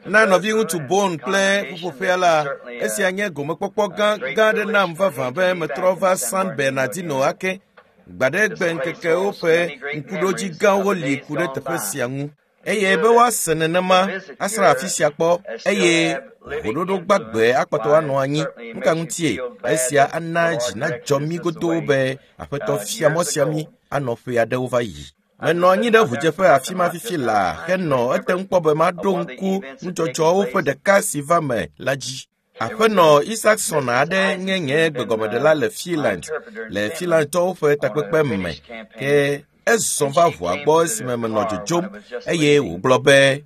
Na nɔviŋutsu Bone kple ƒuƒoƒea la, esia nye gomekpɔkpɔ gã gã aɖe nam vavã be metrɔ va San Bernardino ake. Gbaɖegbe ŋkekewo ƒe ŋkuɖodzi gãwo li ku ɖe teƒe sia ŋu. Eye be woase nenema asra afi sia kpɔ eye ʋuɖoɖo gbagbe akpɔtɔ anɔ anyi. Nu ka ŋutie? Esia ana dzi nadzɔ mí godoo be Aƒetɔ fia mɔ sia mí anɔ ƒe aɖewo va yi. Menɔ anyi ɖe ʋudzeƒe afi ma fifi laa henɔ ete ŋu kpɔ be maɖo ŋku nudzɔdzɔwo ƒe ɖeka si va me la dzi. Aƒenɔ Isaacson aɖe nye nye gbegɔmeɖela le Finland le Finlandtɔwo ƒe takpekpe me ke ezɔ va ʋua gbɔ esime menɔ dzodzom eye wògblɔ be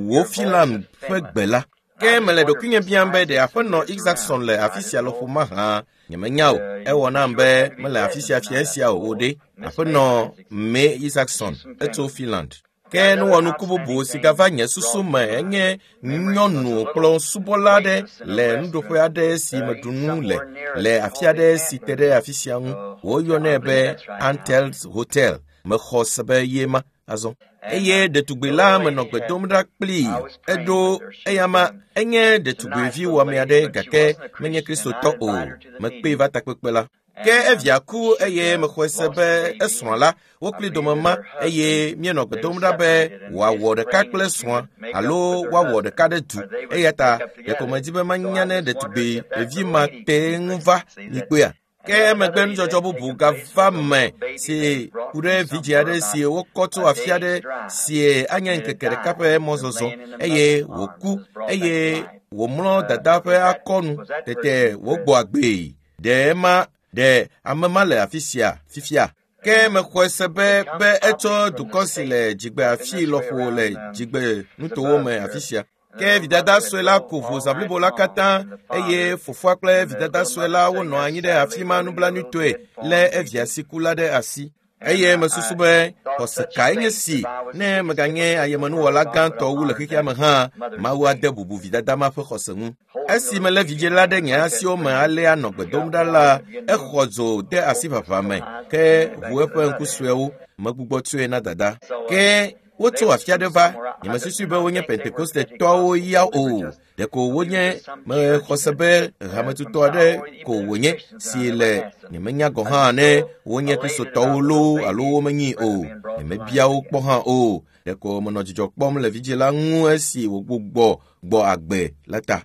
wò Finland ƒe gbe la. Ke mele ɖokuinye biam be ɖe aƒenɔ Isaacson le afi sia lɔƒo mahã. Nyemenya o. Ewɔ nam be mele afi sia fia esia o o ɖe. Aƒenɔ May Isaacson etso Finland. Ke nuwɔnuku bubu si gava nye susu me enye nyɔnu kplɔ̃subɔla aɖe le nuɖuƒe aɖe si meɖu nu le le afi aɖe si te ɖe afi sia ŋu. Woyɔnɛ be Antel's Hotel. Mexɔ se be ye ma azɔ. Eye ɖetugbi la menɔ gbe dom ɖa kplii. Eɖo eyama enye ɖetugbivi wɔame aɖe gake menye kristotɔ o. Mekpee va takpekpe la. Ke evia ku eye mexɔe se be esrɔ̃ la wo kpli dome ma eye míenɔ gbe dom ɖa be wòawɔ ɖeka kple srɔ̃a alo woawɔ ɖeka ɖe du eya ta ɖeko medi be manya ne ɖetugbi ɖevi ma te ŋu va mikpɔea. Ke emegbe nudzɔdzɔ bubu gava me si ku ɖe vidzĩ aɖe si wokɔ tso afi aɖe si anye ŋkeke ɖeka ƒe mɔzɔzɔ eye wòku eye wòmlɔ dada ƒe akɔnu tete wògbɔ agbee. Ɖe ema ɖe ame ma le afi sia fifia? Ke mexɔe se be be etso dukɔ si le dzigbe afi lɔƒo le dzigbe nutowo me afi sia. Ke vidada sue la ku ʋu zã blibo la katã eye fofoa kple vidada sue la wonɔ anyi ɖe afi ma nublanuitɔe lé evia si ku la ɖe asi. Eye mesusu be xɔse kae nye si ne meganye ayemenuwɔla gãtɔ wu le xexea me hã, Mawu ade bubu vidada ma ƒe xɔse ŋu. Esi melé vidzĩ la ɖe nye asiwo me alea nɔ gbe dom ɖa la, exɔ dzo de asi ʋaʋã me ke ʋu eƒe ŋku suewo. Megbugbɔ tsɔe na dada. Ke wotso afi aɖe va. Nyemesusui be wonye Pentekostetɔwo ya o. Ɖeko wonye mexɔ se be hametutɔ aɖe ko wònye si le nyemenya gɔ̃ hã ne wonye kristotɔwo loo alo womenyi o. Nyemebia wo kpɔ hã o. Ɖeko menɔ dzidzɔ kpɔm le vidzĩ la ŋu esi wògbugbɔ gbɔ agbe la ta.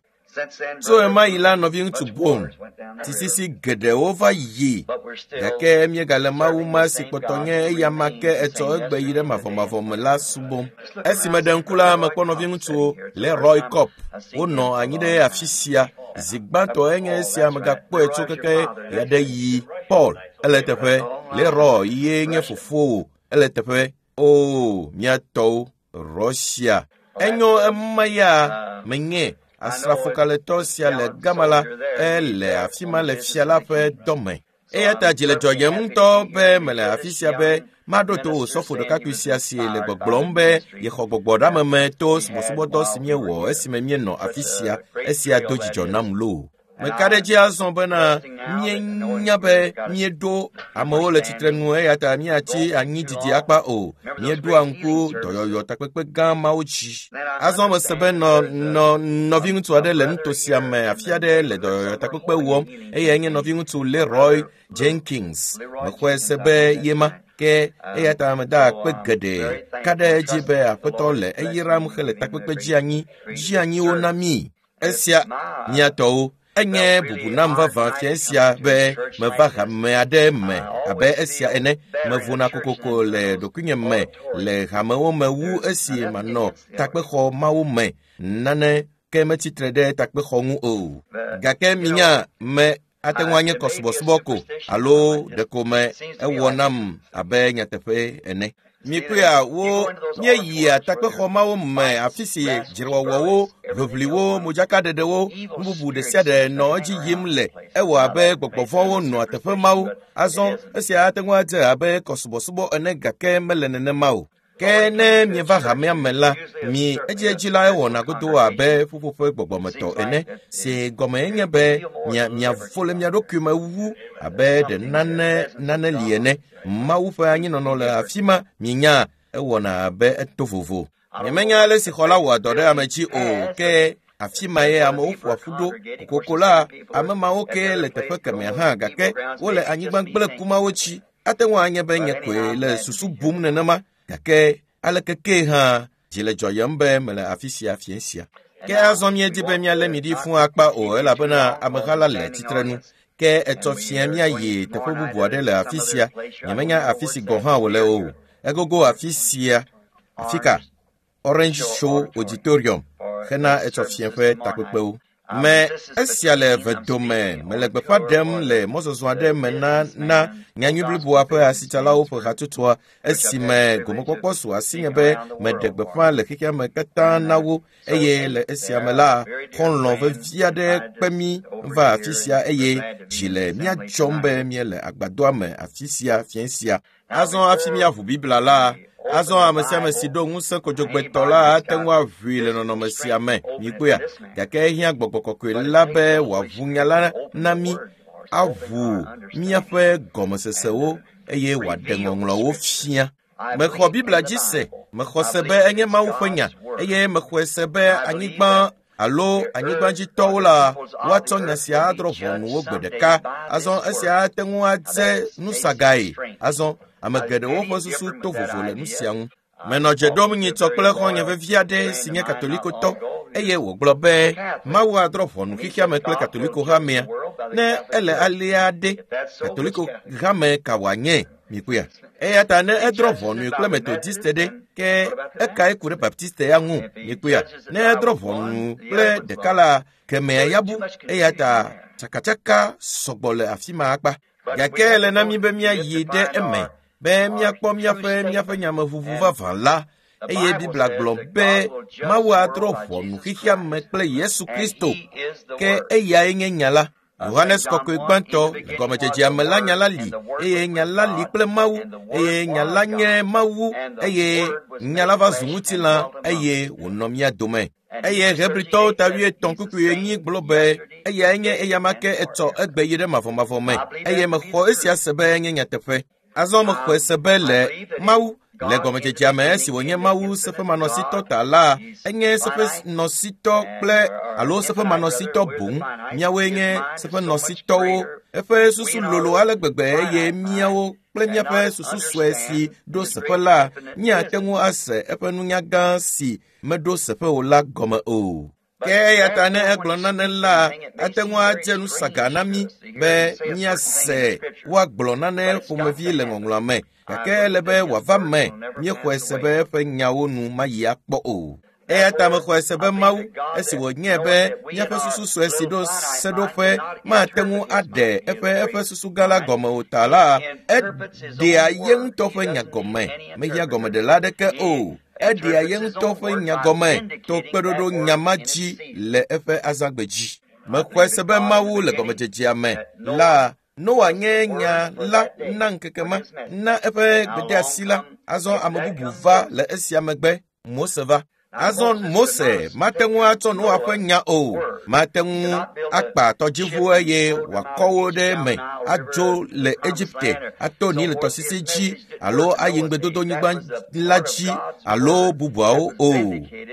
Tso ɣemaɣi la, nɔviŋutsu Bone, tisisi geɖewo va yi gake míegale Mawu ma si kpɔtɔ nye eyama ke etsɔ egbe yi ɖe mavɔmavɔ me la subɔm. Esi meɖe ŋku la, mekpɔ nɔviŋutsuwo Leroy Kopp wonɔ anyi ɖe afi sia. Zi gbãtɔ enye esia megakpɔe tso keke ɣeaɖeɣi. Paul, ele teƒe. Leroy ye nye fofowò, ele teƒe. Oo, mía tɔwo, Russia. Enyo ema ya menye asrafokalẽtɔ sia le gama la, ele afi ma le fia la ƒe dɔme. Eya ta dzi le dzɔdzɔm ŋutɔ be mele afi sia be maɖo to wò sɔfo ɖekakpui sia si le gbɔgblɔm be yexɔ gbɔgbɔɖeameme to subɔsubɔdɔ si míewɔ esime míenɔ afi sia. Esia do dzidzɔ nam loo. Meka ɖe edzi azɔ bena míenya be míeɖo amewo le tsitrenu eya ta míatsi anyi didi akpa o. Míeɖoa ŋku dɔyɔyɔ takpekpe gã mawo dzi. Azɔ mese be nɔ nɔ nɔviŋutsu aɖe le nuto sia me afi aɖe le dɔyɔyɔ takpekpe wɔm eyae nye nɔviŋutsu Leroy Jenkins. Mexɔe se be ye ma ke eya ta meda akpe geɖe ka ɖe edzi be aƒetɔ le eyram hele takpekpe dzi anyi dzi anyiwo na mí. Esia mía tɔwo enye bubu nam vavã fia esia be meva hame aɖe me abe esia ene. Mevona kokoko le ɖokuinye me le hamewo me wu esi manɔ takpexɔ mawo me. Nane ke metsitre ɖe takpexɔ ŋu o. Gake minya me ate ŋu anye kɔsubɔsubɔ ko alo ɖeko me ewɔ nam abe nyateƒe ene. Mikpɔea wo míeyia takpexɔ mawo me afi si dzrewɔwɔwo, ʋiʋliwo, modzakaɖeɖewo, nu bubu ɖe sia ɖe nɔ edzi yim le. Ewɔ abe gbɔgbɔ vɔ̃wo nɔa teƒe mawo. Azɔ esia ate ŋu adze abe kɔsubɔsubɔ ene gake mele nenema o. Ke ne mieva hamea me la, mi edziedzi la ewɔna godoo abe ƒuƒoƒe gbɔgbɔmetɔ ene si gɔme nye be mia miavo le mia ɖokui me wu abe ɖe nane nane li ene. Mawu ƒe anyinɔnɔ le afi ma minya ewɔna abe eto vovo. Nyemenya ale si xɔ la wɔa dɔ ɖe ame dzi o, ke afi ma ye amewo ƒoa ƒu ɖo. Kokoko la, ame mawo ke le teƒe kemɛ hã gake wole anyigba gblẽku mawo dzi. Ate ŋu anye be nye koe le susu bum nenema gake aleke ke hã dzi le dzɔyem be mele afi sia fiẽ sia. Ke azɔ míedi be míalé mi ɖi fũu akpa o elabena ameha la le tsitrenu. Ke etsɔ fia míayi teƒe bubu aɖe le afi sia. Nyemenya afi si gɔ̃ hã wòle o. Egogo afi sia. Afi ka? Orange Show Auditorium hena etsɔ fia ƒe takpekpewo. Me esia le vedome mele gbeƒã ɖem le mɔzɔzɔ aɖe me na na nyanyui bliboa ƒe asitsalawo ƒe hatsotsoa esime gomekpɔkpɔ su asinye be meɖe gbeƒã le xexea me katã na wo eye le esia me la xɔlɔ̃ vevi aɖe kpe mí va afi sia eye dzi le mía dzɔm be míele agbadɔa me afi sia fiẽ sia. Azɔ hafi míaʋu Biblia la, azɔ ame sia ame si ɖo ŋusẽ kodzogbetɔ la ate ŋu aʋui le nɔnɔme sia me, mikpɔea? Gake ehiã gbɔgbɔ kɔkɔe la be wòaʋu nya la na mí, aʋu míaƒe gɔmesesewo eye wòaɖe ŋɔŋlɔwo fia. Mexɔ Biblia dzi se, mexɔ se be enye Mawu ƒe nya eye mexɔe se be anyigba alo anyigbadzitɔwo la woatsɔ nya sia adrɔ̃ ʋɔnu wo gbe ɖeka. Azɔ esia ate ŋu adze nusagae. Azɔ ame geɖewo ƒe susu to vovo le nu sia ŋu. Menɔ dze ɖom nyitsɔ kple xɔ̃nye vevi aɖe si nye katolikotɔ eye wògblɔ be Mawu adrɔ̃ ʋɔnu xexea me kple katoliko hamea. Ne ele alea ɖe, katoliko hame ka wòanye? Mikpɔea? Eya ta ne edrɔ̃ ʋɔnui kple metodiste ɖe, ke ekae ku ɖe baptiste ya ŋu? Mikpɔea? Ne edrɔ̃ ʋɔnu kple ɖeka la, kemea ya bu. Eya ta tsakatsaka sɔgbɔ le afi ma akpa. Gake ele na mí be míayi ɖe eme be míakpɔ míaƒe míaƒe nyameʋuʋu vavã la eye Biblia gblɔ be Mawu adrɔ̃ ʋɔnu xexea me kple Yesu Kristo ke eyae nye nya la. Yohanes kɔkɔe gbãtɔ le gɔmedzedzea me la nya la li eye nya la li kple Mawu eye nya la nye Mawu eye nya la va zu ŋutilã eye wònɔ mía dome. Eye Hebritɔwo ta 83:4 gblɔ be eyae nye eyama ke etsɔ egbe yi ɖe mavɔmavɔ me eye mexɔ esia se be enye nyateƒe. Azɔ mexɔe se be le Mawu le gɔmedzedzea me esi wònye Mawu seƒemanɔsitɔ ta la, enye seƒenɔsitɔ kple alo seƒemanɔsitɔ boŋ. Míawoe nye seƒenɔsitɔwo. Eƒe susu lolo ale gbegbe eye míawo kple míaƒe susu sue si ɖo seƒe la, míate ŋu ase eƒe nunya gã si meɖo seƒe o la gɔme o. Ke eya ta ne egblɔ nane la, ate ŋu adze nusaga na mí be míase woagblɔ nane ƒomevi le ŋɔŋlɔa me gake ele be wòava me míexɔe se be eƒe nyawo nu mayi akpɔ o. Eya ta mexɔe se be Mawu esi wònye be míaƒe susu sue si ɖo seɖoƒe mate ŋu aɖe eƒe eƒe susu gã la gɔme o ta la, eɖea ye ŋutɔ ƒe nya gɔme, mehiã gɔmeɖela aɖeke o. Eɖea ye ŋutɔ ƒe nya gɔme to kpeɖoɖo nya ma dzi le eƒe azãgbe dzi. Mexɔe se be Mawu le gɔmedzedzea me la, Noa nye nya la na ŋkeke ma, na eƒe gbedeasi la. Azɔ ame bubu va le esia megbe, Mose va. Azɔ Mose mate ŋu atsɔ Noa ƒe nya o, mate ŋu akpa tɔdziʋu eye wòakɔ wo ɖe eme adzo le Egipte ato Nil tɔsisi dzi alo ayi ŋugbedodonyigba la dzi alo bubuawo o.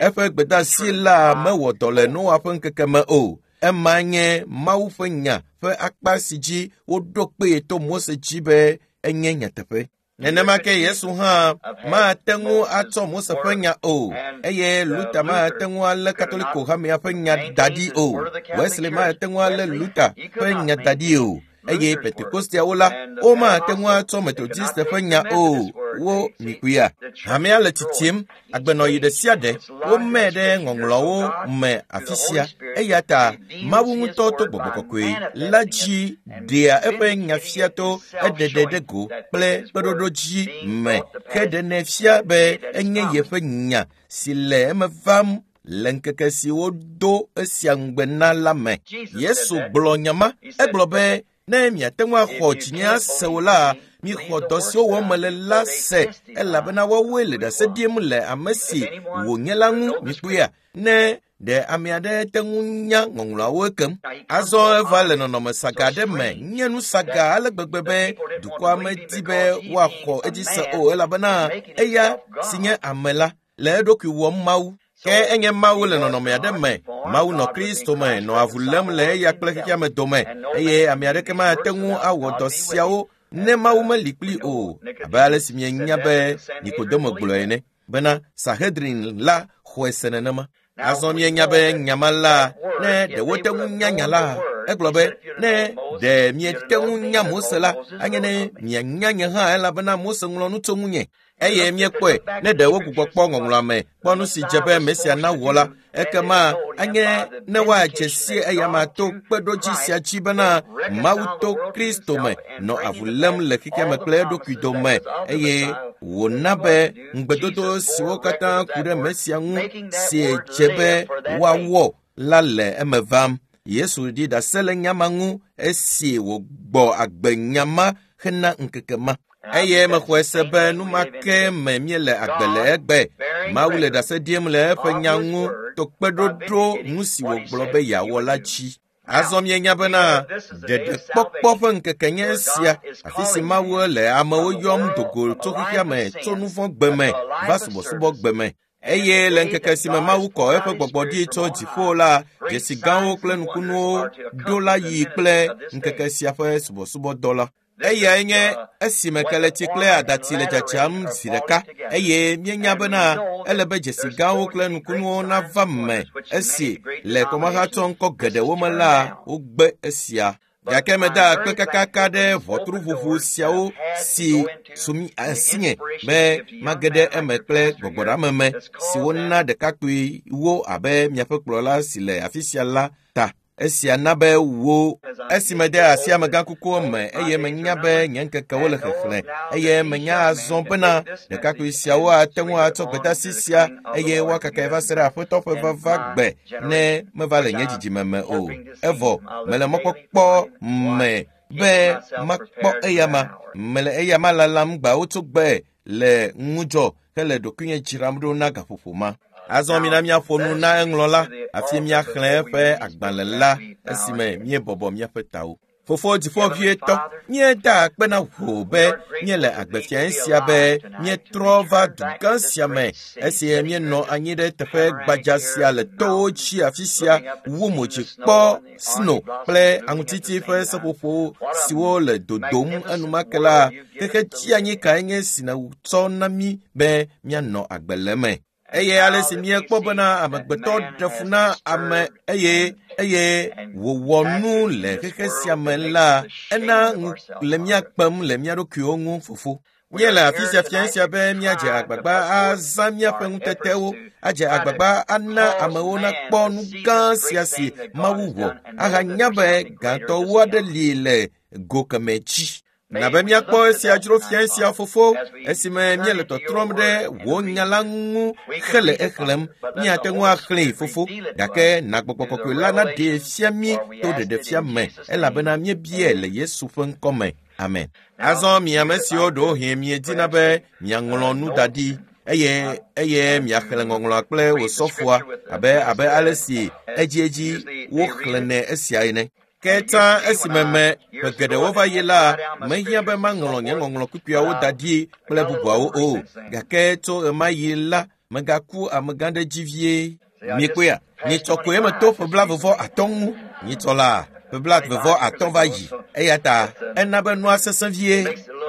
Eƒe gbedeasi la mewɔ dɔ le Noa ƒe ŋkeke me o. Ema nye Mawu ƒe nya ƒe akpa si dzi woɖo kpee to Mose dzi be enye nyateƒe. Nenema ke Yesu hã mate ŋu atsɔ Mose ƒe nya o eye Luther mate ŋu alé Katoliko hamea ƒe nya da ɖi o. Wesley mate ŋu alé Luther ƒe nya da ɖi o eye Pentekosteawo la, womate ŋu atsɔ Methodiste ƒe nya o. Wo mikpɔea? Hamea le tsitsim, agbenɔɣi ɖe sia ɖe, womee ɖe ŋɔŋlɔawo me afi sia. Eya ta Mawu ŋutɔ to gbɔgbɔ kɔkɔe la dzi ɖea eƒe nya fia to eɖeɖe ɖe go kple kpeɖoɖo dzi me ke ɖenɛ fia be enye yeƒe nya si le eme vam le ŋkeke si wodo esia ŋugbe na la me. Yesu gblɔ nya ma, egblɔ be ne miate ŋu axɔ dzinye ase o la, mixɔ dɔ siwo wɔm mele la se elabena woawoe le ɖase ɖim le ame si wònye la ŋu. Mikpɔea? Ne ɖe ame aɖe te ŋu nya ŋɔŋlɔawo ekem. Azɔ eva le nɔnɔme saga aɖe me, nye nu saga ale gbegbe be dukɔa medi be woaxɔ edzi se o elabena eya si nye ame la. le eɖokui wɔm Mawu. Ke enye Mawu le nɔnɔme aɖe me. Mawu nɔ Kristo me, nɔ avu lém le eya kple xexeame dome, eye ame aɖeke mate ŋu awɔ dɔ siawo ne Mawu meli kpli o, abe ale si mienya be Nikodemo gblɔe ene bena Sanhedrin la xɔe se nenema. Azɔ mienya be nyama la, ne ɖe wote ŋu nya nya la, egblɔ be ne ɖe miete ŋu nya Mose la, anye ne mianya nye hã elabena Mose ŋlɔ nu tso ŋunye. Eye míekpɔe ne ɖe wogbugbɔ kpɔ ŋɔŋlɔa me kpɔ nu si dze be Mesia nawɔ la, ekema anye ne woadze si eyama to kpeɖodzi sia dzi bena Mawu to Kristo me nɔ avu lém le xexeame kple eɖokui dome eye wòna be ŋugbedodo siwo katã ku ɖe Mesia ŋu si dze be woawɔ la le eme vam. Yesu ɖi ɖase le nya ma ŋu esi wògbɔ agbe nya ma hena ŋkeke ma. Eye mexɔe se be nu ma ke me míele agbe le egbe. Mawu le ɖase ɖim le eƒe nya ŋu to kpeɖoɖo nu si wògblɔ be yeawɔ la dzi. Azɔ mienya bena ɖeɖekpɔkpɔ ƒe ŋkeke nye esia, afi si Mawu le amewo yɔm do go tso xexea me, tso nu vɔ̃ gbe me va subɔsubɔ gbe me. Eye le ŋkeke si me Mawu kɔ eƒe gbɔgbɔ ɖi tso dziƒo la, dzesi gãwo kple nukunuwo ɖo la yi kple ŋkeke sia ƒe subɔsubɔdɔ la. Eyae nye esime keletsi kple adatsi le dzadzam zi ɖeka eye míenya bena ele be dzesi gãwo kple nukunuwo nava me esi le kɔmahatsɔ ŋkɔ geɖewo me la wogbe esia. Gake meda akpe kakaka ɖe ʋɔtruʋuʋu siawo si su asinye be mage ɖe eme kple gbɔgbɔɖeameme si wona ɖekakpuiwo abe miaƒe kplɔla si le afi sia la ta. Esia na be wo esi mede asi amegãkukuwo me eye menya be nye ŋkekewo le xexlẽ eye menya azɔ bena ɖekakpui siawo ate ŋu atsɔ gbedeasi sia eye woakakae va se ɖe Aƒetɔ ƒe vava gbe ne meva le nye dzidzime me o. Evɔ mele mɔkpɔkpɔ me be makpɔ eyama. Mele eyama lalam gbawo tso gbe le ŋudzɔ hele ɖokuinye dzram ɖo na gaƒoƒo ma. Azɔ mina míaƒo nu na eŋlɔla hafi míaxlẽ eƒe agbalẽ la esime míebɔbɔ míaƒe tawo. Fofo dziƒoʋĩtɔ, míeda akpe na wò be míele agbe fiae sia be míetrɔ va dugã sia me esi míenɔ anyi ɖe teƒe gbadza sia le towo dzi afi sia wu mo dzi kpɔ sno kple aŋutiti ƒe seƒoƒo siwo le dodom enumake la, xexe tsianyi kae nye si nètsɔ na mí be míanɔ agbe le eme. Eye ale si míekpɔ bena amegbetɔ ɖe fu na ame eye wòwɔ nu le xexe sia me la, ena ŋu le mía kpem le mía ɖokuiwo ŋu fofo. Míele afi sia fia sia be míadze agbagba azã míaƒe ŋutetewo, adze agbagba ana amewo nakpɔ nu gã sia si Mawu wɔ, ahanya be gãtɔwo aɖe li le go kemɛ dzi. Na be míakpɔ esia dzro fia sia fofo esime míele tɔtrɔm ɖe wò nya la ŋu hele exlẽm. Míate ŋu axlẽe fofo, gake na gbɔgbɔ kɔkɔe la naɖee fia mí to ɖeɖefia me elabena míebiae le Yesu ƒe ŋkɔ me. Amen. Azɔ mi ame siwo ɖewohĩ miedina be miaŋlɔ nu da ɖi eye miaxlẽ ŋɔŋlɔa kple wò sɔfoa abe ale si edziedzi woxlẽnɛ esia ene. Ke tsã esime me ƒe geɖewo va yi la, mehiã be maŋlɔ nye ŋɔŋlɔ kpukpuiawo da ɖi kple bubuawo o. Gake tso ɣemaɣi la, megaku amegã ɖe dzi vie. Miekpɔea? Nyitsɔ koe meto ƒe 33 ŋu. Nyitsɔ la, ƒe 33 va yi. Eya ta ena be nua sesẽ vie.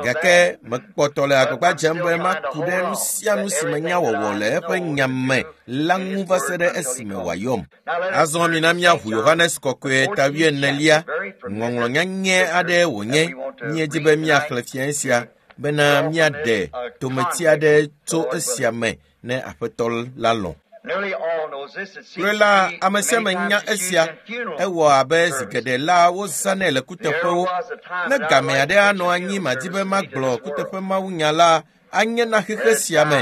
Gake mekpɔtɔ le agbagba dzem be maku ɖe nu sia nu si menya wɔwɔ le eƒe nya me la ŋu va se ɖe esime wòayɔm. Azɔ mina míaʋu Yohanes kɔkɔe ta 24, ŋɔŋlɔ nyanyɛ aɖe wònye. Míedi be míaxlẽ fia sia bena míaɖe tometi aɖe tso esia me ne Aƒetɔ la lɔ̃. Kloe la, ame sia ame nya esia. Ewɔ abe zi geɖe la wozãnɛ le kuteƒewo. Ne game aɖe anɔ anyi madi be magblɔ kuteƒe mawunya la, anye na xexe sia me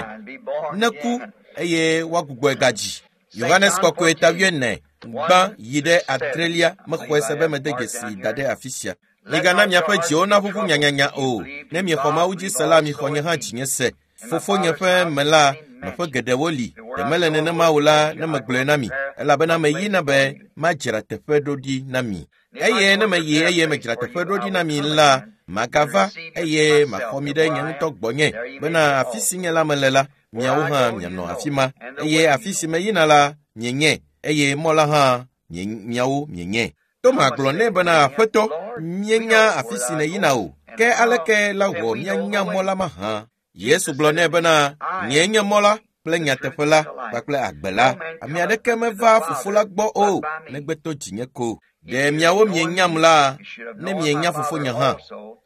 neku eye woagbugbɔe gadzi. Yohanes kɔkɔe ta 24 gbã yi ɖe 8 mexɔe se be mede dzesi da ɖe afi sia. Migana miaƒe dziwo naʋuʋu nyanyanya o. Ne miexɔ Mawu dzi se la, mixɔ nye hã dzinye se. Fofonye ƒe me la, nɔƒe geɖewo li. Ɖe mele nenema o la, ne megblɔe na mi, elabena meyina be madzra teƒe ɖo ɖi na mi. Eye ne meyi eye medzra teƒe ɖo ɖi na mi la, Magava eye maxɔ mi ɖe nye ŋutɔ gbɔnye bena afi si nye la mele la, miawo hã mianɔ afi ma eye afi si meyina la mienye eye mɔ la hã miawo mienye. Toma gblɔ nɛ bena aƒetɔ, míenya afi si nèyina o, ke aleke la wɔ míanya mɔ la mahã? Yesu gblɔ nɛ bena nyee nye mɔ la kple nyateƒe la kpakple agbe la. Ame aɖeke meva fofo la gbɔ o negbe to dzinye ko. Ɖe miawo mienyam la, ne mienya fofonye hã.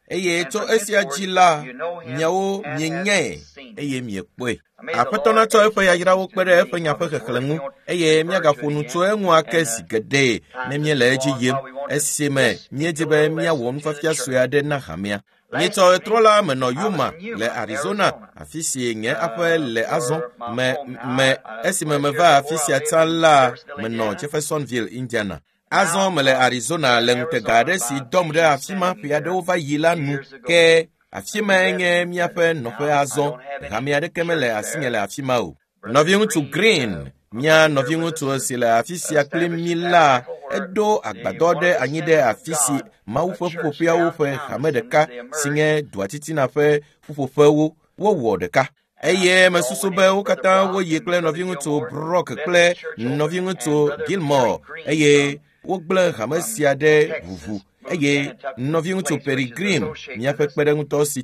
Eye tso esia dzi la, miawo mienyae eye miekpɔe. Aƒetɔ natsɔ eƒe yayrawo kpe ɖe eƒe nya ƒe xexlẽ ŋu eye míagaƒo nu tso eŋu ake zi geɖe ne míele edzi yim esime míedi be míawɔ nufiafia sue aɖe na hamea. Nyitsɔ ɣetrɔ la menɔ Yuma le Arizona, afi si nye aƒe le azɔ me esime meva afi sia tsã la menɔ Jeffersonville, Indiana. Azɔ mele Arizona le ŋutega aɖe si dɔm ɖe afi ma ƒe aɖewo va yi la nu ke afi mae nye míaƒe nɔƒe azɔ. Hame aɖeke mele asinye le afi ma o. Nɔviŋutsu Green, mía nɔviŋutsu si le afi sia kpli mí la, eɖo agbadɔ ɖe anyi ɖe afi si Mawu ƒe ƒuƒoƒeawo ƒe hame ɖeka si nye dua titina ƒe ƒuƒoƒewo wowɔ ɖeka. Eye mesusu be wo katã woyi kple nɔviŋutsu Brock kple nɔviŋutsu Gilmore eye wogblẽ hame sia ɖe ʋuʋu eye nɔviŋutsu Peregrine, míaƒe kpeɖeŋutɔ si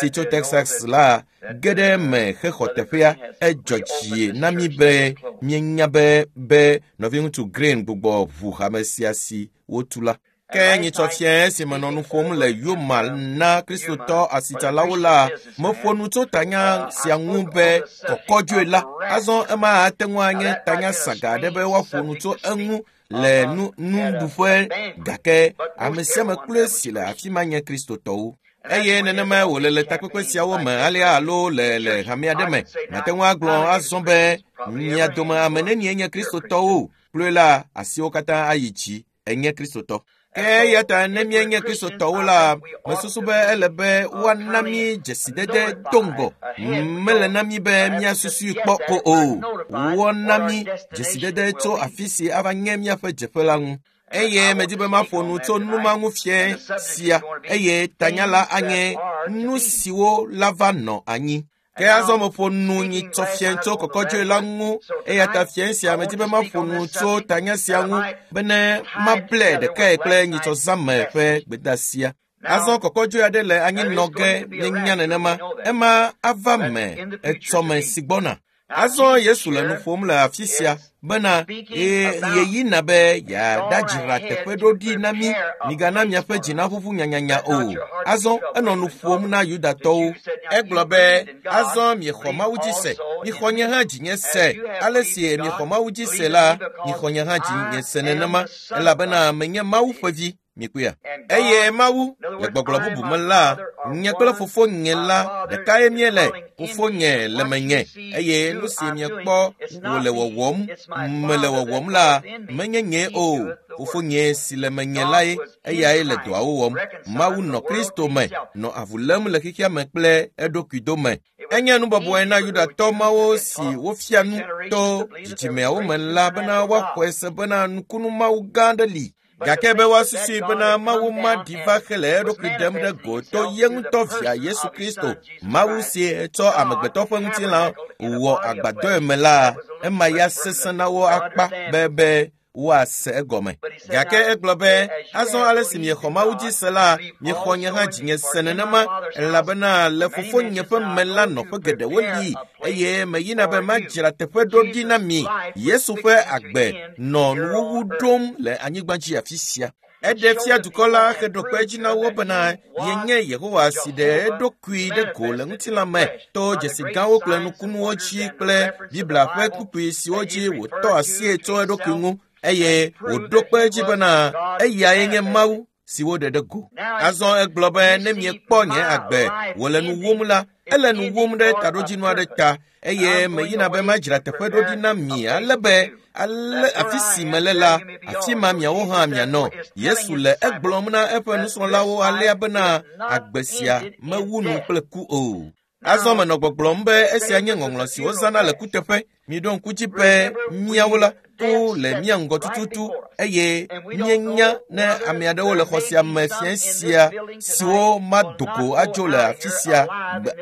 tso Texas la, ge ɖe eme hexɔ teƒea. Edzɔ dzi na mí be míenya be nɔviŋutsu Green gbugbɔ ʋu hame sia si wotu la. Ke nyitsɔ fiẽ si menɔ nu ƒom le Yuma na Kristotɔ asitsalawo la, meƒo nu tso tanya sia ŋu be kɔkɔdzoe la. Azɔ ema ate ŋu anye tanya saga aɖe be woaƒo nu tso eŋu le nuɖuƒe gake ame sia ame kloe si le afi ma nye Kristotɔwo. Eye nenema wòle le takpekpe siawo me alea alo le hame aɖe me. Mate ŋu agblɔ azɔ be mia dome ame nenie nye Kristotɔwo kloe la, asiwo katã ayi dzi enye Kristotɔ. Ke eya ta ne míenye Kristotɔwo la, mesusu be ele be woana mí dzesidede do ŋgɔ. Mele na mí be míasusui kpɔ ko o. Woana mí dzesidede tso afi si ava nye míaƒe dzeƒe la ŋu. Eye medi be maƒo nu tso nu ma ŋu fiẽ sia eye tanya la anye nu siwo la va nɔ anyi. Ke azɔ meƒo nu nyitsɔ fiẽ tso kɔkɔdzoe la ŋu eya ta fiẽ sia medi be maƒo nu tso tanya sia ŋu bene mable ɖekae kple nyitsɔ zãme ƒe gbedeasia. Azɔ kɔkɔdzoe aɖe le anyi nɔ ge míenya nenema ema ava me etsɔme si gbɔna. Azɔ Yesu le nu ƒom le afi sia bena yeyina be yeaɖadzra teƒe ɖo ɖi na mí, migana miaƒe dzi naʋuʋu nyanyanya o. Azɔ enɔ nu ƒom na Yudatɔwo. Egblɔ be azɔ miexɔ Mawu dzi se, mixɔ nye hã dzinye se. Ale si miexɔ Mawu dzi se la, mixɔ nye hã dzinye se nenema elabena menye Mawu ƒe vi. Mikpɔea? Eye Mawu, le gbɔgblɔ bubu me la, nye kple fofonye la ɖekae míele. Fofonye le menye eye nu si miekpɔ wòle wɔwɔm mele wɔwɔm la, menye nye o. Fofonye si le menye lae, eyae le dɔawo wɔm. Mawu nɔ Kristo me, nɔ avu lém le xexea me kple eɖokui dome. Enye nu bɔbɔe na Yudatɔ mawo si wofia nu to dzidzimeawo me la bena woaxɔe se bena nukunu Mawu gã aɖe li. Gake be woasusui bena Mawu ma ɖi va hele eɖokui ɖem ɖe go to ye ŋutɔ via Yesu Kristo, Mawu si tsɔ amegbetɔ ƒe ŋutilã wɔ agbadɔe me la, ema ya sesẽ na wo akpa be woase egɔme. Gake egblɔ be azɔ ale si miexɔ Mawu dzi se la, miexɔ nye hã dzinye se nenema elabena le fofonye ƒe me la nɔƒe geɖewo li eye meyina be madzra teƒe ɖo ɖi na mi. Yesu ƒe agbe nɔ nuwuwu ɖom le anyigba dzi afi sia. Eɖe fia dukɔ la heɖo kpe edzi na wo bena yenye Yehowa si ɖe eɖokui ɖe go le ŋutilã me to dzesi gãwo kple nukunuwo dzi kple Biblia ƒe kpukpui siwo dzi wòtɔ asie tso eɖokui ŋu eye wòɖo kpe edzi bena eyae nye Mawu si woɖe ɖe go. Azɔ egblɔ be ne miekpɔ nye agbe wòle nu wum la, ele nu wum ɖe taɖodzinu aɖe ta eye meyina be madzra teƒe ɖo ɖi na mi ale be ale afi si mele la, afi ma miawo hã mianɔ. Yesu le egblɔm na eƒe nusrɔ̃lawo alea bena agbe sia mewu nu kple ku o. Azɔ menɔ gbɔgblɔm be esia nye ŋɔŋlɔ si wozãna le kuteƒe. Miɖo ŋku dzi be míawo la, ku le mía ŋgɔ tututu eye míenya ne ame aɖewo le xɔ sia me fiẽ sia siwo mado go adzo le afi sia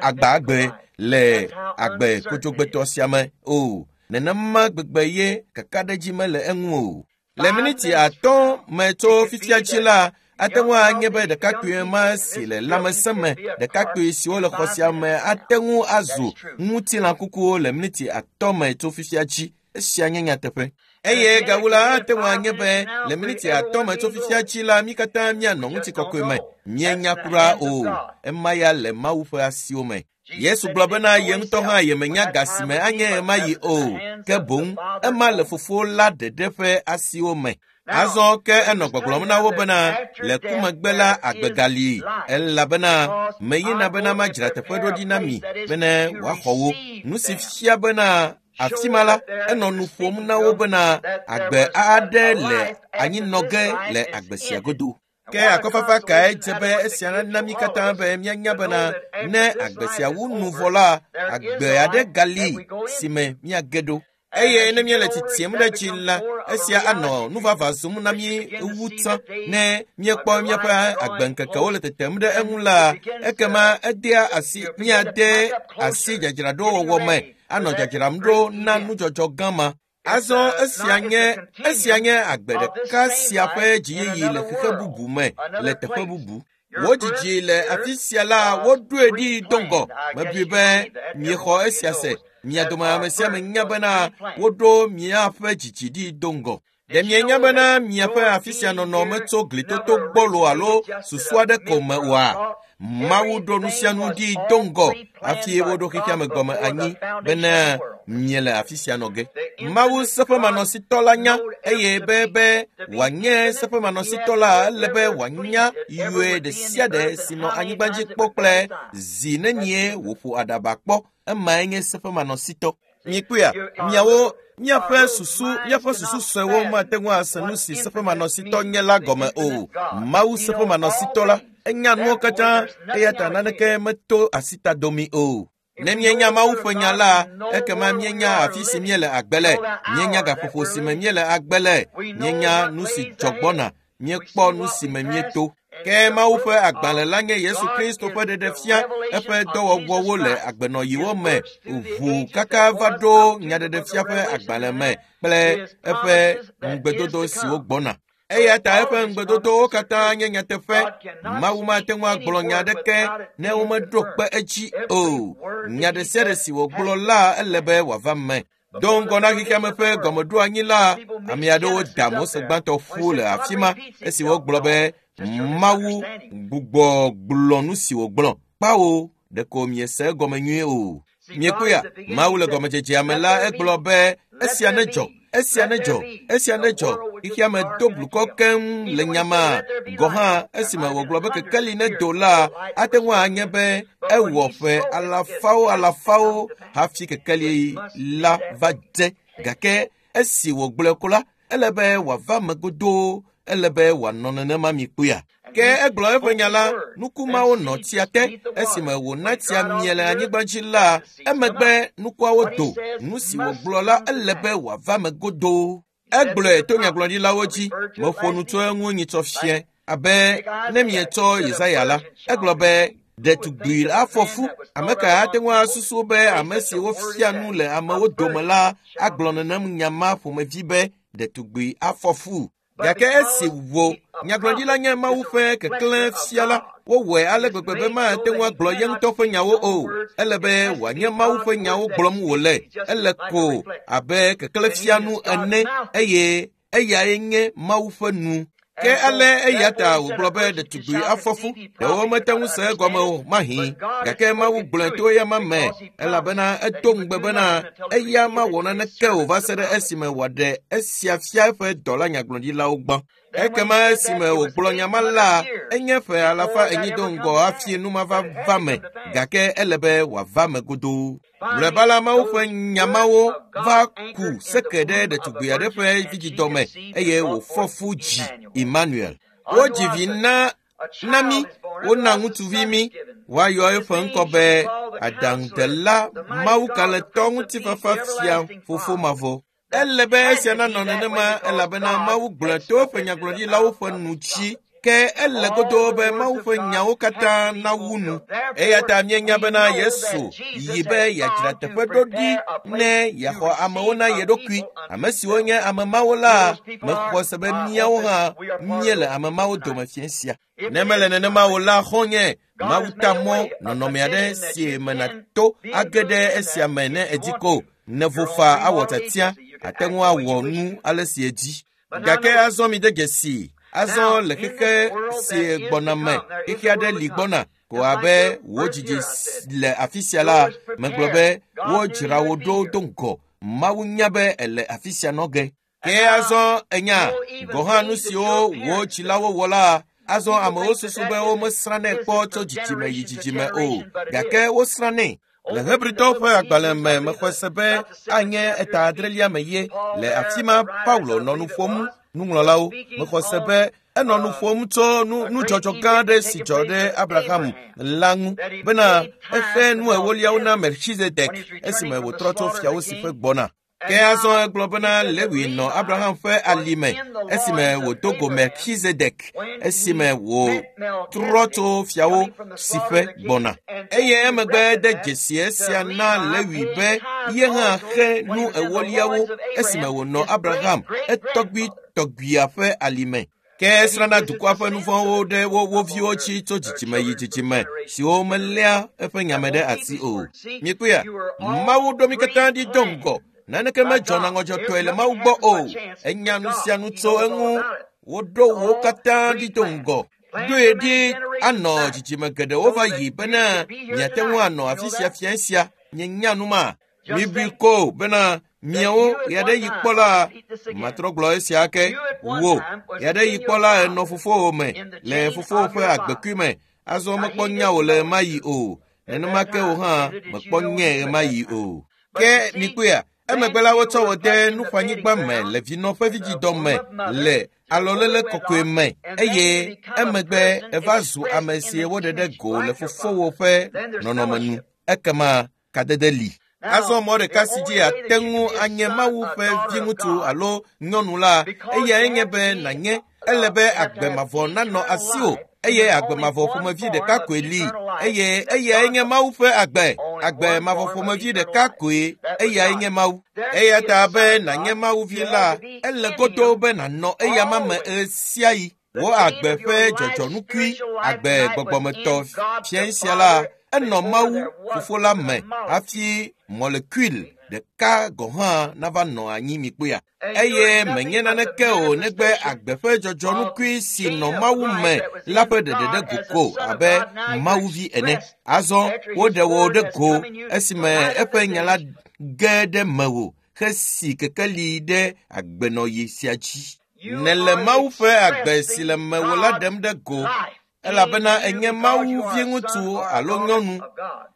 agbagbe le agbe kodzogbetɔ sia me o. Nenema gbegbe ye kakaɖedzi mele eŋu o. Le miniti 5 me tso fifia dzi la, ate ŋu anye be ɖekakpui ma si le lãmesẽ me, ɖekakpui siwo le xɔ sia me ate ŋu azu ŋutilãkukuwo le miniti 5 me tso fifia dzi. Esia nye nyateƒe. Eye gawu la ate ŋu anye be le miniti 5 me tso fifia dzi la, mí katã míanɔ ŋutikɔkɔe me. Míenya kura o. Ema ya le Mawu ƒe asiwo me. Yesu gblɔ bena ye ŋutɔ hã yemenya ga si me anye ɣemaɣi o, ke boŋ ema le Fofo la ɖeɖe ƒe asiwo me. Azɔ ke enɔ gbɔgblɔm na wo bena le ku megbe la agbe gali, elabena meyina bena madzra teƒe ɖo ɖi na mi bene wòaxɔ wo. Nu si fia bena afi ma la, enɔ nu ƒom na wo bena agbe aɖe le anyinɔ ge le agbe sia godo. Ke akɔfafa kae dze be esia nana mí katã be míanya bena ne agbe sia wu nu vɔ la, agbe aɖe gali si me míage ɖo. Eye ne míele tsitsiem ɖe dzi la, esia anɔ nuvava zum na mí wu tsã. Ne míekpɔ míaƒe agbeŋkekewo le tetem ɖe eŋu la, ekema edea asi míade asi dzadzraɖowɔwɔ me, anɔ dzadzram ɖo na nudzɔdzɔ gã ma. Azɔ esia nye agbe ɖeka sia ƒe dziyiyi le xexe bubu me, le teƒe bubu. Wo dzidzi le afi sia la, woɖoe ɖi do ŋgɔ. Mebui be miexɔ esia se. Mia dome ame sia ame nya bena woɖo miaƒe dzidzi ɖi do ŋgɔ. Ɖe mienya bena miaƒe afi sia nɔnɔ metso glitoto gbɔlo alo susu aɖe ko me oa? Mawu ɖo nu sia nu ɖi do ŋgɔ hafi woɖo xexea me gɔme anyi bena miele afi sia nɔ ge. Mawu seƒemanɔsitɔ la nya eye be wòanye seƒemanɔsitɔ la, ele be wòanya yɔe ɖe sia ɖe si nɔ anyigba dzi kpɔ kple zi nenie wòƒo aɖaba kpɔ. Emae nye seƒemanɔsitɔ. Mikpɔea, miawo miaƒe susu suewo mate ŋu ase nu si seƒemanɔsitɔ nye la gɔme o. Mawu seƒemanɔsitɔ la, enya nuwo katã, eya ta naneke meto asita domi o. Ne míenya Mawu ƒe nya la, ekema míenya afi si míele agbe le, míenya gaƒoƒo si me míele agbe le, míenya nu si dzɔ gbɔna, míekpɔ nu si me míeto. Ke Mawu ƒe agbalẽ la nye Yesu Kristo ƒe ɖeɖefia, eƒe dɔwɔwɔwo le agbenɔɣiwo me ʋu kaka va ɖo nyaɖeɖefia ƒe agbalẽ me kple eƒe ŋugbedodo siwo gbɔna. Eya ta eƒe ŋugbedodowo katã nye nyateƒe. Mawu mate ŋu agblɔ nya aɖeke ne womeɖo kpe edzi o. Nya ɖe sia ɖe si wògblɔ la, ele be wòava me. Do ŋgɔ na xexeame ƒe gɔmeɖoanyi la, ame aɖewo da Mose gbãtɔ ƒu le afi ma esi wogblɔ be Mawu gbugbɔ gblɔ nu si wògblɔ. Kpawo, ɖeko miese egɔme nyuie o. Miekpɔea, Mawu le gɔmedzedzea me la, egblɔ be esia nedzɔ, esia nedzɔ, esia nedzɔ. Xexeame do blukɔ keŋ le nyama. Gɔ hã esime wògblɔ be kekeli nedo la, ate ŋu anye be ewɔ ƒe alafawo hafi kekeli la va dze. Gake esi wògblɔe ko la, ele be wòava me godoo, ele be wòanɔ nenema mi kpɔea. Ke egblɔ eƒe nya la, nukumawo nɔ tsia te esime wòna tsia mie le anyigba dzi la, emegbe nukuawo do. Nu si wògblɔ la, ele be wòava me godoo. Egblɔe to nyagblɔɖilawo dzi. Meƒo nu tso eŋu nyitsɔ fia abe ne mietsɔ Yesaya la, egblɔ be ɖetugbui afɔ fu. Ame ka ate ŋu asusu be ame si wofia nu le amewo dome la agblɔ nenem nya ma ƒomevi be ɖetugbui afɔ fu? Gake esi wo nyagblɔɖila nye Mawu ƒe keklẽ fia la, wowɔe ale gbegbe be mate ŋu agblɔ ye ŋutɔ ƒe nyawo o. Ele be wòanye Mawu ƒe nyawo gblɔm wòle. Ele ko abe keklẽ fianu ene eye eyae nye Mawu ƒe nu. Ke ale eya ta wògblɔ be ɖetugbui afɔ fu. Ɖewo mete ŋu se egɔme o mahi. Gake Mawu gblɔe to eya ma me, elabena edo ŋugbe bena eya mawɔ naneke o va se ɖe esime wòaɖe esia fia eƒe dɔla nyagblɔɖilawo gbã. Ekema esime wògblɔ nya ma la, enye ƒe 400 do ŋgɔ hafi nu ma va va me, gake ele be wòava me godoo. Mlɔeba la, Mawu ƒe nya mawo va ku seke ɖe ɖetugbui aɖe ƒe vidzidɔ me eye wòfɔ fu dzi Emmanuel. Wodzi vi na mí, wona ŋutsuvi mí. Woayɔ eƒe ŋkɔ be Aɖaŋudela, Mawu kalẽtɔ, ŋutifafa fia, Fofo mavɔ. Ele be esia nanɔ nenema elabena Mawu gblɔe to eƒe nyagblɔɖilawo ƒe nu dzi. Ke ele godoo be Mawu ƒe nyawo katã nawu nu. Eya ta míenya bena Yesu yi be yeadzra teƒe ɖo ɖi ne yeaxɔ amewo na ye ɖokui. Ame siwo nye ame mawo la, mexɔ se be míawo hã míele ame mawo dome fiẽ sia. Ne mele nenema o la, xɔ̃nye, Mawu ta mɔ nɔnɔme aɖe si me nàto age ɖe esia me ne èdi ko. Ne vo faa awɔ tiatia, àte ŋu awɔ nu ale si èdi. Gake azɔ mide dzesii. Azɔ le xexe si gbɔna me, xexe aɖe li gbɔna ko abe wò dzidzi le afi sia la, megblɔ be wodzra wò ɖo do ŋgɔ. Mawu nya be èle afi sia nɔ ge. Ke azɔ enya gɔ̃ hã nu siwo wò dzilawo wɔ la, azɔ amewo susu be womesrãnɛ kpɔ tso dzidzime yi dzidzime o, gake wosrãnɛ. Le Hebritɔwo ƒe agbalẽ me mexɔe se be anye eta adrelia me ye. Le afi ma Paulo nɔ nu ƒom nuŋlɔlawo. Mexɔ se be enɔ nu ƒom tso nudzɔdzɔ gã aɖe si dzɔ ɖe Abraham la ŋu bena exe nu ewoliawo na Melchizedek esime wòtrɔ tso fiawo si ƒe gbɔna. Ke azɔ egblɔ bena Lewi nɔ Abraham ƒe alime esime wòdo go Melchizedek esime wòtrɔ tso fiawo si ƒe gbɔna. Eye emegbe de dzesi esia na Lewi be ye hã xe nu ewoliawo esime wònɔ Abraham etɔgbui tɔgbuia ƒe alime. Ke esrãna dukɔa ƒe nu vɔ̃wo ɖe wo viwo dzi tso dzidzime yi dzidzime siwo meléa eƒe nyame ɖe asi o. Mikpɔea, Mawu ɖo mí katã ɖi do ŋgɔ. Naneke medzɔna ŋɔdzɔtɔe le Mawu gbɔ o. Enya nu sia nu tso eŋu. Woɖo wo katã ɖi do ŋgɔ. Ɖoe ɖi anɔ dzidzime geɖewo va yi bena miate ŋu anɔ afi sia fia sia. Mienya nu ma. Mibui ko bena miawo ya ɖe yi kpɔ la, matrɔ gblɔ esia ke. Wò ya ɖe yi kpɔ la enɔ fofowò me le fofowò ƒe agbekui me. Azɔ mekpɔ nya wò le ɣemaɣi o. Nenema ke wò hã mekpɔ nye ɣemaɣi o. Ke mikpɔea, emegbe la wotsɔ wò de nuƒanyigba me le vinɔ ƒe vidzidɔ me le alɔlele kɔkɔe me eye emegbe eva zu ame si woɖe ɖe go le fofowò ƒe nɔnɔme nu. Ekema kadede li. Azɔ mɔ ɖeka si dzi ate ŋu anye Mawu ƒe viŋutsu alo nyɔnu la, eyae nye be nànye ele be agbe mavɔ nanɔ asiwò eye agbe mavɔ ƒomevi ɖeka koe li eye eyae nye Mawu ƒe agbe. Agbe mavɔ ƒomevi ɖeka koe, eyae nye Mawu. Eya ta be nànye Mawu vi la, ele godoo be nànɔ eyama me ɣesiaɣi. Wò agbe ƒe dzɔdzɔnukui, agbe gbɔgbɔmetɔ fia sia la, enɔ Mawu fofo la me hafi mɔlekul ɖeka gɔ̃ hã nava nɔ anyi mikpɔea. Eye menye naneke o negbe agbe ƒe dzɔdzɔnukui si nɔ Mawu me la ƒe ɖeɖe ɖe go ko abe Mawu vi ene. Azɔ woɖe wò ɖe go esime eƒe nya la ge ɖe mewò hesi kekeli ɖe agbenɔɣi sia dzi. Nèle Mawu ƒe agbe si le mewò la ɖem ɖe go elabena enye Mawu viŋutsu alo nyɔnu.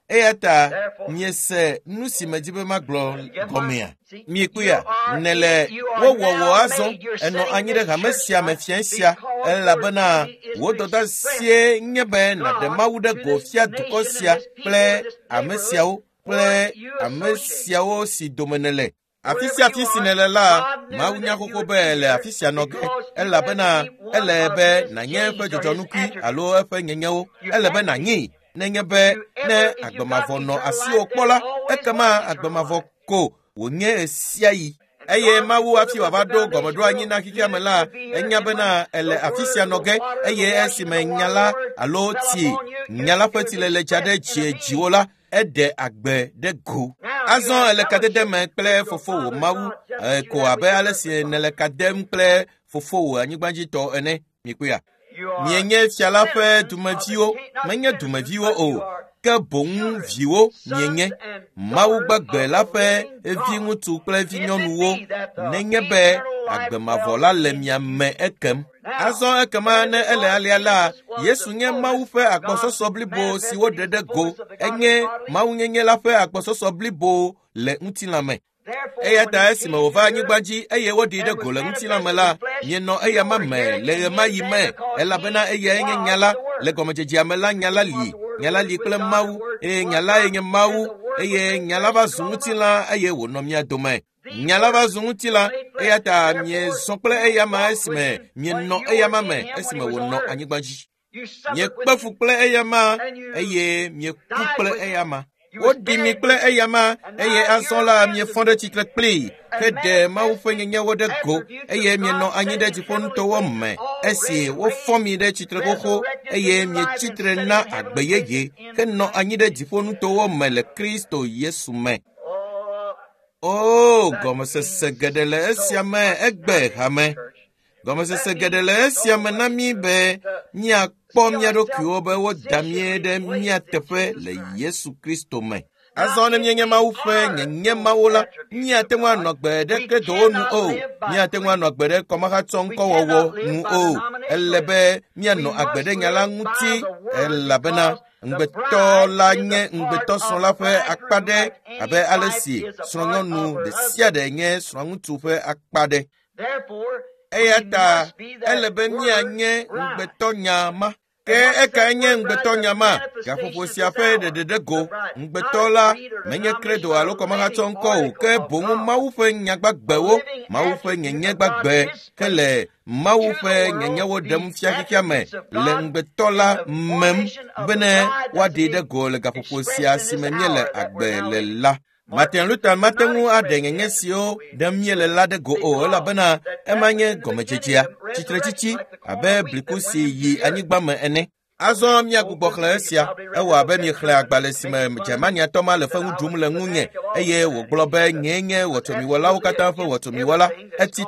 Eya ta miese nu si medi be magblɔ gɔmea. Mikpɔea, nèle wowɔwɔ azɔ enɔ anyi ɖe hame sia me fia sia elabena wò dɔdeasie nye be nàɖe Mawu ɖe go fia dukɔ sia kple ame siawo kple ame siawo si dome nèle. Afi sia afi si nèle la, Mawu nya xoxo be le afi sia nɔ ge elabena ele be nànye eƒe dzɔdzɔnukui alo eƒe nyenyewo. Ele be nànyee nenye be ne agbe mavɔ nɔ asiwò kpɔ la, ekema agbe mavɔ ko wònye ɣesiaɣi. Eye Mawu hafi wòava ɖo gɔmeɖoanyi na xexea me la, enya bena ele afi sia nɔ ge eye esime nya la alo tsi nya la ƒe tsilele dza ɖe dzie dziwò la, eɖe agbe ɖe go. Azɔ ele kadede me kple fofowò Mawu ko abe ale si nèle ka dem kple fofowò anyigbadzitɔ ene. Mikpɔea? Mienye fia la ƒe dumeviwo, menye dumeviwo o, ke boŋ viwo mienye. Mawu gbagbe la ƒe viŋutsu kple vinyɔnuwo nenye be agbe mavɔ la le mia me ekem. Azɔ ekema ne ele alea la, Yesu nye Mawu ƒe agbɔsɔsɔ blibo si woɖe ɖe go. Enye Mawunyenye la ƒe agbɔsɔsɔ blibo le ŋutilã me. Eya ta esime wòva anyigba dzi eye woɖee ɖe go le ŋutilã me la, mienɔ eyama me le ɣemaɣi me elabena eyae nye nya la. Le gɔmedzedzea me la, nya la li. Nya la li kple Mawu eye nya lae nye Mawu. eye nya la va zu ŋutilã eye wònɔ mía dome. Nya la va zu ŋutilã eya ta miezɔ kple eyama esime mienɔ eyama me esime wònɔ anyigba dzi. Miekpe fu kple eyama eye mieku kple eyama. Woɖi mi kple eyama eye azɔ la miefɔ ɖe tsitre kplii heɖe Mawu ƒe nyenyewo ɖe go eye mienɔ anyi ɖe dziƒonutowo me esi wofɔ mi ɖe tsitre xoxo eye mietsi tre na agbe yeye henɔ anyi ɖe dziƒonutowo me le Kristo Yesu me. O, gɔmesese geɖe le esia me egbe hame. Gɔmesese geɖe le esia me na mí be míakpɔ mía ɖokuiwo be woda mí ɖe mía teƒe le Yesu Kristo me. Azɔ ne míenye Mawu ƒe nyenye Mawu la, míate ŋu anɔ agbe ɖe kredowo nu o, míate ŋu anɔ agbe ɖe kɔmahatsɔ ŋkɔwɔwɔ nu o. Ele be míanɔ agbe ɖe nya la ŋuti elabena ŋugbetɔ la nye ŋugbetɔsrɔ̃ la ƒe akpa ɖe abe ale si srɔ̃nyɔnu ɖe sia ɖe nye srɔ̃ŋutsu ƒe akpa ɖe. Eya ta ele be míanye ŋugbetɔnya ma. Ke ekae nye ŋugbetɔnya ma? Gaƒoƒo sia ƒe ɖeɖeɖe go. Ŋugbetɔ la menye kredo alo kɔmahatsɔ ŋkɔ o, ke boŋ Mawu ƒe nyagbagbewo, Mawu ƒe nyenye gbagbe ke le Mawu ƒe nyenyewo ɖem fia xexea me le ŋugbetɔ la mem bene woaɖee ɖe go le gaƒoƒo sia si me míele agbe le la. Martin Luther mate ŋu aɖe nyenye siwo ɖem míele la ɖe go o elabena ema nye gɔmedzedzea, tsitretsitsi abe bliku si yi anyigba me ene. Azɔ míagbugbɔ xlẽ esia. Ewɔ abe miexlẽ agbalẽ si me Germaniatɔ ma le fewu ɖum le ŋunye eye wògblɔ be nyee nye wɔtomiwɔlawo katã ƒe wɔtomiwɔla. Etsi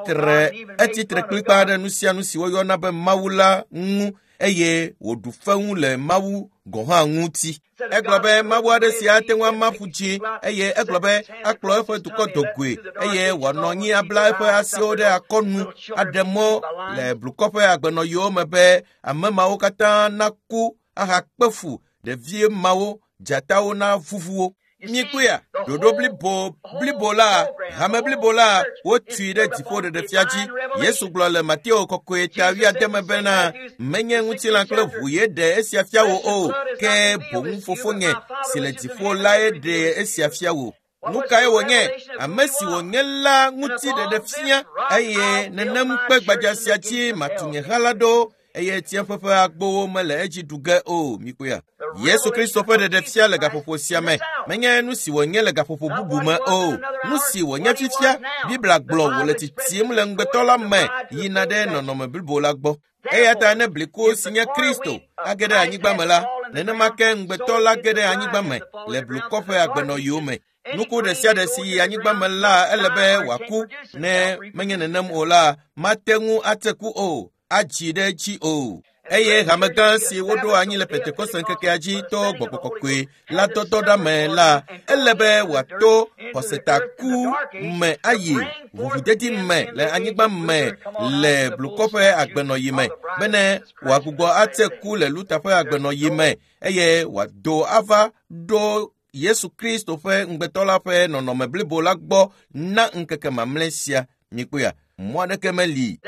tre kplikpaa ɖe nu sia nu si woyɔna be Mawu la ŋu eye wòɖu fewu le Mawu gɔ̃ hã ŋuti. Egblɔ be Mawu aɖe si ate ŋu ama ƒu dzi eye egblɔ be akplɔ eƒe dukɔ dogoe eye wòanɔ anyi abla eƒe asiwo ɖe akɔnu aɖe mɔ le blukɔ ƒe agbenɔyiwo me be ame mawo katã naku ahakpe fu ɖevi mawo dzatawo navuvu wo. Míekpɔea ɖoɖo blibo la, hame blibo la, wotui ɖe dziƒo ɖeɖefia dzi. Yesu gblɔ le Mateo kɔkɔe ta 80 me bena menye ŋutilã kple ʋu ye ɖe esia fia wò o, ke boŋ fofonye si le dziƒo lae ɖe esia fia wò. Nu kae wònye? Ame si wònye la ŋuti ɖeɖefia eye nenem kpe gbadza sia dzi matu nye ha la ɖo eye tsiẽƒe ƒe agbowo mele edzi ɖu ge o. Mikpɔea? Yesu Kristo ƒe ɖeɖefia le gaƒoƒo sia me menye nu si wònye le gaƒoƒo bubu me o. Nu si wònye fifia, Biblia gblɔ wòle tsitsim le ŋugbetɔ la me yina ɖe nɔnɔme blibo la gbɔ. Eya ta ne bliku si nye Kristo age ɖe anyigba me la, nenema ke ŋugbetɔ la ge ɖe anyigba me le blukɔ ƒe agbenɔyiwo me. Nuku ɖe sia ɖe si yi anyigba me la ele be wòaku, ne menye nenem o la, mate ŋu ate ku o, adzi ɖe edzi o. Eye hame gã si woɖo anyi le Pentekoste ŋkekea dzi to gbɔgbɔ kɔkɔe la dɔdɔ ɖa me la, ele be wòato xɔsetaku me ayi ʋuʋudedi me le anyigba me le blukɔ ƒe agbenɔyi me bene wòagbugbɔ ate ku le Luther ƒe agbenɔyi me eye wòado ava ɖo Yesu Kristo ƒe ŋugbetɔ la ƒe nɔnɔme blibo la gbɔ na ŋkeke mamlɛ sia. Mikpɔea, mɔ aɖeke meli.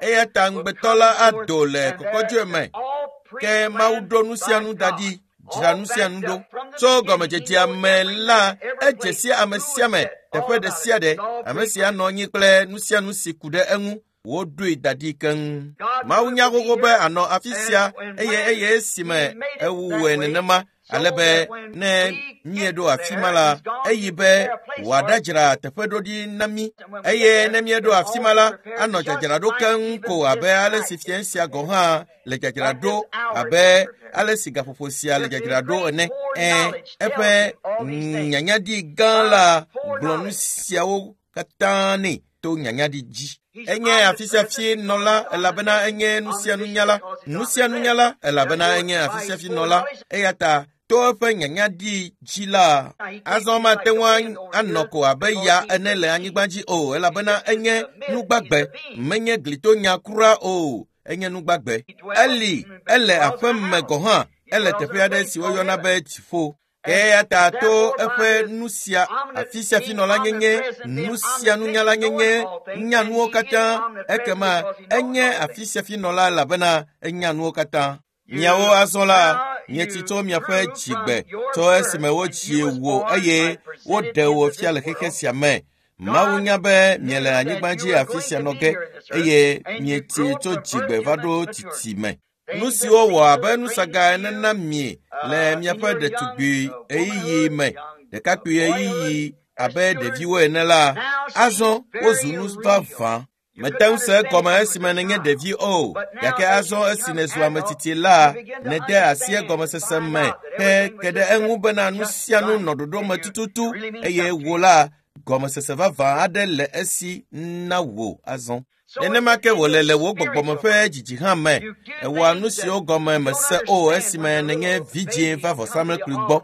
Eya ta ŋugbetɔ la ado le kɔkɔdzoe me ke Mawu ɖo nu sia nu da ɖi, dzra nu sia nu ɖo. Tso gɔmedzedzea me la, edze si ame sia ame, teƒe ɖe sia ɖe, ame si anɔ anyi kple nu sia nu si ku ɖe eŋu, woɖoe da ɖi keŋ. Mawu nya xoxo be anɔ afi sia eye esime ewɔe nenema ale be ne míeɖo afi ma la, eyi be wòaɖadzra teƒe ɖo ɖi na mí. Eye ne míeɖo afi ma la, anɔ dzadzraɖo keŋ ko abe ale si fiẽ sia gɔ̃ hã le dzadzraɖo abe ale si gaƒoƒo sia le dzadzraɖo ene. Eƒe nyanyaɖi gã la gblɔ nu siawo katã nɛ to nyanyaɖi dzi. Enye afi sia fi nɔla elabena enye nu sia nunyala. Nu sia nunyala elabena enye afi sia fi nɔla. Eya ta to eƒe nyanyaɖi dzi la, azɔ mate ŋu anɔ ko abe ya ene le anyigba dzi o elabena enye nugbagbe, menye glitonya kura o, enye nugbagbe. Eli, ele aƒe me gɔ̃ hã, ele teƒe aɖe si woyɔna be dziƒo. Eya ta to eƒe nu sia afi sia fi nɔla nyenye, nu sia nunyala nyenye, nya nuwo katã, ekema enye afi sia fi nɔla elabena enya nuwo katã. Miawo azɔ la, Mietsi tso miaƒe dzigbe tso esime wodzi wò eye woɖe wò fia le xexe sia me. Mawu nya be miele anyigba dzi afi sia nɔ ge eye mietsi tso dzigbe va ɖo tsitsime. Nu siwo wɔ abe nusaga ene na mi le miaƒe ɖetugbui ɣeyiɣi me, ɖekakpui ɣeyiɣi abe ɖeviwo ene la, azɔ wozu nu vavã. Mete ŋu se egɔme esime nènye ɖevi o, gake azɔ esi nèzu ame tsitsi la, nède asi egɔmesese me ke ɖe eŋu bena nu sia nu nɔ ɖoɖo me tututu eye wò la, gɔmesese vavã aɖe le esi na wò azɔ. Nenema ke wòle le wò gbɔgbɔme ƒe dzidzi hã me. Èwɔa nu siwo gɔme mèse o esime nènye vidzĩ va vɔsamlekpui gbɔ.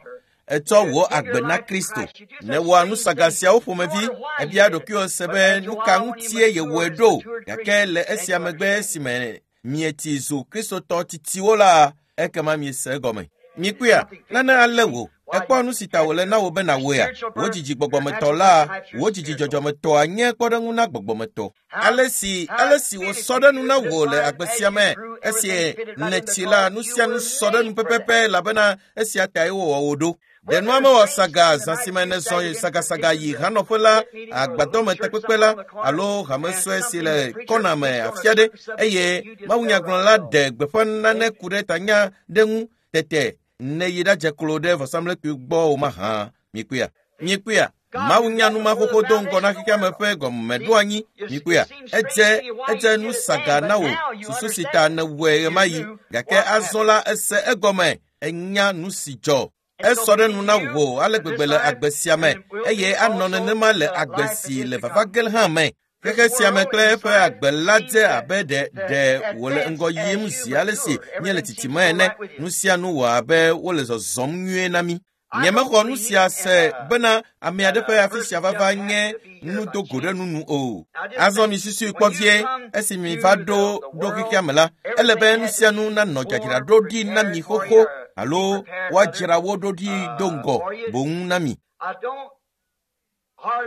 Ètsɔ wò agbe na Kristo. Nèwɔa nusaga siawo ƒomevi. Èbia ɖokuiwò se be nu ka ŋutie yewɔe ɖo. Gake le esia megbe esime mietsi zu Kristotɔ tsitsiwo la, ekema miese egɔme. Mikpɔea, nane alé wò. Èkpɔ nu si ta wòle na wò be nàwɔea? Wò dzidzi gbɔgbɔmetɔ la, wò dzidzi dzɔdzɔmetɔa nye kpɔɖeŋu na gbɔgbɔmetɔ. Ale si wòsɔ ɖe nu na wò le agbe sia me, esi nètsi la, nu sia nu sɔ ɖe nu pɛpɛpɛ elabena esia tae wowɔ wò ɖo. Ɖe nua mewɔ saga zã si me nèzɔ sagasaga yi hanɔƒe la, agbadɔme takpekpe la alo hame sue si le kɔna me afi aɖe eye mawunyagblɔla ɖe gbeƒã nane ku ɖe tanya ɖe ŋu tete nèyi ɖadze klo ɖe vɔsamlekpui gbɔ o mahã. Mikpɔea? Mikpɔea? Mawu nya nu ma xoxo do ŋgɔ na xexeame ƒe gɔmeɖoanyi. Mikpɔea? Edze nu saga na wò susu si ta nèwɔe ɣemaɣi gake azɔ la ese egɔme enya nu si dzɔ. Esɔ ɖe nu na wò ale gbegbe le agbe sia me eye anɔ nenema le agbe si le vava ge hã me. Xexe sia me kple eƒe agbe la dze abe ɖe wòle ŋgɔ yim zi ale si míele tsitsime ene. Nu sia nu wɔ abe wole zɔzɔm nyuie na mí. Nyemexɔ nu sia se bena ame aɖe ƒe afi sia vava nye nu do go ɖe nunu o. Azɔ mi susui kpɔ vie esi mi va ɖo xexea me la, ele be nu sia nu nanɔ dzadzraɖo ɖi na mi xoxo alo woadzra wo ɖo ɖi do ŋgɔ boŋ na mi.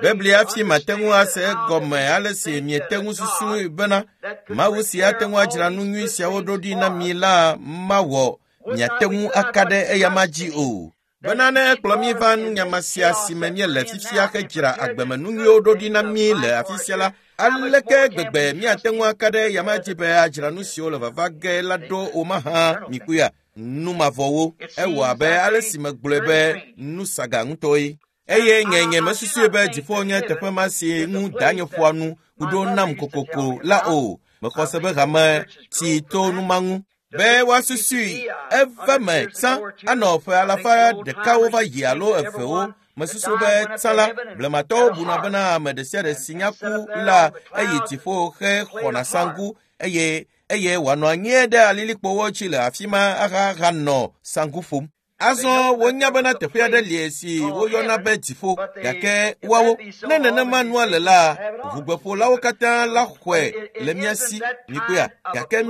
Biblia fi mate ŋu ase egɔme ale si miete ŋu susui bena Mawu si ate ŋu adzra nu nyui siawo ɖo ɖi na mi la mawɔ miate ŋu aka ɖe eyama dzi o. Bena ne ekplɔ mí va nunyama sia si me míele fifia hedzra agbemenu nyuiwo ɖo ɖi na mí le afi sia la, aleke gbegbe míate ŋu aka ɖe eyama dzi be adzra nu siwo le vava ge la ɖo o mahã? Mikpɔea, nu mavɔwo. Ewɔ abe ale si megblɔe be nu saga ŋutɔe. Eye nye mesusui be dziƒo nye teƒe ma si ŋu danye ƒoa nu ku ɖo nam kokoko la o. Mexɔ se be hame tsi to nu ma ŋu. Be woasusui eve me tsã anɔ ƒe alafa ɖekawo va yi alo evewo. Mesusu be tsã la, blematɔwo buna bena ame ɖe sia ɖe si nya ku la eyi dziƒo hexɔna saŋku eye wòanɔ anyi ɖe alilikpowo dzi le afi ma ahanɔ saŋku ƒom. Azɔ wonya bena teƒe aɖe li si woyɔna be dziƒo, gake woawo, ne nenema nua le la, ʋugbeƒolawo katã la xɔe le mía si. Mikpɔea? Gake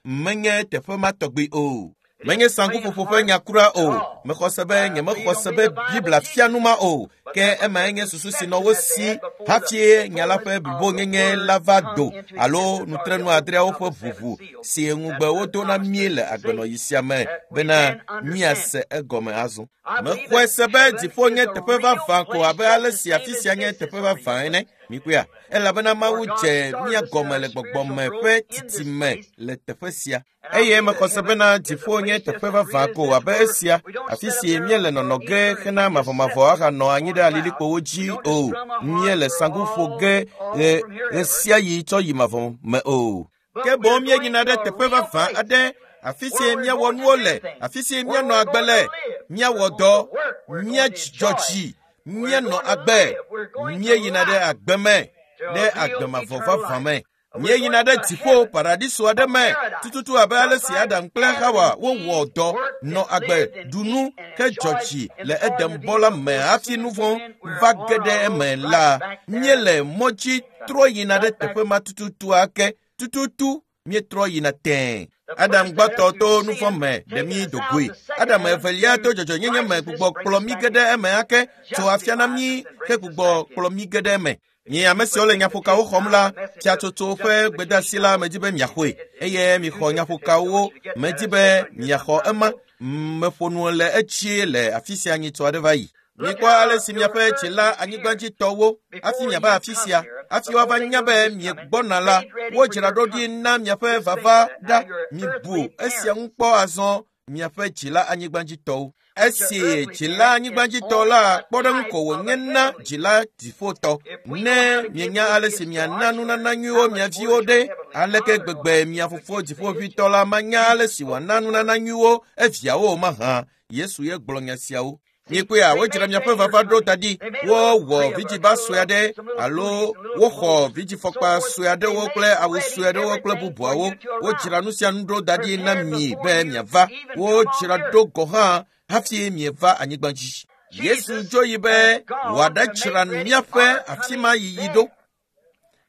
menye teƒe ma tɔgbi o. Menye saŋkuƒoƒo ƒe nya kura o. Mexɔ se be nyemexɔ se be Biblia fia nu ma o. Ke emae nye susu si nɔ wo si hafi nya la ƒe blibonyenye la va do alo nutrenu adreawo ƒe ʋuʋu si ŋugbe wodo na mí le agbenɔɣi sia me bena míase egɔme azɔ. Mexɔe se be dziƒo nye teƒe vavã ko abe ale si afi sia nye teƒe vavã ene. Mikpɔea? Elabena Mawu dze mía gɔme le gbɔgbɔme ƒe tsitsime le teƒe sia. Eye mexɔ se bena dziƒo nye teƒe vavã ko abe esia, afi si míele nɔnɔ ge hena mavɔmavɔ ahanɔ anyi ɖe alilikpowo dzi o. Míele saŋku ƒo ge ɣe sia ɣi tsɔ yi mavɔ me o. Ke boŋ míeyina ɖe teƒe vavã aɖe, afi si míawɔ nuwo le, afi si míanɔ agbe le, míawɔ dɔ, míadzɔ dzi, míanɔ agbe. Míeyina ɖe agbe me, ɖe agbe mavɔ vavã me. Míeyina ɖe dziƒo paradiso aɖe me tututu abe ale si Adam kple Hawa wowɔ dɔ, nɔ agbe, ɖu nu, hedzɔ dzi le Edenbɔ la me hafi nu vɔ̃ va ge ɖe eme la, míele mɔ dzi trɔ yina ɖe teƒe ma tututu ake. Tututu míetrɔ yina tẽe. Adam gbãtɔ to nu vɔ̃ me ɖe mí do goe. Adam evelia to dzɔdzɔenyenye me gbugbɔ kplɔ mí ge ɖe eme ake, tso afia na mí hegbugbɔ kplɔ mí ge ɖe eme. Mi ame siwo le nyaƒokawo xɔm la, fiatsotso ƒe gbedeasi la medi be miaxɔe eye mixɔ nyaƒokawo medi be miaxɔ ema. Meƒo nu le etsie le afi sia nyitsɔ aɖe va yi. Mikpɔ ale si miaƒe dzila anyigbadzitɔwo hafi miava afi sia, hafi woava nya be miegbɔna la, wodzra ɖo ɖi na miaƒe vava ɖa. Mibu esia ŋu kpɔ azɔ miaƒe dzila anyigbadzitɔwo. Esi dzila anyigbadzitɔ la kpɔɖeŋu ko wònye na dzila dziƒotɔ. Ne mienya ale si miana nunana nyuiwo mia viwo ɖe, aleke gbegbe mia fofo dziƒoʋĩtɔ la manya ale si wòana nunana nyuiwo eviawo mahã? Yesu ye gblɔ nya siawo. Mikpɔea, wodzra miaƒe vava ɖo da ɖi. Wowɔ vidziba sue aɖe alo woxɔ vidzifɔkpa sue aɖewo kple awu sue aɖewo kple bubuawo. Wodzra nu sia nu ɖo da ɖi na mi be miava. Wodzra ɖo gɔ̃ hã hafi mieva anyigba dzi. Yesu dzo yi be wòaɖadzra míaƒe afi ma yiyi ɖo.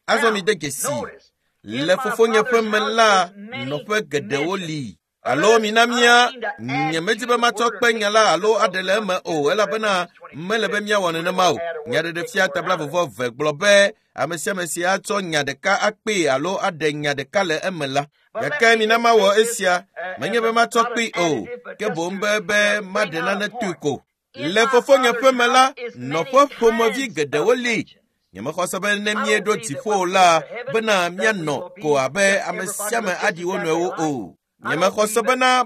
Azɔ mi de dzesi, le fofonye ƒe me la, nɔƒe geɖewo li. Alo mina mía, nyemedi be matsɔ kpe nya la alo aɖe le eme o, elabena mele be míawɔ nenema o. Nyaɖeɖefia tabla vɔvɔ ve gblɔ be ame sia ame si atsɔ nya ɖeka akpee alo aɖe nya ɖeka le eme la. Gake mina mawɔ esia, menye be matsɔ kpee o, ke boŋ be maɖe nane tui ko. Le fofonye ƒe me la, nɔƒe ƒomevi geɖewo li. Nyemexɔ se be ne míeɖo dziƒo la, bena míanɔ ko abe ame sia ame aɖi wo nɔewo o. Nyemexɔ se bena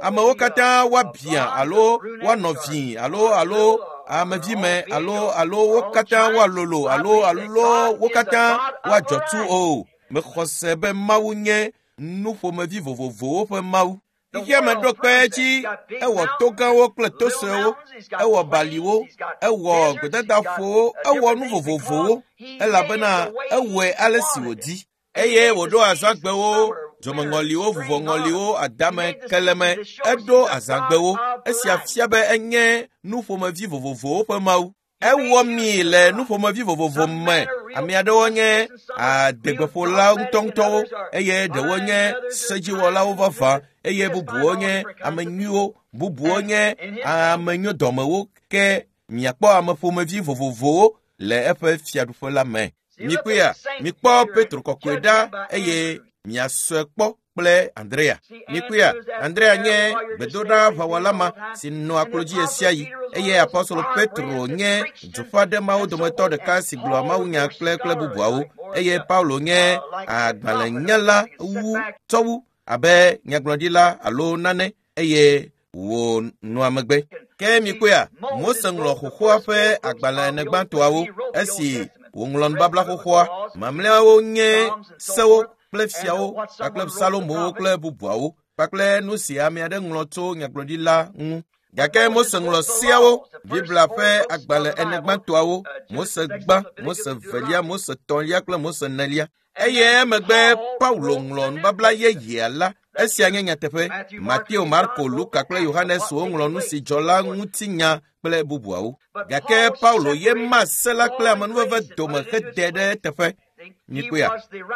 amewo katã woabia alo woanɔ vi alo amevime alo wo katã woalolo alo wo katã woadzɔ tu o. Mexɔ se be Mawu nye nuƒomevi vovovowo ƒe Mawu. Xexea me ɖo kpe edzi, ewɔ to gãwo kple to suewo, ewɔ baliwo, ewɔ gbedadaƒowo, ewɔ nu vovovowo, elabena ewɔe ale si wòdi. Eye wòɖo azãgbewo, dzomeŋɔliwo, vuvɔŋɔliwo, adame, keleme, eɖo azãgbewo. Esia fia be enye nuƒomevi vovovowo ƒe Mawu. Ewɔ mi le nuƒomevi vovovo me. Ame aɖewo nye adegbeƒolawo ŋutɔŋutɔwo eye ɖewo nye sedziwɔlawo vavã eye bubuwo nye ame nyuiwo, bubuwo nye ame nyodɔmewo. Ke miakpɔ ame ƒomevi vovovowo le eƒe fiaɖuƒe la me. Mikpɔea, mikpɔ Petro kɔkɔe ɖa eye miasɔe kpɔ kple Andrea. Mikpɔea, Andrea nye gbedoɖaʋawɔla ma si nɔa klo dzi ɣesiaɣi eye apɔstolo Petro nye duƒaɖemawo dometɔ ɖeka si gblɔa mawunya kple bubuawo eye Paulo nye agbalẽnyala wu tsɔwu abe nyagblɔɖila alo nane eye wònɔa megbe. Ke mikpɔea, Mose ŋlɔ xoxoa ƒe agbalẽ ene gbãtɔawo esi wòŋlɔ nubabla xoxoa. Mamlɛawo nye sewo kple fiawo kpakple Salomowo kple bubuawo kpakple nu si ame aɖe ŋlɔ tso nyagblɔɖila ŋu. Gake Mose ŋlɔ seawo, Biblia ƒe agbalẽ ene gbãtɔawo, Mose gbã, Mose velia, Mose tɔ̃lia kple Mose enelia. Eye emegbe Paulo ŋlɔ nubabla yeyea la. Esia nye nyateƒe. Mateo, Marko, Luka kple Yohanes woŋlɔ nu si dzɔ la ŋutinya kple bubuawo. Gake Paulo ye ma se la kple amenuveve dome hede ɖe eteƒe. Mikpɔea,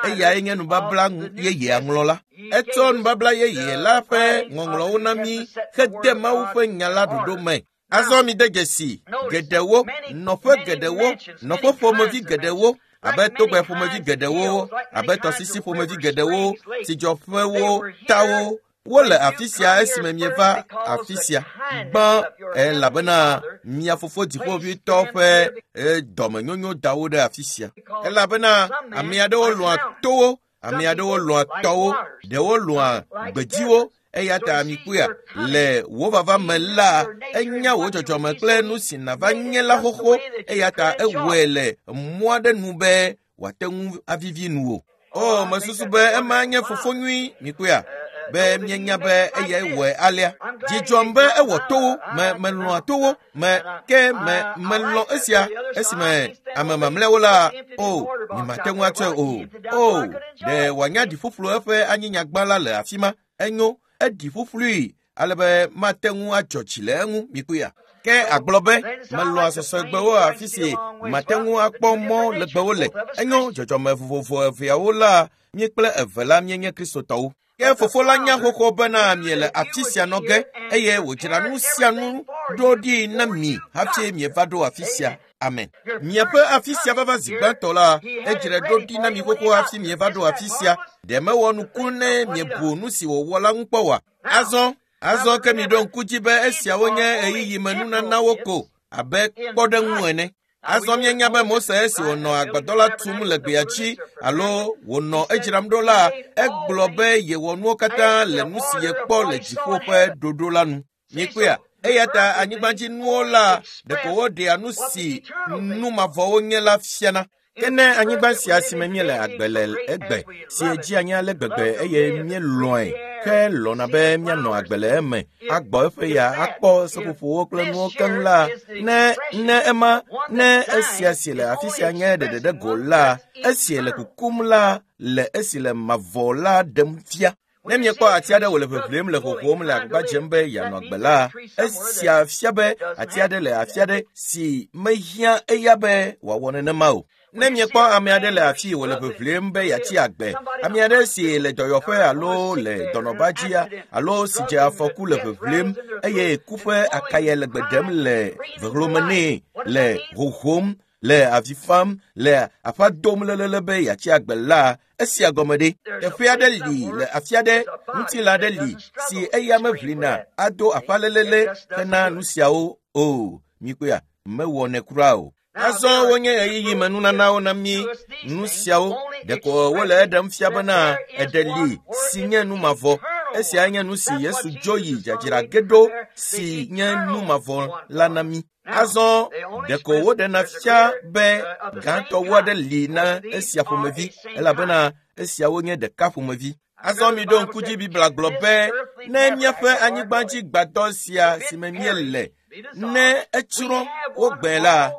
eyae nye nubabla yeyea ŋlɔla. Etsɔ nubabla yeye la ƒe ŋɔŋlɔwo na mí hede Mawu ƒe nya la ɖoɖo me. Azɔ mi de dzesi geɖewo, nɔƒe geɖewo, nɔƒe ƒomevi geɖewo, abe togbɛ ƒomevi geɖewo, abe tɔsisi ƒomevi geɖewo, tsidzɔƒewo, tawo. Wole afi sia esime mieva afi sia. Gbã elabena mia fofo dziƒoʋĩtɔ ƒe dɔmenyonyo da wo ɖe afi sia. Elabena ame aɖewo lɔ̃a towo, ame aɖewo lɔ̃a tɔwo, ɖewo lɔ̃a gbedziwo. Eya ta mikpɔea, le wò vava me la, enya wò dzɔdzɔme kple nu si nàva nye la xoxo. Eya ta ewɔe le mɔ aɖe nu be wòate ŋu avivi nuwò. O, mesusu be ema nye fofo nyui, mikpɔea, be mienya be eyae wɔe alea. Dzi dzɔm be ewɔ towo, melɔ̃a towo, melɔ̃ esia esime ame mamlɛawo la, o, nyemate ŋu atsɔe o. O, ɖe wòanya ɖi ƒuƒlu eƒe anyinyagba la le afi ma. Enyo, eɖi ƒuƒlui ale be mate ŋu adzɔ dzi le eŋu, mikpɔea. Ke agblɔ be melɔ̃a sɔsɔegbewo afi si mate ŋu akpɔ mɔ legbewo le. Enyo, dzɔdzɔme vovovo eveawo la, mí kple eve la míenye Kristotɔwo. Ke fofo la nya xoxo bena miele afi sia nɔ ge eye wòdzra nu sia nu ɖo ɖi na mi hafi mieva ɖo afi sia. Amen. Miaƒe afi sia vava zi gbãtɔ la, edzrae ɖo ɖi na mi xoxo hafi mieva ɖo afi sia. Ɖe mewɔ nuku ne miebu nu si wòwɔ la ŋu kpɔ oa? Azɔ ke miɖo ŋku dzi be esiawo nye ɣeyiɣimenunanawo ko abe kpɔɖeŋu ene. Azɔ míenya be Mose esi wònɔ agbadɔ la tum le gbea dzi alo wònɔ edzram ɖo la, egblɔ be yewɔ nuwo katã le nu si yekpɔ le dziƒo ƒe ɖoɖo la nu. Mikpɔea? Eya ta anyigbadzinuwo la ɖeko woɖea nu si nu mavɔwo nye la fiana. Ke ne anyigba sia si me míele agbe le egbe si dzi anyi ale gbegbe eye míelɔ̃e ke lɔ̃na be míanɔ agbe le eme agbɔ eƒe ya akpɔ seƒoƒowo kple nuwo keŋ la, ne ema ne esia si le afi sia nye ɖeɖe ɖe go la, esi le kukum la le esi le mavɔ la ɖem fia. Ne miekpɔ ati aɖe wòle ʋeʋlim le ƒoƒom le agbagba dzem be yeanɔ agbe la, esia fia be ati aɖe le afi aɖe si mehiã eya be wòawɔ nenema o. Ne miekpɔ ame aɖe le afi wòle ʋeʋlim be yeatsi agbe, ame aɖe si le dɔyɔƒe alo le dɔnɔba dzia alo si dze afɔku le ʋeʋlim eye ku ƒe akaya le gbe ɖem le vehlome nɛ, le hohom, le avi fam, le aƒa dom lelele be yeatsi agbe la, esia gɔme ɖe. Teƒe aɖe li le afi aɖe, ŋutilã aɖe li si eya meʋlina ado aƒa lelele hena nu siawo o. Mikpɔea? Mewɔnɛ kura o. Azɔ wonye ɣeyiɣimenunanawo na mí nu siawo ɖeko wole eɖem fia bena eɖe li si nye nu mavɔ. Esia nye nu si Yesu dzo yi dzadzra ge ɖo si nye nu mavɔ la na mí. Azɔ ɖeko woɖena fia be gãtɔwo aɖe li na esia ƒomevi elabena esiawo nye ɖeka ƒomevi. Azɔ miɖo ŋku dzi Biblia gblɔ be ne míaƒe anyigbadzi gbadɔ sia si me míele ne etsrɔ̃ wogbe la,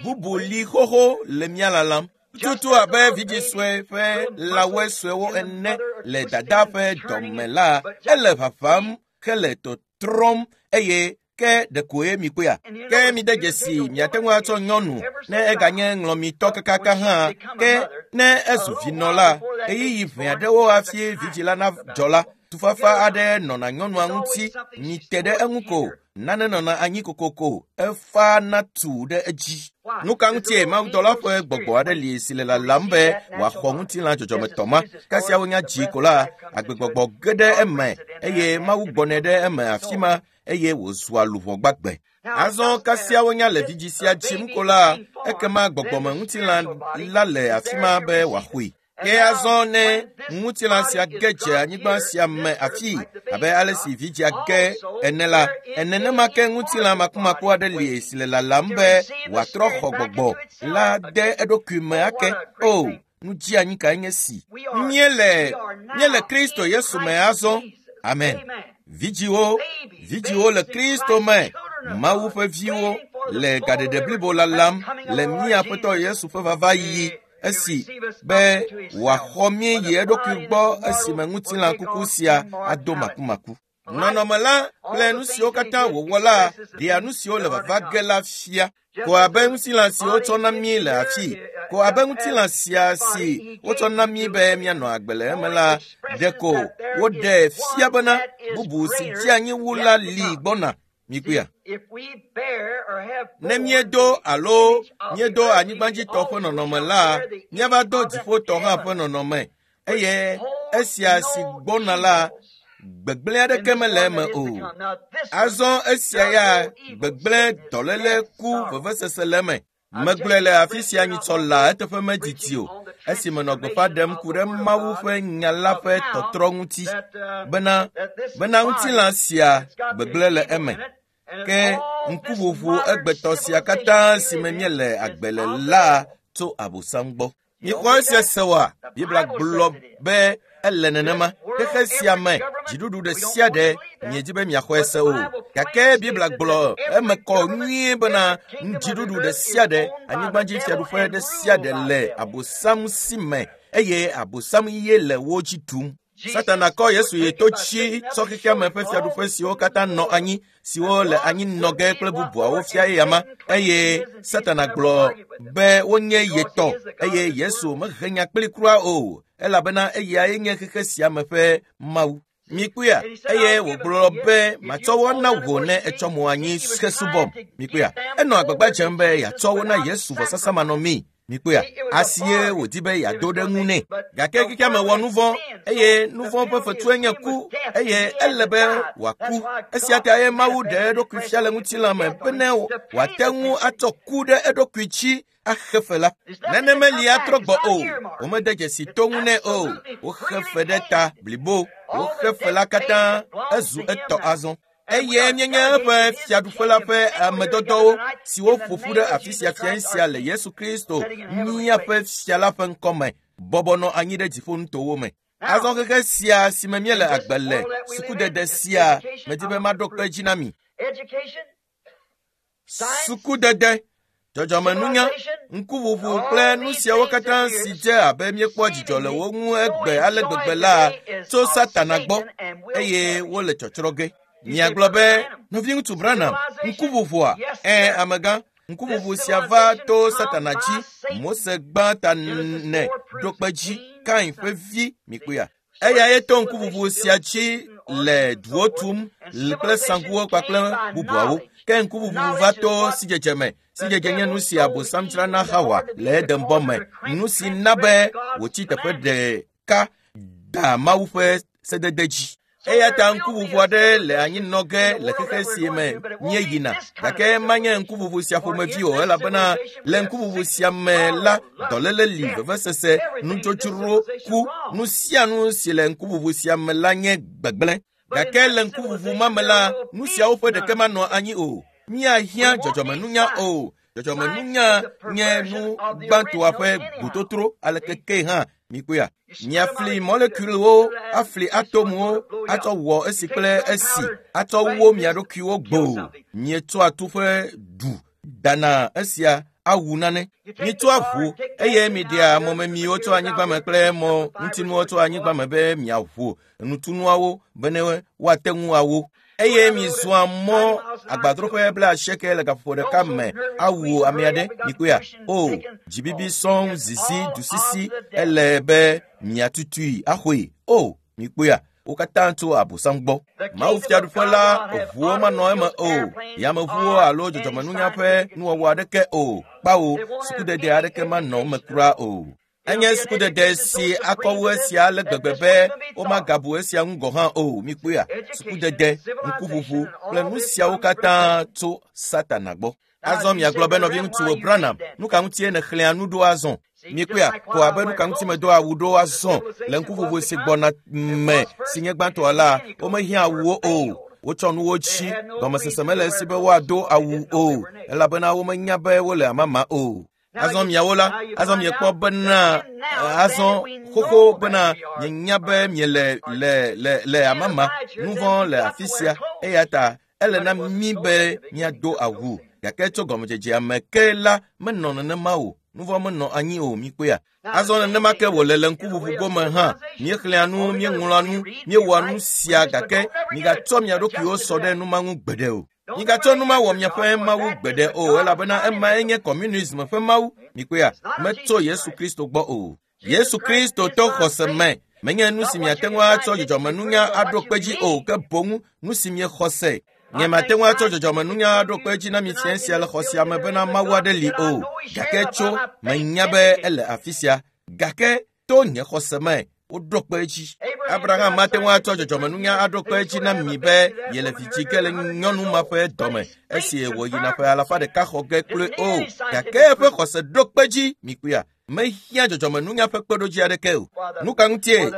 bubu li xoxo le mía lalam. Tutu abe vidzĩ sue ƒe lãwoe suewo ene le dada ƒe dɔme la, ele ʋaʋãm hele tɔtrɔm eye ke ɖekoe mikpɔea. Ke mide dzesi miate ŋu atsɔ nyɔnu ne eganye ŋlɔmitɔ kakaka hã ke ne ezu vinɔ la, ɣeyiɣi ʋɛ aɖewo hafi vidzĩ la nadzɔ la, tufafa aɖe nɔna nyɔnua ŋuti mite ɖe eŋu ko nane nɔna anyi kokoko efa na tu ɖe edzi. Nu ka ŋutie mawudɔla ƒe gbɔgbɔ aɖe li si le lalam be wòaxɔ ŋutilã dzɔdzɔmetɔ ma? Kasia wonya dzi ko la, agbegbɔgbɔ ge ɖe eme eye Mawu gbɔnɛ ɖe eme afi ma eye wòzua luʋɔ gbagbe. Azɔ kasia wonya le vidzĩ sia dzim ko la, ekema gbɔgbɔme ŋutilã la le afi ma be wòaxɔe. Ke azɔ ne ŋutilã sia ge dze anyigba sia me afi abe ale si vidzĩa ge ene la, nenema ke ŋutilã makumaku aɖe li si le lalam be wòatrɔ xɔ gbɔgbɔ la de eɖokui me ake. O, nu dzeanyi kae nye si! Míele Kristo Yesu me azɔ. Amen. Vidziwo le Kristo me, Mawu ƒe viwo le gaɖeɖe blibo lalam le mía Aƒetɔ Yesu ƒe vava yiyi esi be wòaxɔ mí yi eɖokui gbɔ esime ŋutilã kuku sia ado makumaku. Nɔnɔme la kple nu siwo katã wòwɔ la ɖea nu siwo le vava ge la fia. Ko abe ŋutilã si wotsɔ na mí le afi, ko abe ŋutilã sia si wotsɔ na mí be míanɔ agbe le eme la, ɖeko woɖe fia bena bubu si dze anyi wu la li gbɔna. Mikpɔea? Ne míedo alo míedo anyigbadzitɔ ƒe nɔnɔme la, míava do dziƒotɔ hã ƒe nɔnɔme eye esia si gbɔna la, gbegblẽ aɖeke mele eme o. Azɔ esia ya gbegblẽ, dɔléle, ku, vevesese le eme. Megblɔe le afi sia nyitsɔ la eteƒe medidi o esi menɔ gbeƒã ɖem ku ɖe Mawu ƒe nya la ƒe tɔtrɔ ŋuti bena ŋutilã sia gbegblẽ le eme. Ke ŋkuʋuʋu egbetɔ sia katã si me míele agbe le la tso Abosam gbɔ. Mixɔ esia se oa? Biblia gblɔ be ele nenema. Xexe sia me dziɖuɖu ɖe sia ɖe miedi be miaxɔe se o. Gake Biblia gblɔ eme kɔ nyuie bena dziɖuɖu ɖe sia ɖe, anyigbadzi fiaɖuƒe ɖe sia ɖe le Abosam si me eye Abosam ye le wo dzi ɖum. Satana kɔ Yesu yi to tsi tsɔ xexea me ƒe fiaɖuƒe siwo katã nɔ anyi, siwo le anyi nɔ ge kple bubuawo fia eyama eye Satana gblɔ be wonye ye tɔ eye Yesu mehe nya kpli kura o. elabena eyae nye xexe sia me ƒe mawu. Mikpɔea, eye wògblɔ be matsɔ wo na wò ne etsɔ mo anyi hesubɔm. Mikpɔea, enɔ agbagba dzem be yeatsɔ wo na Yesu vɔsasa manɔmee. Mikpɔea, asie wòdi be yeado ɖe ŋu nɛ. Gake xexea me wɔ nu vɔ̃ eye nu vɔ̃ ƒe fetue nye ku eye ele be wòaku. Esia ta ye Mawu ɖe eɖokui fia le ŋutilã me bene wòate ŋu atsɔ ku ɖe eɖokui dzi axe fe la. Neneme li atrɔ gbɔ o. Womede dzesi to ŋu nɛ o. Woxe fe ɖe ta blibo. Woxe fe la katã ezu etɔ azɔ. Eye míenye eƒe fiaɖuƒe la ƒe amedɔdɔwo siwo ƒo ƒu ɖe afi sia fia sia le Yesu Kristo míaƒe fia la ƒe ŋkɔme bɔbɔ nɔ anyi ɖe dziƒonutowo me. Azɔ xexe sia si me míele agbe le sukudede sia medi be maɖo kpe dzi na mi. Sukudede, dzɔdzɔmenunya, ŋkuʋuʋu kple nu siawo katã si dze abe míekpɔ dzidzɔ le wo ŋu egbe ale gbegbe la tso Satana gbɔ eye wole tsɔtsrɔ̃ ge. Miagblɔ be, nɔviŋutsu Branham, ŋkuʋuʋua? Ẽ, amegã, ŋkuʋuʋu sia va to Satana dzi. Mose gbã ta nɛ ɖo kpe dzi, Kain ƒe vi, mikpɔea. Eyae to ŋkuʋuʋu sia dzi le duwo tum kple saŋkuwo kpakple bubuawo. Ke ŋkuʋuʋu va to sidzedze me. Sidzedze nye nu si Abosam dzra na Hawa le Edenbɔ me. Nu si na be wòtsi teƒe ɖeka da Mawu ƒe sedede dzi. Eya ta ŋkuʋuʋu aɖe le anyi nɔ ge le xexe si me míeyina. Gake manye ŋkuʋuʋu sia ƒomevi o elabena le ŋkuʋuʋu sia me la, dɔléle li, vevesese, nudzodzro, ku, nu sia nu si le ŋkuʋuʋu sia me la nye gbegblẽ. Gake le ŋkuʋuʋu ma me la, nu siawo ƒe ɖeke manɔ anyi o. Míahiã dzɔdzɔmenunya o. Dzɔdzɔmenunya nye nu gbãtɔa ƒe gbototro aleke ke hã mikpɔea. Miafli molekulewo, afli atomuwo, atsɔ wɔ esi kple esi, atsɔ wo mia ɖokuiwo gboo. Mietsɔa tu ƒe du dana esia awu nane. Mitsɔa ʋu eye miɖea mɔmemiwo tso anyigba me kple mɔ ŋutinuwo tso anyigba me be miaʋu nutunuawo bene woate ŋu awo. Eye mizɔa mɔ agbadroƒe 80 le gaƒoƒo ɖeka me awu ame aɖe. Mikpɔea? O, dzibibi sɔŋ zizi dusisi ele be miatutui axɔe. O, mikpɔea? Wo katã tso Abosam gbɔ. Mawu fiaɖuƒe la ʋuwo manɔ eme o. Yameʋuwo alo dzɔdzɔmenunya ƒe nuwɔwɔ aɖeke o. Kpawo, sukudede aɖeke manɔ eme kura o. Enye sukudede si akɔ wu esia ale gbegbe be womagabu esia ŋu gɔ̃ hã o. Mikpɔea? Sukudede, ŋkuʋuʋu kple nu siawo katã tso Satana gbɔ. Azɔ miagblɔ be nɔviŋutsu Branham, nu ka ŋutie nèxlẽa nu ɖo azɔ? Mikpɔea? Ko abe nu ka ŋuti medo awu ɖo azɔ le ŋkuʋuʋu si gbɔna me si nye gbãtɔa la, womehiã awuwo o. Wotsɔ nuwo dzi, gɔmesese mele esi be woado awu o, elabena womenya be wole amama o. Azɔ miawo la, azɔ miekpɔ bena, azɔ xoxo bena mienya be miele le le le amama, nu vɔ̃ le afi sia, eya ta ele na mí be míado awu. Gake tso gɔmedzedzea me ke la menɔ nenema o. Nu vɔ̃ menɔ anyi o, mikpɔea. Azɔ nenema ke wòle le ŋkuʋuʋu gome hã. Míexlẽa nu, míeŋlɔa nu, míewɔa nu sia gake migatsɔ mia ɖokuiwo sɔ ɖe nu ma ŋu gbeɖe o. Migatsɔ nu ma wɔ miaƒe mawu gbeɖe o elabena emae nye kɔmunism ƒe mawu. Mikpɔea? Metso Yesu Kristo gbɔ o. Yesu Kristo to xɔse me. Menye nu si miate ŋu atsɔ dzɔdzɔmenunya aɖo kpe dzi o, ke boŋ nu si miexɔ se. Nyemate ŋu atsɔ dzɔdzɔmenunya aɖo kpe dzi na mi fia sia le xɔ sia me bena Mawu aɖe li o. Gake tso menya be ele afi sia. Gake to nye xɔse me woɖo kpe edzi. Abraham mate ŋu atsɔ dzɔdzɔmenunya aɖo kpe edzi na mi be yele vi dzi ge le nyɔnu ma ƒe dɔme esi wòyina ƒe 100 xɔ ge kloe o. Gake eƒe xɔse ɖo kpe dzi, mikpɔea? Mehiã dzɔdzɔmenunya ƒe kpeɖodzi aɖeke o. Nu ka ŋutie?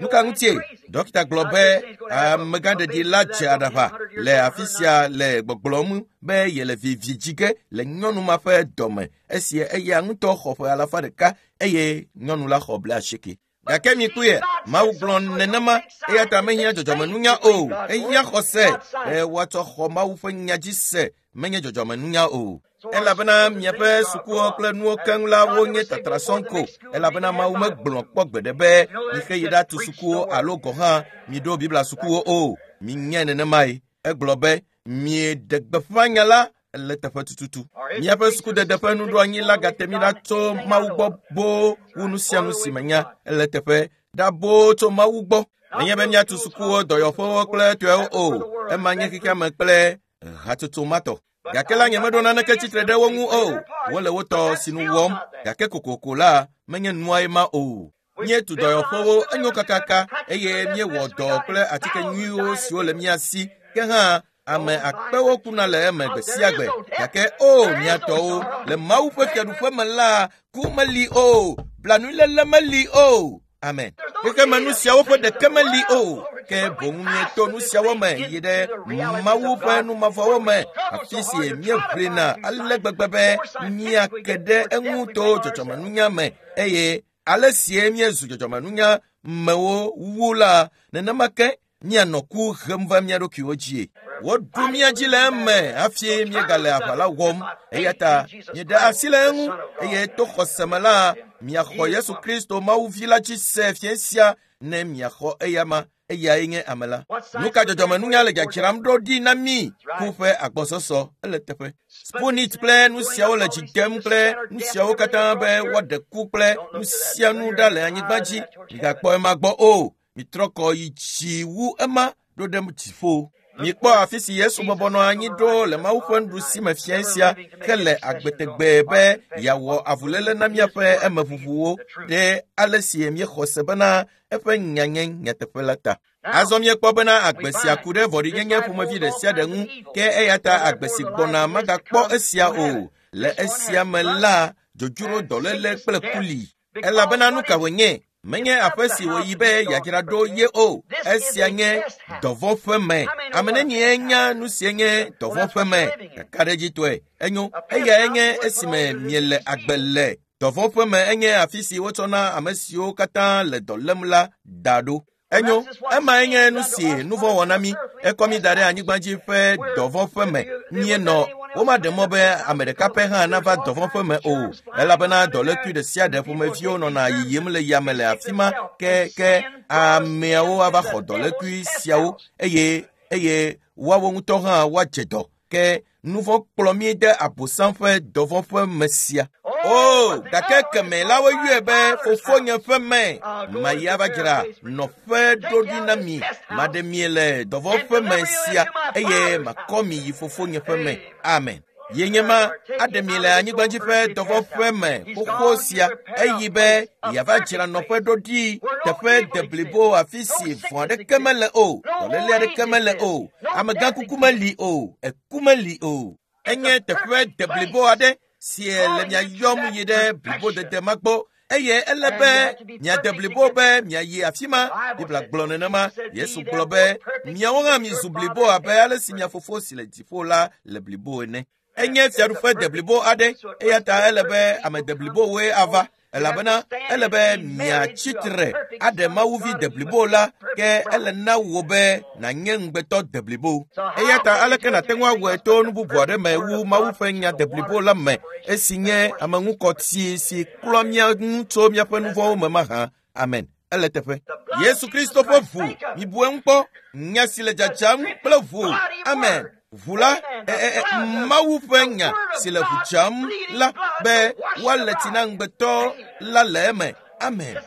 Nu ka ŋutie? Dɔkita gblɔ be amegãɖeɖi la dze aɖaʋa le afi sia le gbɔgblɔm be yele vi dzi ge le nyɔnu ma ƒe dɔme esi eya ŋutɔ xɔ ƒe 100 eye nyɔnu la xɔ 80. Gake mikpɔe, Mawu gblɔ nenema, eya ta mehiã dzɔdzɔmenunya o. Ehiã xɔse be woatsɔ xɔ Mawu ƒe nya dzi se, menye dzɔdzɔmenunya o. Elabena miaƒe sukuwo kple nuwo keŋ la wonye tatra sɔŋ ko, elabena Mawu megblɔ kpɔ gbeɖe be mixe yi ɖatu sukuwo alo gɔ̃ hã miɖo Biblia sukuwo o. Minyae nenemae. Egblɔ be mieɖe gbeƒã nya la. Ele teƒe tututu. Míaƒe sukudede ƒe nuɖoanyi la gate mí ɖa tso Mawu gbɔ boo wu nu sia nu si menya. Ele teƒe ɖa boo tso Mawu gbɔ. Menye be míatu sukuwo, dɔyɔƒewo kple tɔewo o. Ema nye xexea me kple hatsotso ma tɔ. Gake la nyemeɖo naneke tsitre ɖe wo ŋu o. Wole wo tɔ sinu wɔm. Gake kokoko la, menye nuae ma o. Míetu dɔyɔƒewo enyo kakaka eye míewɔ dɔ kple atike nyuiwo siwo le mía si. Ke hã ame akpewo kuna le eme gbe sia gbe. Gake o mía tɔwo, le Mawu ƒe fiaɖuƒe me la, ku meli o, blanuiléle meli o. Amen. Xexeme nu siawo ƒe ɖeke meli o. Ke boŋ míeto nu siawo me yi ɖe Mawu ƒe numavɔwo me, afi si míeʋlina ale gbegbe be míake ɖe eŋu to dzɔdzɔmenunya me eye ale sie míezu dzɔdzɔmenunya mewo wu la, nenema ke míanɔ ku hem va mía ɖokuiwo dzie. Woɖu mía dzi le eme hafi míegale aʋa la wɔm. Eya ta mieɖe asi le eŋu eye to xɔse me la, miaxɔ Yesu Kristo Mawu vi la dzi se fiẽ sia ne miaxɔ eyama. Eyae nye ame la. Nu ka dzɔdzɔmenunya le dzadzram ɖo ɖi na mí? Ku ƒe agbɔsɔsɔ ele teƒe. Sputnik kple nu siawo le dzi dem kple nu siawo katã be woaɖe ku kple nu sia nu ɖa le anyigba dzi. Migakpɔ ema gbɔ o. Mitrɔ kɔ yi dzi wu ema ɖo ɖe dziƒo. Mikpɔ afi si Yesu bɔbɔ nɔ anyi ɖo le Mawu ƒe nuɖusi me fiẽ sia hele agbe tegbee be yeawɔ avuléle na míaƒe emeʋuʋuwo ɖe ale si míexɔ se bena eƒe nya nye nyateƒe la ta. Azɔ míekpɔ bena agbe sia ku ɖe vɔ̃ɖinyenye ƒomevi ɖe sia ɖe ŋu, ke eya ta agbe si gbɔna magakpɔ esia o. Le esia me la, dzodzro, dɔléle kple ku li. Elabena nu ka wònye? Menye aƒe si wòyi be yeadzra ɖo ye o. Esia nye dɔvɔ̃ ƒe me. Ame nenie nya nu sie nye dɔvɔ̃ ƒe me? Kakaɖedzitɔe enyo. Eyae nye esime miele agbe le. Dɔvɔ̃ ƒe me enye afi si wotsɔna ame siwo katã le dɔ lém la da ɖo. Enyo, emae nye nu si nu vɔ̃ wɔ na mí. Ekɔ mí da ɖe anyigba dzi ƒe dɔvɔ̃ ƒe me. Míenɔ womaɖe mɔ be ame ɖeka pɛ hã nava dɔvɔ̃ ƒe me o, elabena dɔlékui ɖe sia ɖe ƒomeviwo nɔna yiyim le yame le afi ma ke ke ameawo ava xɔ dɔlékui siawo eye eye woawo ŋutɔ hã woadze dɔ. Ke nu vɔ̃ kplɔ mí de Abosam ƒe dɔvɔ̃ ƒe me sia. O, gake keme la woyɔe be fofonye ƒe me. Mayi ava dzra nɔƒe ɖo ɖi na mi. Maɖe mi le dɔvɔ̃ ƒe me sia eye makɔ mi yi fofonye ƒe me. Amen. Ye nye ma aɖe mi le anyigba dzi ƒe dɔvɔ̃ ƒe me xoxo sia eyi be yeava dzra nɔƒe ɖo ɖi teƒe deblibo afi si vɔ̃ aɖeke mele o, dɔléle aɖeke mele o, amegãkuku meli o, eku meli o. Enye teƒe deblibo aɖe si le mia yɔm yi ɖe blibodede ma gbɔ eye ele be miade blibo be miayi afi ma. Biblia gblɔ nenema. Yesu gblɔ be miawo hã mizu blibo abe ale si mia fofo si le dziƒo la le blibo ene. Enye fiaɖuƒe deblibo aɖe eya ta ele be ame deblibowoe ava elabena ele be miatsi tre aɖe Mawuvi deblibo la ke ele na wò be nànye ŋugbetɔ deblibo. Eya ta aleke nàte ŋu awɔe to nu bubu aɖe me wu Mawu ƒe nya deblibo la me esi nye ameŋukɔtsi si klɔa mía ŋu tso míaƒe nu vɔ̃wo me mahã. Amen. Ele teƒe. Yesu Kristo ƒe ʋu, mibu eŋu kpɔ. Nya si le dzadzam kple ʋu. Amen. Ʋu la, Mawu ƒe nya si le ʋu dzam la be woale tsi na ŋugbetɔ la le eme. Amen.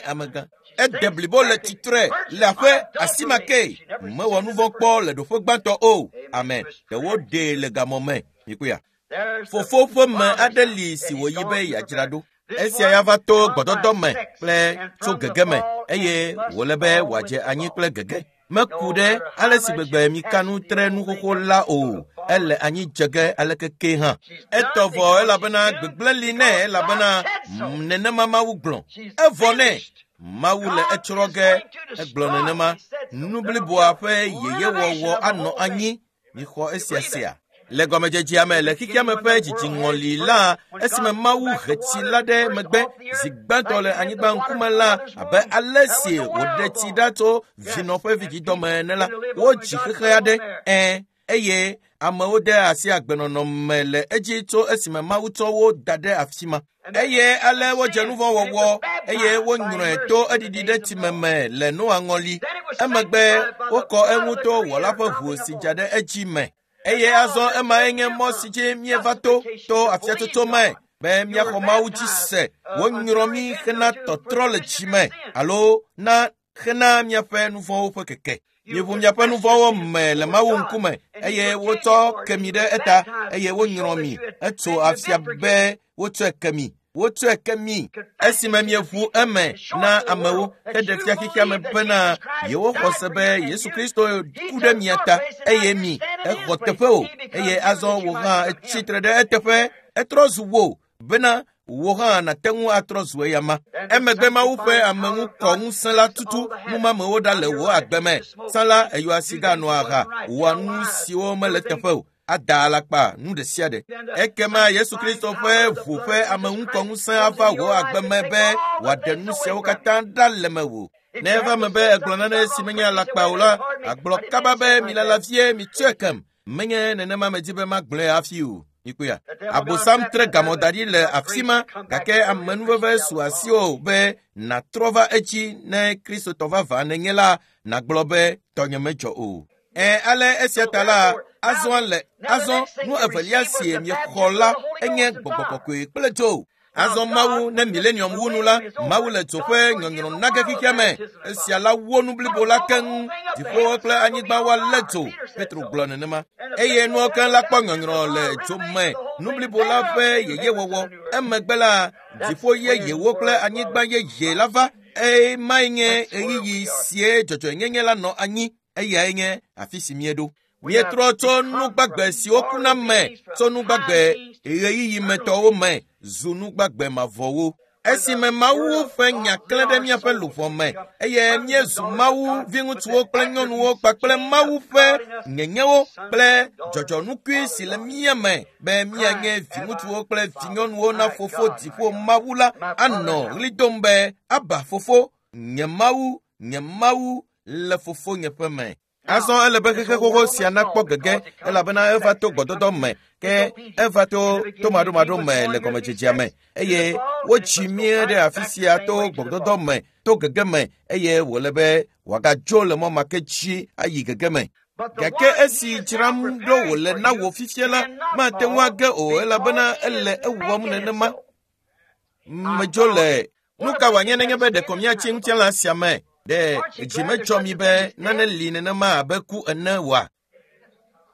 Amegã. Ede blibo le tsitre le aƒe asi ma ke. Mewɔ nu vɔ̃ kpɔ le ɖoƒe gbãtɔ o. Amen. Ɖe woɖee le gamɔ me. Mikuya. Fofo ƒe me aɖe li si wòyi be yeadzra ɖo. Esia ya va to gbɔdɔdɔ me kple tso gege me eye wòle be wòadze anyi kple gege. Meku ɖe ale si gbegbe mika nu tre nu xoxo la o. Ele anyi dze ge aleke ke hã. Etɔ vɔ elabena gbegblẽ li nɛ elabena nenema Mawu gblɔ. Evɔ nɛ. Mawu le etsrɔ̃ ge. Egblɔ nenema. Nu bliboa ƒe yeyewɔwɔ anɔ anyi. Mixɔ esia sia. Le gɔmedzedzea me le xexea me ƒe dzidziŋɔli la, esime Mawu he tsi la ɖe megbe zi gbãtɔ le anyigba ŋkume la, abe ale si wòɖe tsi ɖa tso vinɔ ƒe vidzidɔ me ene la, wodzi xexe aɖe, eye amewo de asi agbenɔnɔ me le edzi tso esime Mawu tsɔ wo da ɖe afi ma. Eye ale wodze nu vɔ̃ wɔwɔ eye wonyrɔe to eɖiɖi ɖe tsime me le Noa ŋɔli. Emegbe wokɔ eŋu to Wɔla ƒe ʋu si dza ɖe edzi me. Eye azɔ emae nye mɔ si dzi míeva to to afiatsotso me be míaxɔ Mawu dzi se. Wonyrɔ mí hena tɔtrɔ le tsi me alo na hena míaƒe nu vɔ̃wo ƒe keke. Mieʋu miaƒe nu vɔ̃wo me le Mawu ŋkume eye wotsɔ ke mi ɖe eta eye wonyrɔ mi. Etso afia be wotsɔe ke mi. Wotsɔe ke mi esime mieʋu eme na amewo heɖe fia xexea me bena yewoxɔ se be Yesu Kristo ku ɖe mia ta eye mi exɔ teƒe o eye azɔ wò hã etsi tre ɖe eteƒe etrɔ zu wò bena wò hã nàte ŋu atrɔ zu eyama. Emegbe Mawu ƒe ameŋukɔ ŋusẽ la tutu numamewo ɖa le wò agbe me. Tsã la eyɔa siga nɔa aha wɔa nu siwo mele teƒe o. Ada alakpa nu ɖe sia ɖe. Ekema Yesu Kristo ƒe ʋu ƒe ameŋukɔ ŋusẽ ava wò agbe me be wòaɖe nu siawo katã ɖa le mewò. Ne eva eme be egblɔ nane si menye alakpa o la, agblɔ kaba be milala vie mitsɔe kem. Menye nenema medi be magblɔe hafi o. Mikpɔea? Abosam tre gamɔ da ɖi le afi ma gake amenuveve su asiwò be nàtrɔ va edzi ne Kristotɔ vavã nènye la nàgblɔ be tɔnye medzɔ o. Ẽ ale esia ta la, azɔ le azɔ nu evelia si miexɔ la enye gbɔgbɔ kɔkɔe kple dzo. Azɔ Mawu ne milenium wu nu la, Mawu le dzo ƒe nyɔnyrɔ na ge xexea me. Esia la wo nu blibo la keŋ. Dziƒowo kple anyigba woalé dzo. Petro gblɔ nenema. Eye nuwo keŋ la kpɔ nyɔnyrɔ le dzo me. Nu blibo la ƒe yeyewɔwɔ. Emegbe la, dziƒo yeyewo kple anyigba yeye la va. Emae nye ɣeyiɣi sie dzɔdzɔenyenye la nɔ anyi. Eyae nye afi si míeɖo. Míetrɔ tso nugbagbe siwo kuna me tso nugbagbe ɣeyiɣimetɔwo me zu nugbagbe mavɔwo. Esime Mawu ƒe nya klẽ ɖe míaƒe luʋɔ me eye míezu Mawu viŋutsuwo kple nyɔnuwo kpakple Mawu ƒe nyenyewo kple dzɔdzɔnukui si le mía me be míanye viŋutsuwo kple vinyɔnuwo na fofo dziƒo Mawu la anɔ ɣli dom be Aba fofo, nye Mawu, nye Mawu le fofonye ƒe me. Azɔ ele be xexe xoxo sia nakpɔ gege elabena eva to gbɔdɔdɔ me ke eva to tomaɖomaɖo me le gɔmedzedzea me eye wotsi mía ɖe afi sia to gbɔdɔdɔ me to gege me eye wòle be wòagadzo le mɔ ma ke dzi ayi gege me. Gake esi dzram ɖo wòle na wò fifia la, mate ŋu age o elabena ele ewɔm nenema. Medzo le nu ka wòanye nenye be ɖeko míatsi ŋutilã sia me ɖe dzi medzɔ mi be nane li nenema abe ku ene oa?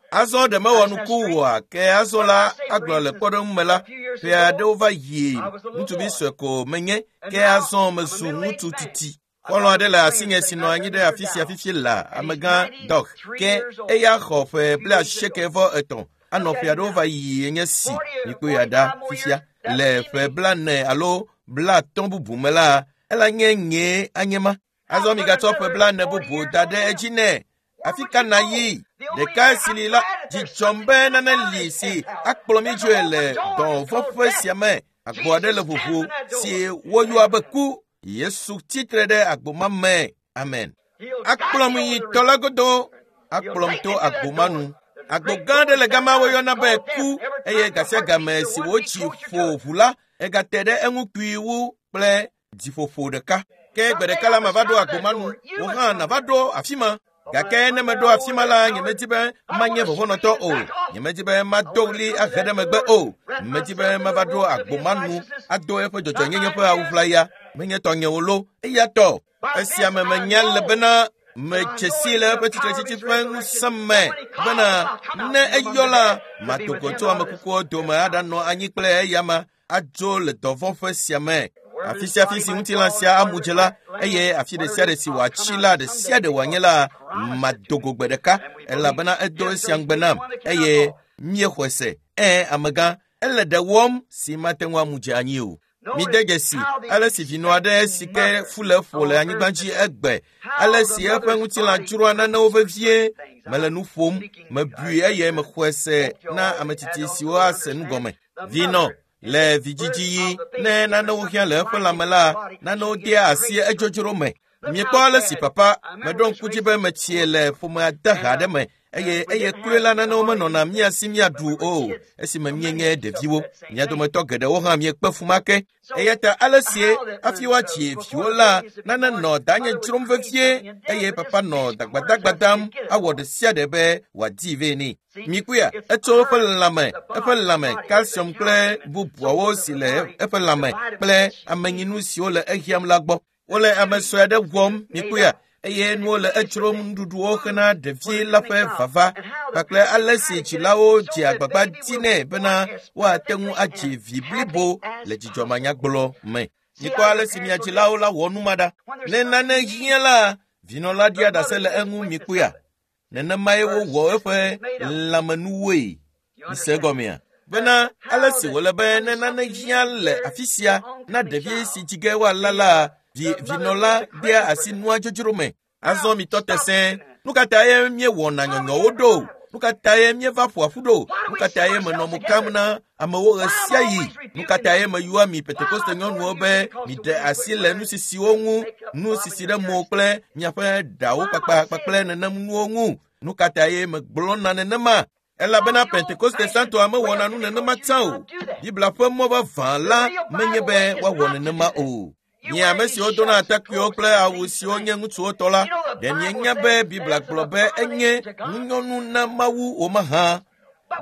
Azɔ ɖe mewɔ nuku oa? Ke azɔ la agblɔ le kpɔɖeŋu me la, ƒe aɖewo va yi ŋutsuvi sue ko menye ke azɔ mezu ŋutsu titi. Xɔlɔ̃ aɖe le asinye si nɔ anyi ɖe afi sia fifi la, amegã Dɔk. Ke eya xɔ ƒe 93 anɔ ƒe aɖewo va yi nye si mikpɔe ya ɖa fifia. Le ƒe 40 alo 50 bubu me la, ela nye nyee anye ma. Azɔ migatsɔ ƒe 40 bubu da ɖe edzi nɛ. Afi ka nàyi? Ɖeka si li la, dzi dzɔm be nane li si akplɔ mí dzoe le dɔvɔ̃ ƒe sia me. Agbo aɖe le ʋuʋu si woyɔa be ku. Yesu tsitre ɖe agbo ma me. Amen. Akplɔm yi tɔ la godo. Akplɔm to agbo ma nu. Agbo gã aɖe le gama woyɔna be ku eye gasiagame si wotsi ƒo ʋu la, egate ɖe eŋu kpui wu kple dziƒoƒo ɖeka. Ke gbe ɖeka la mava ɖo agbo ma nu, wò hã nàva ɖo afi ma. Gake ne meɖo afi ma la, nyemedi be manye vɔvɔ̃nɔtɔ o. Nyemedi be mado ɣli ahe ɖe megbe o. Medi be mava ɖo agbo ma nu ado eƒe dzɔdzɔenyenye ƒe awu ʋlaya. Menye tɔnye o lo, eya tɔ. Esia me menya le bena medze si le eƒe tsitretsitsi ƒe ŋusẽ me bena ne eyɔ la, mado go tso ame kukuwo dome aɖanɔ anyi kple eyama adzo le dɔvɔ̃ ƒe sia me. Afi sia afi si ŋutilã sia amu dze la, eye afi ɖe sia ɖe si wòatsi la, ɖe sia ɖe wòanye la, mado go gbe ɖeka elabena edo esia ŋugbe nam eye míexɔe se. Ẽ, amegã, ele ɖe wɔm si mate ŋu amu dze anyi o. Mide dzesi ale si vinɔ aɖe si ke fu le ƒo le anyigba dzi egbe, ale si eƒe ŋutilã dzroa nanewo vevie. Mele nu ƒom, mebui eye mexɔe se na ame tsitsi siwo ase nu gɔme. Vinɔ le vidzidziɣi ne nanewo hiã le eƒe lãme la, nanewo dea asi edzodzro me. Miekpɔ ale si papa meɖo ŋku dzi be metsie le ƒomea de ha aɖe me Eye eye kloe la nanewo menɔna mía si míaɖu o esime míenye ɖeviwo. Mia dometɔ geɖewo hã miekpe fu ma ke. Eya ta ale sie hafi woatsi viwo la, nane nɔ danye dzrom vevie eye papa nɔ dagbadagbadam awɔ ɖe sia ɖe be wòadii vɛ nɛ. Mikuya, etso eƒe lãme, eƒe lãme, calcium kple bubuawo si le eƒe lãme kple amenyinu siwo le ehiãm la gbɔ. Wole ame sue aɖe wɔm, mikuya, eye nuwo le edzrom nuɖuɖuwo hena ɖevi la ƒe vava kpakple ale si dzilawo dze agbagba dinɛ bena woate ŋu adzi vi blibo le dzidzɔmanyagblɔ me. Mikpɔ ale si mia dzilawo la wɔ nu ma ɖa. Ne nane hiã la, vinɔ la ɖia ɖase le eŋu mikuya. Nenemae wowɔ eƒe lãmenuwoe. Mise egɔmea? Bena ale si wòle be ne nane hiã le afi sia na ɖevi si dzi ge woala la, vinɔ la dea asi nua dzodzro me. Azɔ mitɔ te sẽe. Nu ka tae míewɔna nyɔnyɔwo ɖo? Nu ka tae míeva ƒoa ƒu ɖo? Nu ka tae menɔ mo kam na amewo ɣe sia ɣi? Nu ka tae meyɔa mi Pentekoste nyɔnuwo be miɖe asi le nusisiwo ŋu, nusisi ɖe mo kple miaƒe ɖawo kpakpa kpakple nenem nuwo ŋu? Nu ka tae megblɔna nenema? Elabena Pentekoste Santoa mewɔna nu nenema tsã o. Biblia ƒe mɔ vavã la menye be woawɔ nenema o. Nye ame siwo dona atakpuiwo kple awu siwo nye ŋutsuwo tɔ la, ɖe mienya be Biblia gblɔ be enye ŋunyɔnu na Mawu wò mahã.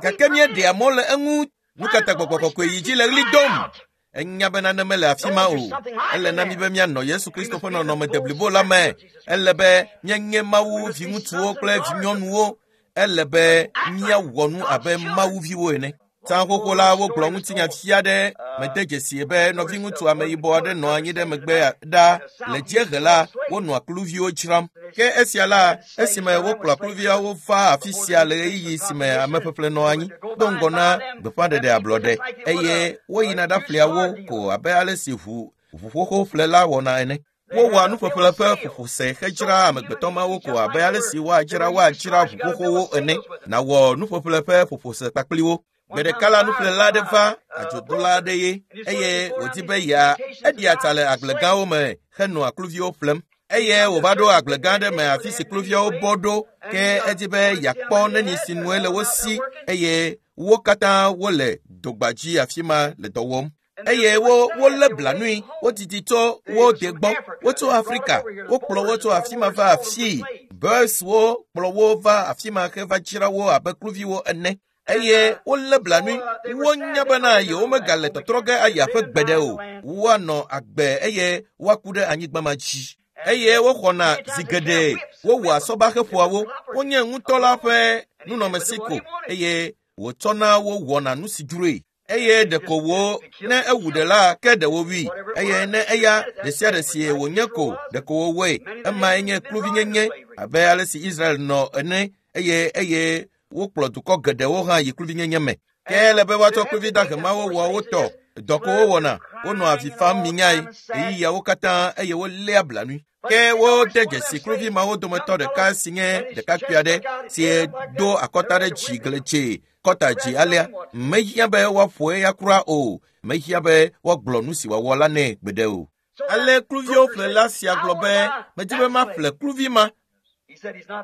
Gake míeɖea mɔ le eŋu. Nu ka ta gbɔgbɔ kɔkɔe yi dzi le ɣli dom? Enya be nane mele afi ma o. Ele na mí be míanɔ Yesu Kristo ƒe nɔnɔme deblibo la me. Ele be míanye Mawu viŋutsuwo kple vinyɔnuwo. Ele be míawɔ nu abe Mawu viwo ene. Tsã xoxo la wogblɔ ŋutinya fia ɖe mede dzesi be nɔviŋutsu ameyibɔ aɖe nɔ anyi ɖe megbe ɖa le dziehe la wonɔa kluviwo dzram. Ke esia la esime wokplɔ kluviawo va afi sia le ɣeyiɣi si me ameƒeƒle nɔ anyi do ŋgɔ na gbeƒãɖeɖe ablɔɖe eye woyina ɖaƒlea wo ko abe ale si ʋu ʋuƒoƒo ƒlela wɔna ene. Wowɔa nuƒeƒle ƒe ƒoƒose hedzraa amegbetɔ mawo ko abe ale si woadzra woadzra ʋuƒoƒowo ene nawɔ nuƒeƒle ƒe ƒoƒose kpakpli wo. Gbe ɖeka la nuƒlela aɖe va adzodola aɖe ye eye wòdi be yea eɖia tsa le agblegãwo me henɔa kluviwo ƒlem. Eye wòva ɖo agblegã aɖe me afi si kluviawo bɔ ɖo ke edi be yeakpɔ neni si nue le wo si eye wo katã wole dogba dzi afi ma le dɔ wɔm. Eye wo wolé blanui, wodidi tso wo de gbɔ, wotso Afrika, wokplɔ wo tso afi ma va afii. Boerswo kplɔ wo va afi ma heva dzra wo abe kluviwo ene. Eye wolé blanui, wonya bena yewomegale tɔtrɔ ge ayi aƒe gbeɖe o. Woanɔ agbe eye woaku ɖe anyigba ma dzi. Eye woxɔna zi geɖe, wowɔa sɔbaxeƒoawo, wonye ŋutɔ la ƒe nunɔamesi ko eye wòtsɔna wo wɔna nu si dzroe. Eye ɖeko wo ne ewu ɖe la ke ɖe wowui eye ne eya ɖe sia ɖe si wònye ko ɖeko wowɔe. Emae nye kluvinyenye abe ale si Israel nɔ ene eye eye wokplɔ dukɔ geɖewo hã yi kluvinyenye me. Ke ele be woatsɔ kluvi dahe mawo wɔ wo tɔ. Dɔ ko wowɔna, wonɔa avi fam minyae ɣeyiɣiawo katã eye woléa blanui. Ke wode dzesi kluvi mawo dometɔ ɖeka si nye ɖekakpui aɖe si do akɔta ɖe dzi gledzee kɔta dzi alea. Mehiã be woaƒo eya kura o. Mehiã be woagblɔ nu si wòawɔ la nɛ gbeɖe o. Ale kluviwo ƒlela sia gblɔ be medi be maƒle kluvi ma.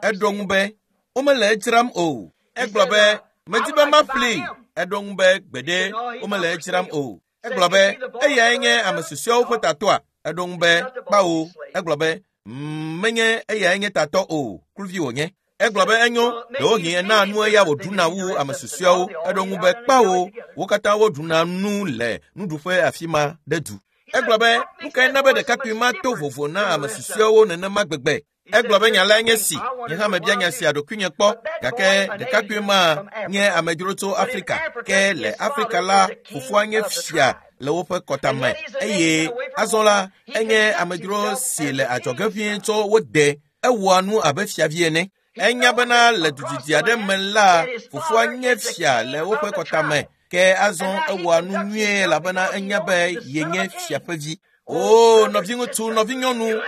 Eɖo ŋu be womele edzram o. Egblɔ be medi be maƒlee. Eɖo ŋu be gbeɖe womele edzram o. Egblɔ be eyae nye ame susɔeawo ƒe tatɔa. Eɖo ŋu be kpawo. Egblɔ be menye eyae nye tatɔ o, kluvi wònye. Egblɔ be enyo, ɖewohĩ ena nu eya wòɖuna wu ame susɔeawo. Eɖo ŋu be kpawo, wo katã woɖuna nu le nuɖuƒe afi ma ɖe du. Egblɔ be nu kae na be ɖekakpui ma to vovo na ame susɔeawo nenema gbegbe? Egblɔ be nya lae nye si, nye hã mebia nya sia ɖokuinye kpɔ, gake ɖekakpui ma nye amedzro tso Afrika. Ke le Afrika la, fofoa nye fia le woƒe kɔta me eye azɔ la enye amedzro si le adzɔge ʋĩi tso wo de. Ewɔa nu abe fiavi ene. Enya bena le dudidi aɖe me la, fofoa nye fia le woƒe kɔta me. Ke azɔ ewɔa nu nyuie elabena enya be yenye fia ƒe vi. O nɔviŋutsu, nɔvinyɔnu,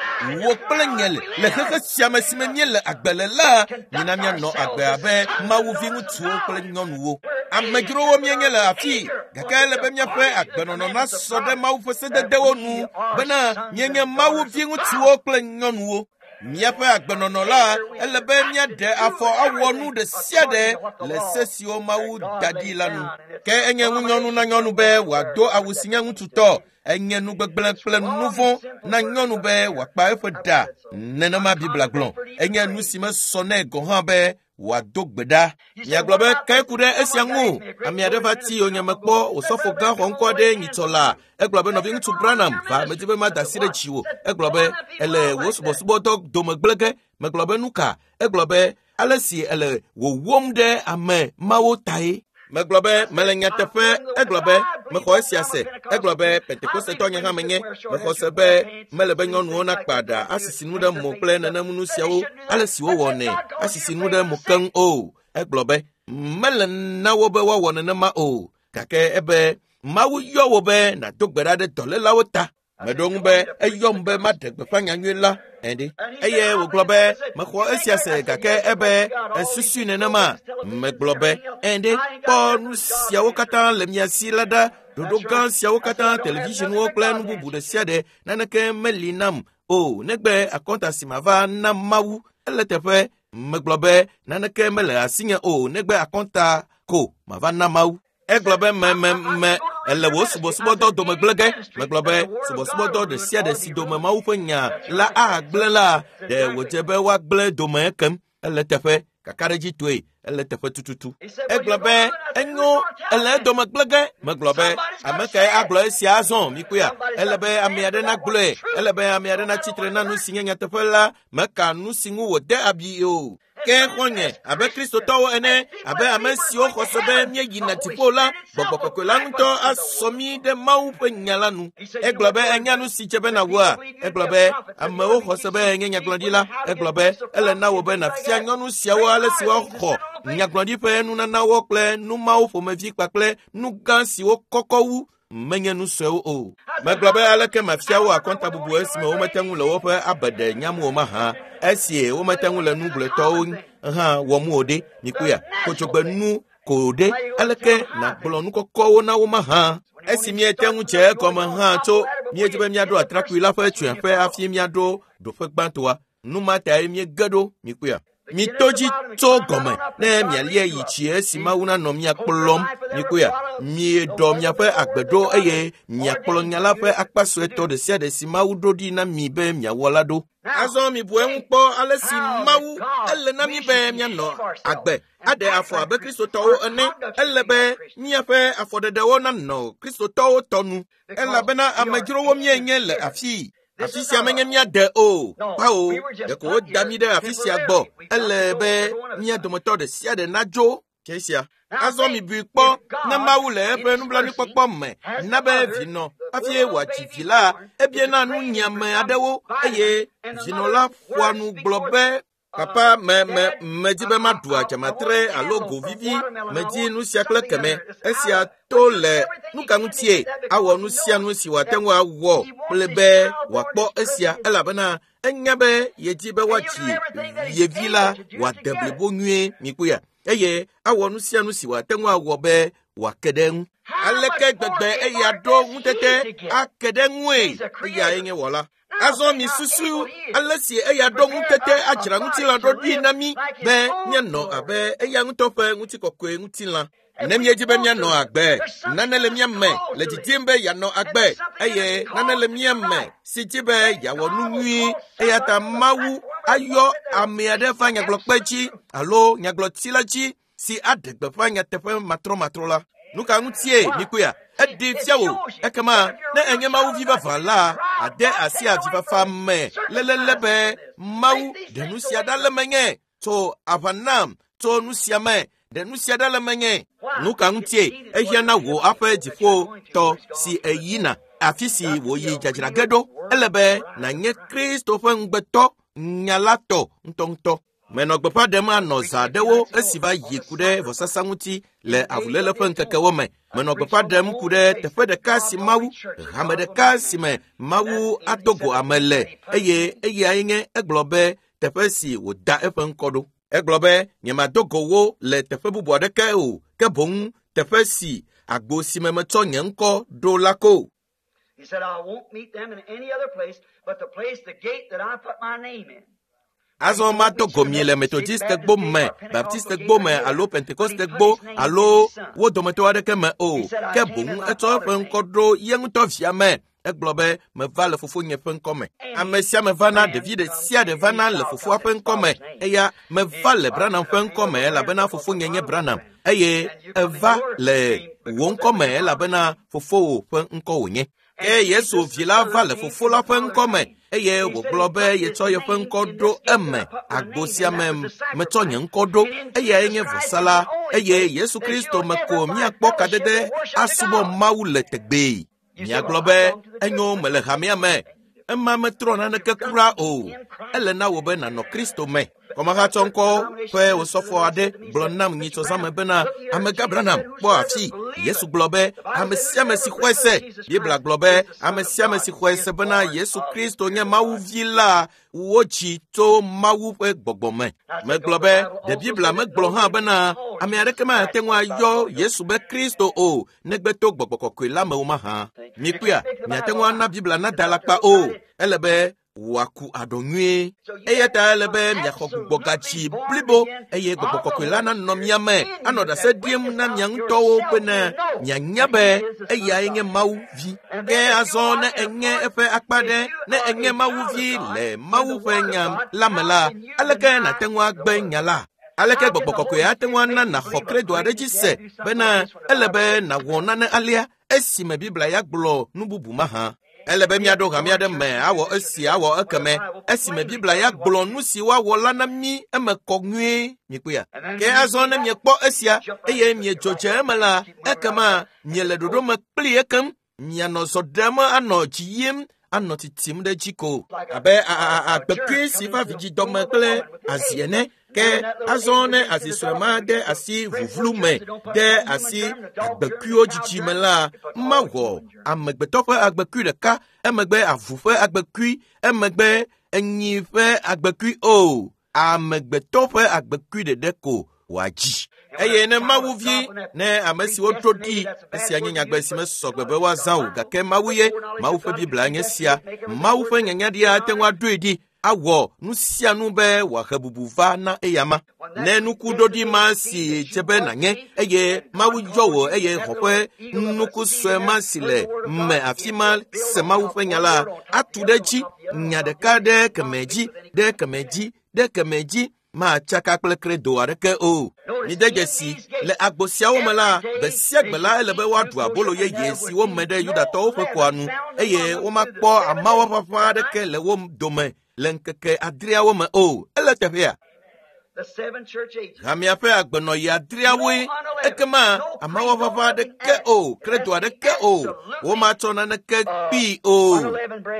wò kple nye le xexe sia me si me míele agbe le la, mina míanɔ agbe abe Mawu viŋutsuwo kple nyɔnuwo. Amedzrowo míenye le afii, gake ele be míaƒe agbenɔnɔ nasɔ ɖe Mawu ƒe sededewo nu bena míenye Mawu viŋutsuwo kple nyɔnuwo. Míaƒe agbenɔnɔ la, ele be míaɖe afɔ awɔ nu ɖe sia ɖe le se siwo Mawu da ɖi la nu. Ke enye ŋunyɔnu na nyɔnu be wòado awu si nye ŋutsutɔ. Enye nu gbegblẽ kple nu vɔ̃ na nyɔnu be wòakpa eƒe ɖa. Nenema Biblia gblɔ. Enye nu si mesɔ nɛ gɔ̃ hã be wòado gbe ɖa. Miagblɔ be ke ku ɖe esia ŋu. Ame aɖe va ti yonyeme kpɔ osɔfo gã xɔ ŋkɔ aɖe nyitsɔ la. Egblɔ be nɔviŋutsu Branham va medi be mada asi ɖe dziwò. Egblɔ be ele wò subɔsubɔdɔ dome gblẽ ge. Megblɔ be nu ka? Egblɔ be ale si ele wòwom ɖe ame mawo tae. Megblɔ be mele nyateƒe. Egblɔ be mexɔ esia se. Egblɔ be Pentekostetɔ nye hã menye. Mexɔ se be mele be nyɔnuwo nakpa ɖa asisi nu ɖe mo kple nenem nu siawo ale si wowɔnɛ asisi nu ɖe mo keŋ o. Egblɔ be mele na wo be woawɔ nenema o. Gake ebe Mawu yɔ wo be nàdo gbe ɖa ɖe dɔlélawo ta. Meɖo ŋu be eyɔm be maɖe gbeƒã nyanyui la ene. Eye wògblɔ be mexɔ esia se gake ebe esusui nenema. Megblɔ be ene kpɔ nu siawo katã le mia si la ɖa. Ɖoɖo gã siawo katã, televisionwo kple nu bubu ɖe sia ɖe naneke meli nam o negbe akɔnta si mava na Mawu. Ele teƒe megblɔ be naneke mele asinye o negbe akɔnta ko mava na Mawu. Egblɔ be me me me ele wò subɔsubɔdɔ dome gblẽ ge. Megblɔ be subɔsubɔdɔ ɖe sia ɖe si dome Mawu ƒe nya la agblẽ la, ɖe wòdze be woagblẽ dome ekem. Ele teƒe kakaɖedzitɔe, ele teƒe tututu. Egblɔ be enyo ele edome gblẽ ge. Megblɔ be ame kae agblɔ esia azɔ mikpɔea? Ele be ame aɖe nagblɔe. Ele be ame aɖe natsitre na nu si nye nyateƒe la. Meka nu si ŋu wòde abi o. Ke xɔ̃nye abe Kristotɔwo ene, abe ame siwo xɔ se be míeyina dziƒo la, gbɔgbɔ kɔkɔe la ŋutɔ asɔ mí ɖe Mawu ƒe nya la nu. Egblɔ be enya nu si dze be nàwɔa? Egblɔ be amewo xɔ se be enye nyagblɔɖila. Egblɔ be ele na wò be nàfia nyɔnu siawo ale si woaxɔ nyagblɔɖi ƒe nunanawo kple nu mawo ƒomevi kpakple nu gã siwo kɔkɔ wu menye nu suewo o. Megblɔ be aleke mafia wo akɔntabubu esime womete ŋu le woƒe abeɖe nyam o mahã, esi womete ŋu le nu gblɔetɔwo hã wɔm o ɖe. Mikpɔea, kodzogbe nu ko ɖe, aleke nàgblɔ nu kɔkɔwo na wo mahã? Esi míete ŋu dze egɔme hã tso míedzi be míaɖo atrakpui la ƒe tsyɔ̃eƒe hafi míaɖo ɖoƒe gbãtɔa. Nu ma tae míege ɖo, mikpɔea. Mito dzi tso gɔme ne mialia yi tsi esi Mawu nanɔ mia kplɔm. Mikpɔea, mieɖɔ miaƒe agbe ɖo eye miakplɔ nya la ƒe akpa suetɔ ɖe sia ɖe si Mawu ɖo ɖi na mi be miawɔ la ɖo. Azɔ mibu eŋu kpɔ ale si Mawu ele na mi be mianɔ agbe aɖe afɔ abe Kristotɔwo ene. Ele be míaƒe afɔɖeɖewo nanɔ Kristotɔwo tɔ nu elabena amedzrowo míenye le afii. Afi sia menye míade o. Kpao, ɖeko woda mí ɖe afi sia gbɔ. Ele be mía dometɔ ɖe sia ɖe nadzo tse esia. Azɔ mibui kpɔ ne Mawu le eƒe nublanuikpɔkpɔ me na be vinɔ hafi wòadzi vi la, ebiana nunyiame aɖewo eye vinɔ la ƒoa nu gblɔ be Papa, me me medi be maɖu adzamatre alo go vivi, medi nu sia kple keme. Esia to le nu ka ŋutie awɔ nu sia nu si wòate ŋu awɔ kple be wòakpɔ esia elabena enya be yedi be woadzi ye vi la wòade blibo nyuie mikpɔea eye awɔ nu sia nu si wòate ŋu awɔ be wòake ɖe eŋu. Aleke gbegbe eya ɖo ŋutete ake ɖe ŋue eyae nye wɔla. Azɔ misusu ale si eya ɖo ŋutete adzra ŋutilã ɖo ɖi na mí be míanɔ abe eya ŋutɔ ƒe ŋutikɔkɔe ŋutilã. Ne míedzi be míanɔ agbe, nane le mía me le didim be yeanɔ agbe eye nane le mía me si dzi be yeawɔ nu nyui. Eya ta Mawu ayɔ ame aɖe va nyagblɔkpe dzi alo nyagblɔti la dzi si aɖe gbeƒã nyateƒe matrɔmatrɔ la. Nu ka ŋutie mikpɔea? Eɖee fia wò. Ekema ne enye Mawu vi vavã la, ade asi avifafa me lelele be Mawu ɖe nu sia ɖa le menye tso aʋa nam tso nu sia me ɖe nu sia ɖa le menye. Nu ka ŋutie ehiã na wò aƒe dziƒotɔ si èyina afi si wòyi dzadzra ge ɖo? Ele be nànye Kristo ƒe ŋugbetɔ nya la tɔ ŋutɔŋutɔ. Menɔ gbeƒã ɖem anɔ zã aɖewo esi va yi ku ɖe vɔsasa ŋuti le avuléle ƒe ŋkekewo me. Menɔ gbeƒã ɖem ku ɖe teƒe ɖeka si Mawu, hame ɖeka si me Mawu ado go ame le eye eyae nye egblɔ be teƒe si wòda eƒe ŋkɔ ɖo. Egblɔ be nyemado go wo le teƒe bubu aɖeke o, ke boŋ teƒe si agbo si me metsɔ nye ŋkɔ ɖo la ko. He said, I won't meet them in any other place but the place, the gate that I put my name in. Azɔ matɔ gɔmie le Methodiste gbo me, Baptiste gbo me alo Pentecoste gbo alo wo dometɔ aɖeke me o. Ke boŋ etsɔ eƒe ŋkɔ ɖo ye ŋutɔ via me. Egblɔ be meva le fofonye ƒe ŋkɔ me. Ame sia ame vana, ɖevi ɖe sia ɖe vana le fofoa ƒe ŋkɔ me. Eya meva le Branham ƒe ŋkɔ me elabena fofonye nye Branham eye eva le wò ŋkɔ me elabena fofowò ƒe ŋkɔ wònye. Ke Yesu vi la va le fofo la ƒe ŋkɔ me eye wògblɔ be yetsɔ yeƒe ŋkɔ ɖo eme. Agbo sia me metsɔ nye ŋkɔ ɖo, eyae nye vɔsa la eye Yesu Kristo me ko míakpɔ kadede asubɔ Mawu le tegbee. Miagblɔ be enyo mele hamea me. Ema metrɔ naneke kura o. Ele na wò be nànɔ Kristo me. Kɔmahatsɔ ŋkɔ ƒe osɔfo aɖe gblɔ nam nyitsɔ zãme bena amegã Branham kpɔ afi. Yesu gblɔ be ame sia ame si xɔe se. Biblia gblɔ be ame sia ame si xɔe se bena Yesu Kristo nye Mawu vi la wodzi tso Mawu ƒe gbɔgbɔ me. Megblɔ be ɖe Biblia megblɔ hã bena ame aɖeke mate ŋu ayɔ Yesu be Kristo o negbe to gbɔgbɔ kɔkɔe la me o mahã. Mikpɔea, miate ŋu ana Biblia nada alakpa o. Ele be wòaku aɖɔ nyuie. Eya ta ele be miaxɔ gbugbɔgatsi blibo eye gbɔgbɔ kɔkɔe la nanɔ mia me anɔ ɖase ɖim na mia ŋutɔwo bena mianya be eyae nye Mawu vi. Ke azɔ ne enye eƒe akpa ɖe, ne enye Mawu vi le Mawu ƒe nya la me la, aleke nàte ŋu agbe nya la? Aleke gbɔgbɔ kɔkɔe ate ŋu ana nàxɔ kredo aɖe dzi se bena ele be nàwɔ nane alea esime Biblia ya gblɔ nu bubu mahã? Ele be míaɖo hame aɖe me awɔ esi awɔ ekeme esime Biblia ya gblɔ nu si woawɔ la na mí eme kɔ nyuie. Mikpɔea? Ke azɔ ne miekpɔ esia eye miedzo dze eme la, ekema miele ɖoɖo me kpli ekem. Mianɔ zɔ ɖem anɔ dzi yim anɔ titim ɖe dzi ko abe agbekui si va vidzidɔme kple azi ene. Ke azɔ ne azi sue ma de asi vuvlu me, de asi agbekuiwo dzidzi me la, mawɔ amegbetɔ ƒe agbekui ɖeka, emegbe avu ƒe agbekui, emegbe enyi ƒe agbekui o. Amegbetɔ ƒe agbekui ɖeɖe ko wòadzi. Eye ne Mawu vi, ne ame siwo ɖo ɖi, esia nye nyagbe si mesɔ gbe be woazã o, gake Mawu ye, Mawu ƒe Biblia nye sia. Mawu ƒe nyanyaɖia ate ŋu aɖoe ɖi awɔ nu sia nu be wòahe bubu va na eyama. Ne nukuɖoɖi ma si dze be nànye eye Mawu yɔ wò eye xɔ ƒe nuku sue ma si le me afi ma se Mawu ƒe nya la, atu ɖe edzi nya ɖeka ɖe keme dzi, ɖe keme dzi, ɖe keme dzi, matsaka kple kredo aɖeke o. Mide dzesi, le agbo siawo me la, gbe sia gbe la ele be woaɖu abolo yeye si wome ɖe Yudatɔwo ƒe kɔa nu eye womakpɔ amawo ʋaʋã aɖeke le wo dome le ŋkeke adreawo me o. Ele teƒea? Hamea ƒe agbenɔɣi adreawoe. Ekema amawo ʋaʋã aɖeke o, kredo aɖeke o, womatsɔ naneke kpii o.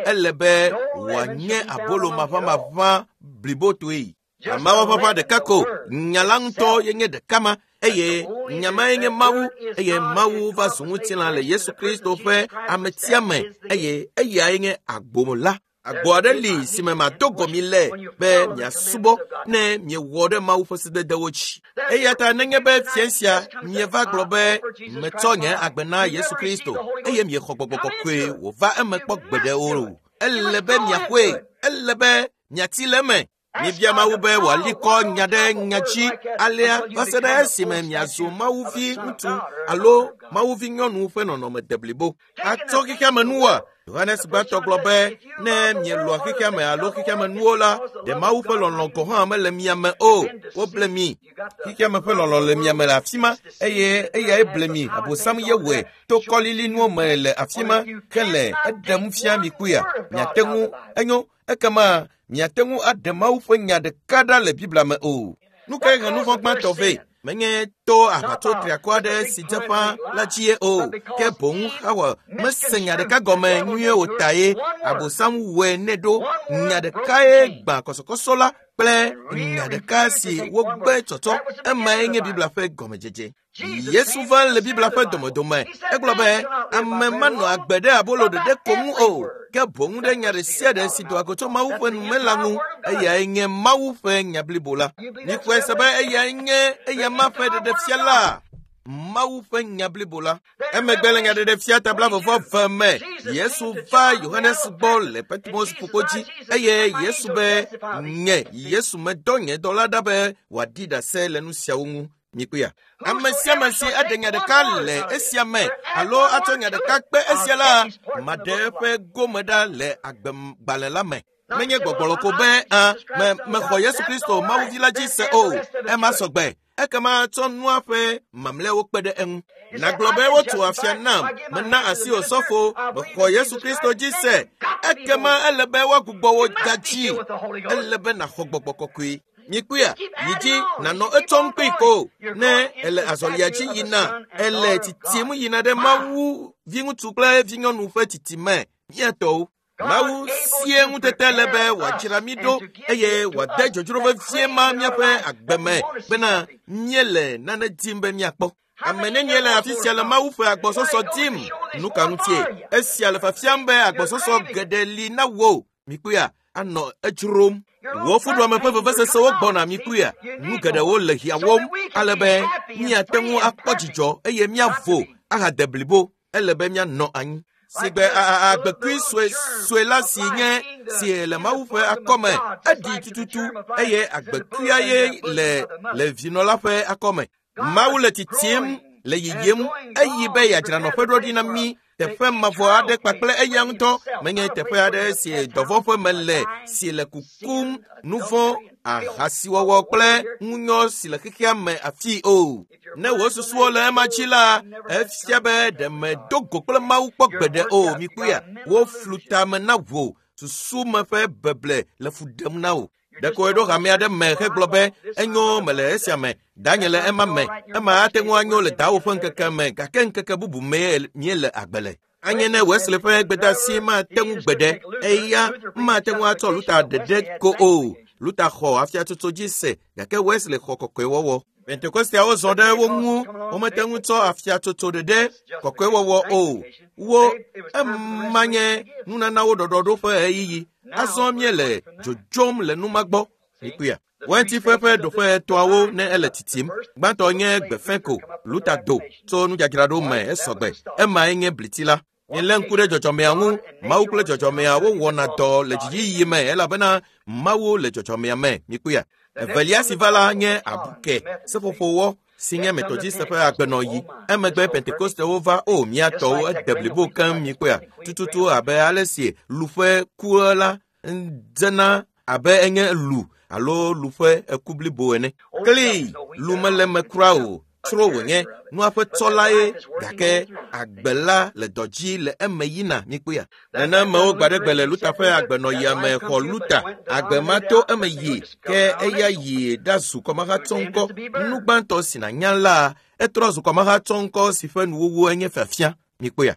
Ele be wòanye abolo maʋamaʋã blibotoe. Amawo ʋaʋã ɖeka ko, nya la ŋutɔ ye nye ɖeka ma eye nya mae nye Mawu eye Mawu va zu ŋutilã le Yesu Kristo ƒe ametia me eye eyae nye agbo la. Agbo aɖe li si me mado gɔmi le be miasubɔ ne miewɔ ɖe Mawu ƒe sededewo dzi. Eya ta nenye be fia sia mieva gblɔ be metsɔ nye agbe na Yesu Kristo eye miexɔ gbɔgbɔ kɔkɔe wòva eme kpɔ gbeɖe o. Ele be miaxɔe, ele be miati le eme. Mibia Mawu be wòali kɔ nya ɖe nya dzi alea va se ɖe esime miazu Mawu vi ŋutsu alo Mawu vi nyɔnu ƒe nɔnɔme deblibo. Atsɔ xexeame nuwoa? Yohanes gbãtɔ gblɔ be ne mielɔa xexeame alo xexeame nuwo la, ɖe Mawu ƒe lɔlɔ̃ gɔ̃ hã mele mia me o. Woble mi. Xexeame ƒe lɔlɔ̃ le mia me le afi ma eye eyae ble mi. Abosam ye wɔe to kɔlilinuwo me le afi ma hele eɖem fia mi kpuia. Miate ŋu enyo ekema miate ŋu aɖe Mawu ƒe nya ɖeka ɖa le Biblia me o. Nu kae he nu vɔ̃ gbãtɔ vɛ? Menye to aʋatso triakɔ aɖe si dze ƒã la dzie o, ke boŋ Xawa mese nya ɖeka gɔme nyuie o ta ye Abosam wɔe nɛ ɖo. Nya ɖekae gbã kɔsɔkɔsɔ la kple nya ɖeka si wogbe tsɔtsɔ. Emae nye Biblia ƒe gɔmedzedze. Yesu va le Biblia ƒe domedome. Egblɔ be ame manɔ agbe ɖe abolo ɖeɖe ko ŋu o, ke boŋ ɖe nya ɖe sia ɖe si doa go tso Mawu ƒe nume la ŋu. Eyae nye Mawu ƒe nya blibo la. Mixɔe se be eyae nye eyama ƒe ɖeɖefia la. Mawu ƒe nya blibo la. Emegbe le Nyaɖeɖefia ta 22 me, Yesu va Yohanes gbɔ le Patmos ƒukpo dzi eye Yesu be, Nye Yesu medɔ nye dɔla ɖa be wòaɖi ɖase le nu siawo ŋu. Mikpɔea? Ame sia ame si aɖe nya ɖeka le esia me alo atsɔ nya ɖeka kpe esia la, maɖe eƒe gome ɖa le agbegbalẽ la me. Menye gbɔgblɔ ko be a me mexɔ Yesu Kristo Mawu vi la dzi se o. Ema sɔgbe. Ekema tsɔ nua ƒe mamlɛawo kpe ɖe eŋu. Nàgblɔ be wotu afia nam, mena asi osɔfo, mexɔ Yesu Kristo dzi se. Ekema ele be woagbugbɔ wò da dzi. Ele be nàxɔ gbɔgbɔ kɔkɔe. Mikpɔea, yi dzi nànɔ etsɔm kpee ko ne ele azɔlia dzi yina, ele titim yina ɖe Mawu viŋutsu kple vinyɔnu ƒe titime. Mía tɔwo. Mawu sie ŋutete le be wòadzra mí ɖo eye wòade dzodzro vevie ma míaƒe agbe me bena míele nane dim be míakpɔ. Ame nenie le afi sia le Mawu ƒe agbɔsɔsɔ dim? Nu ka ŋutie? Esia le fiafiam be agbɔsɔsɔ geɖe li na wò. Mikpɔea, anɔ edzrom. Wò fuɖuame ƒe vevesesewo gbɔna mikpɔea. Nu geɖewo le hiãwòm ale be míate ŋu akpɔ dzidzɔ eye míavo ahade blibo. Ele be míanɔ anyi. Sigbe agbekui sue sue la si nye si le Mawu ƒe akɔme eɖi tututu eye agbekuia ye le le vinɔ la ƒe akɔme. Mawu le titim le yiyim eyi be yeadzra nɔƒe ɖo ɖi na mí teƒe mavɔ aɖe kpakple eya ŋutɔ menye teƒe aɖe si dɔvɔ̃ ƒe me le si le kukum nuvɔ̃ ahasiwɔwɔ kple ŋunyɔ si le xexea me afii o. Ne wò susuwo le ema dzi la, efia be ɖe mèdo go kple Mawu kpɔ gbeɖe o. Mikpɔea, woflu tame na wò susu me ƒe beble le fu ɖem na wò. Ɖeko eɖo hame aɖe me hegblɔ be enyo mele esia me, danye le ema me, ema ate ŋu anyo le dawò ƒe ŋkeke me gake ŋkeke bubu mee míele agbe le. Anye ne Wesley ƒe gbedeasi mate ŋu gbeɖe, eya mate ŋu atsɔ Luther ɖeɖe ko o. Luther xɔ afiatsotso dzi se gake Wesley xɔ kɔkɔewɔwɔ. Pentekosteawo zɔ ɖe wo ŋu, womete ŋu tsɔ afiatsotso ɖeɖe kɔkɔewɔwɔ o. Wo ema nye nunanawo ɖɔɖɔɖo ƒe ɣeyiɣi. Azɔ míele dzodzom le numa gbɔ. Mikpɔea? Wɛntiƒe ƒe ɖoƒe etɔ̃awo ne ele titim. Gbãtɔ nye gbefẽ ko Luther do tso nudzadzraɖo me esɔgbe. Emae nye bliti la. Milé ŋku ɖe dzɔdzɔmea ŋu. Mawu kple dzɔdzɔmea wowɔna dɔ le dziyiyi me elabena Mawu le dzɔdzɔmea me. Mikpɔea? Evelia si va la nye abuke seƒoƒowɔ si nye Methodiste ƒe agbenɔɣi. Emegbe Pentekostewo va o mía tɔwo ede blibo keŋ mikpɔea? Tututu abe ale si lu ƒe ku la dzena abe enye lu alo lu ƒe eku blibo ene. Kli lu mele eme kura o. Tsro wònye nua ƒe tsɔla ye gake agbe la le dɔ dzi le eme yina mikpɔea? Nenemewo gbaɖegbe le Luther ƒe agbenɔɣia me xɔ Luther agbe ma to eme yi ke eya yi ɖazu kɔmahatsɔŋkɔ. Nu gbãtɔ si nànya la, etrɔ zu kɔmahatsɔŋkɔ si ƒe nuwuwu enye fiafia. Mikpɔea?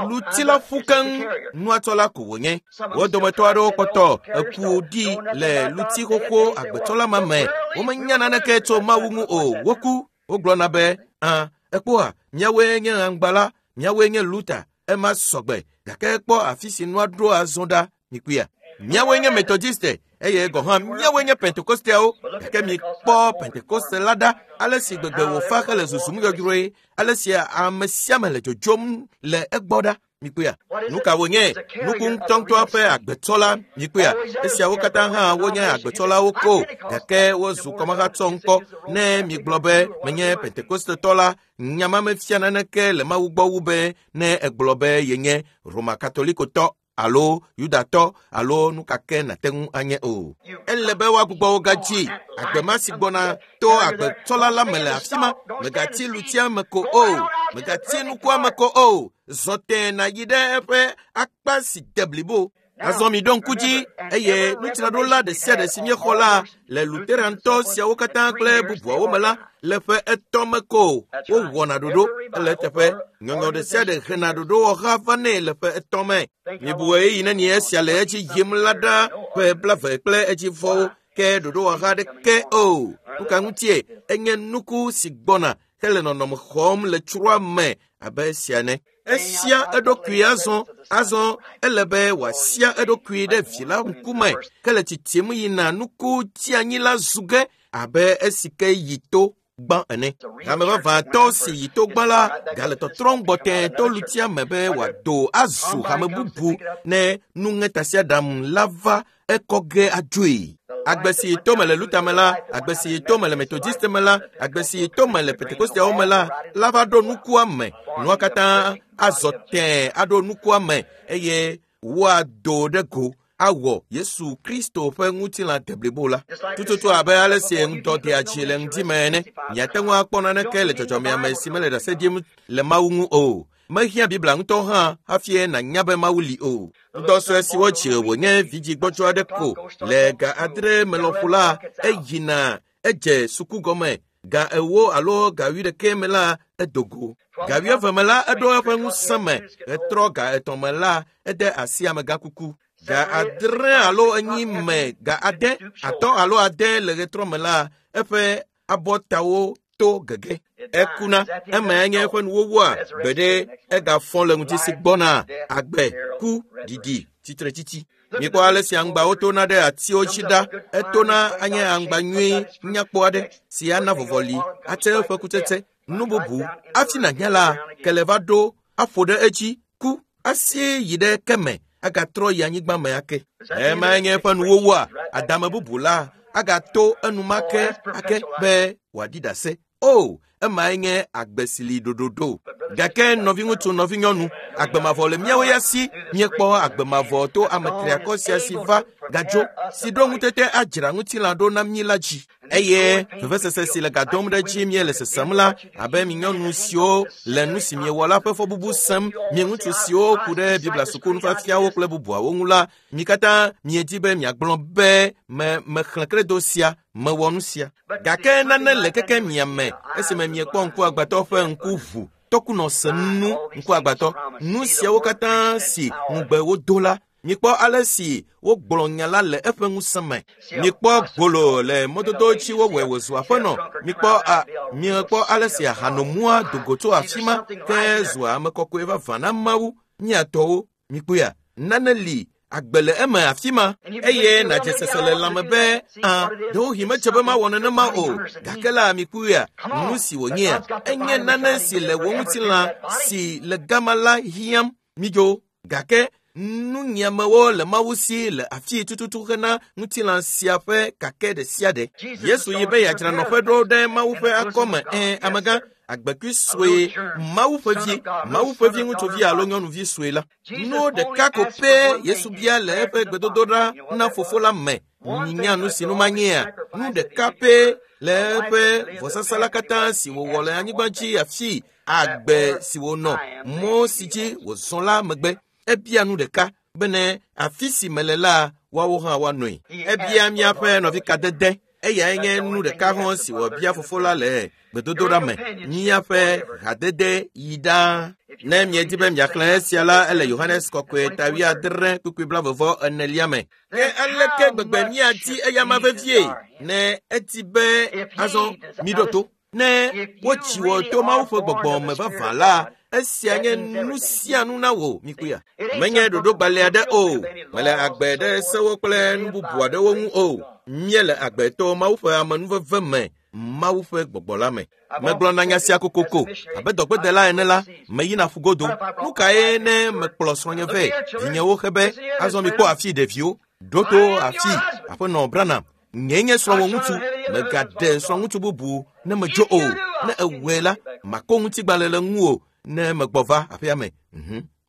Luti la ƒu keŋ, nua tsɔla ko wònye. Wo dometɔ aɖewo kpɔtɔ eku ɖi le luti xoxo agbetsɔla ma me. Womenya naneke tso Mawu ŋu o. Woku. Wogblɔna be, "Ã, ekpɔa, míawoe nye aŋgba la, míawoe nye Luther." Ema sɔgbe gake kpɔ afi si nua ɖo azɔ ɖa. Mikpɔea? Míawoe nye Methodiste eye gɔ̃ hã míawoe nye Pentekosteawo gake mikpɔ Pentekoste la ɖa ale si gbegbe wòfa hele zuzum yɔyrɔe ale si ame sia ame le dzodzom le egbɔ ɖa. Mikpɔea? Nu ka wònye? Nuku ŋutɔŋutɔa ƒe agbetsɔla. Mikpɔea? Esiawo katã hã wonye agbetsɔlawo ko gake wozu kɔmahatsɔ ŋkɔ. Ne migblɔ be menye Pentekostetɔ la, nya ma mefia naneke le Mawu gbɔ wu be ne egblɔ be yenye Roma Katolikotɔ alo Yudatɔ alo nu ka ke nàte ŋu anye o. Ele be woagbugbɔ wo gadzi. Agbe ma si gbɔna to agbetsɔla la me le afi ma. Mègatsi lutia me ko o. Mègatsi nukua me ko o. Zɔ tẽe nàyi ɖe eƒe akpa si de blibo. Azɔ miɖo ŋku dzi eye nudzraɖola ɖe sia ɖe si míexɔ la le Luterantɔ siawo katã kple bubuawo me la le ƒe etɔ̃ me ko wowɔna ɖoɖo ele eteƒe. Nyɔnyɔ ɖe sia ɖe hena ɖoɖowɔha vanɛ le ƒe etɔ̃ me. Mibu ɣeyiɣi nenie esia le edzi yim la ɖa ƒe 20 kple edzivɔwo ke ɖoɖowɔha aɖeke o. Nu ka ŋutie? Enye nuku si gbɔna hele nɔnɔme xɔm le tsroa me abe esia ene. Esia eɖokui azɔ azɔ ele be wòasia eɖokui ɖe vi la ŋkume ke le titim yina nuku tsianyi la zu ge abe esi ke yi to. Gbã ene. Hame vavãtɔ si yi to gbã la gale tɔtrɔm gbɔ tẽ to lutia me be wòado azu hame bubu ne nuŋetasiaɖam la va ekɔ ge adzoe. Agbe si to me le Luther me la, agbe si to me le Methodist me la, agbe si to me le Pentekosteawo me la, la va ɖo nukua me. Nua katã azɔ tẽ aɖo nukua me eye woado ɖe go awɔ Yesu Kristo ƒe ŋutilã deblibo la. Tututu abe ale si ŋdɔ dea dzi le ŋdi me ene. Miate ŋu akpɔ naneke le dzɔdzɔmea me si mele ɖase ɖim le Mawu ŋu o. Mehiã Biblia ŋutɔ hã hafi nànya be Mawu li o. Ŋdɔ sue si wodzi wònye vidzĩ gbɔdzɔ aɖe ko le ga 8 me lɔƒo la, eyina edze suku gɔme. Ga 40 alo ga 80 me la, edo go. Ga 20 me la, eɖo eƒe ŋusẽ me. Etrɔ ga 3 me la, ede asi amegãkuku. Ga 6 alo 4 me, ga 5, 5 alo 6 le ɣetrɔ me la, eƒe abɔtawo to gege. Ekuna, emae nye eƒe nuwowua gbeɖe egafɔ le ŋuti si gbɔna agbe, ku, ɖiɖi, tsitretsitsi. Mikpɔ ale si aŋgbawo tona ɖe atiwo dzi ɖa. Etona anye aŋgba nyui nyakpɔ aɖe si ana vɔvɔli, ate eƒe kutsetse, nu bubu. Hafi nànya la, kele va ɖo aƒo ɖe edzi, ku, asie yi ɖe ke me, agatrɔ yi anyigba me ake. Emae nye eƒe nuwowua. Adame bubu la agato enumake ake be wòaɖi ɖase. O, emae nye agbe si li ɖoɖoɖo. Gake nɔviŋutsu, nɔvinyɔnu, agbe mavɔ le míawo ya si. Míekpɔ agbe mavɔ to ame triakɔ sia si va gadzo, si ɖo ŋutete adzra ŋutilã ɖo na mí la dzi. Eye vevesese si le gadom ɖe dzi míele sesem la, abe mi nyɔnu siwo le nu si miewɔ la ƒe fɔbubu sem, mi ŋutsu siwo ku ɖe Biblia suku nufiafiawo kple bubuawo ŋu la, mi katã miedi be miagblɔ be me mexlẽ kredo sia, mewɔ nu sia. Gake nane le keke mia me esime miekpɔ ŋkuagbãtɔ ƒe ŋku ʋu, tɔkunɔ se nu ŋkuagbãtɔ. Nu siawo katã si ŋugbe wodo la, mikpɔ ale si wogblɔ nya la le eƒe ŋusẽ me. Mikpɔ gbolo le mɔdodo dzi wowɔe wòzu aƒenɔ. Mikpɔ ale si ahanomua do go tso afi ma ke zua ame kɔkɔe vavã na Mawu. Miatɔwo, mikpɔea, nane li agbe le eme afi ma eye nàdze sese le lãme be a ɖewohĩ medze be mawɔ nenema o. Gake la mikpɔea, nu si wònyea, enye nane si le wò ŋutilã si le gama la hiãm. Midzo. Gake nunyiamewo le Mawu si le afi tututu hena ŋutilã sia ƒe kake ɖe sia ɖe. Yesu yi be yeadzra nɔƒe ɖo ɖe Mawu ƒe akɔme. Amegã, agbekui sue, Mawu ƒe vi, Mawu ƒe vi ŋutsuvi alo nyɔnuvi sue la. Nu ɖeka ko pɛ Yesu bia le eƒe gbedodoɖa na fofo la me. Minya nu si nu manyea? Nu ɖeka pɛ le eƒe vɔsasa la katã si wòwɔ le anyigba dzi afi agbe si wònɔ, mɔ si dzi wòzɔ la megbe. Ebia nu ɖeka bene afi si mele la, woawo hã woanɔe. Ebia míaƒe nɔvi kadede. Eyae nye nu ɖeka hã si wòbia fofo la le gbedodoɖa me. Míaƒe hadede yi ɖaa. Ne miedi be miaxlẽ esia la, ele Yohanes kɔkɔe ta 70 kpukpui 44 me. Ke aleke gbegbe míadi eyama vevie ne edi be azɔ miɖo to. Ne wotsi wò to Mawu ƒe gbɔgbɔ me vavã la, esia nye nu sia nu na wò, mikpɔea. Menye ɖoɖogbalẽ aɖe o, mele agbe ɖe sewo kple nu bubu aɖewo ŋu o. Míele agbe to Mawu ƒe amenuveve me, Mawu ƒe gbɔgbɔ la me. Megblɔna nya sia kokoko abe dɔgbedela ene la, meyina ƒugodo. Nu kae ne mekplɔ srɔ̃nye vɛ? Vinyewo xe be, azɔ mikpɔ afi ɖeviwo. Ɖo to afi, aƒenɔ Branham. Nye nye srɔ̃wò ŋutsu, megaɖe srɔ̃ŋutsu bubu ne medzo o. Ne ewɔe la, mako ŋutigbalẽ le ŋuwò ne megbɔ va aƒea me.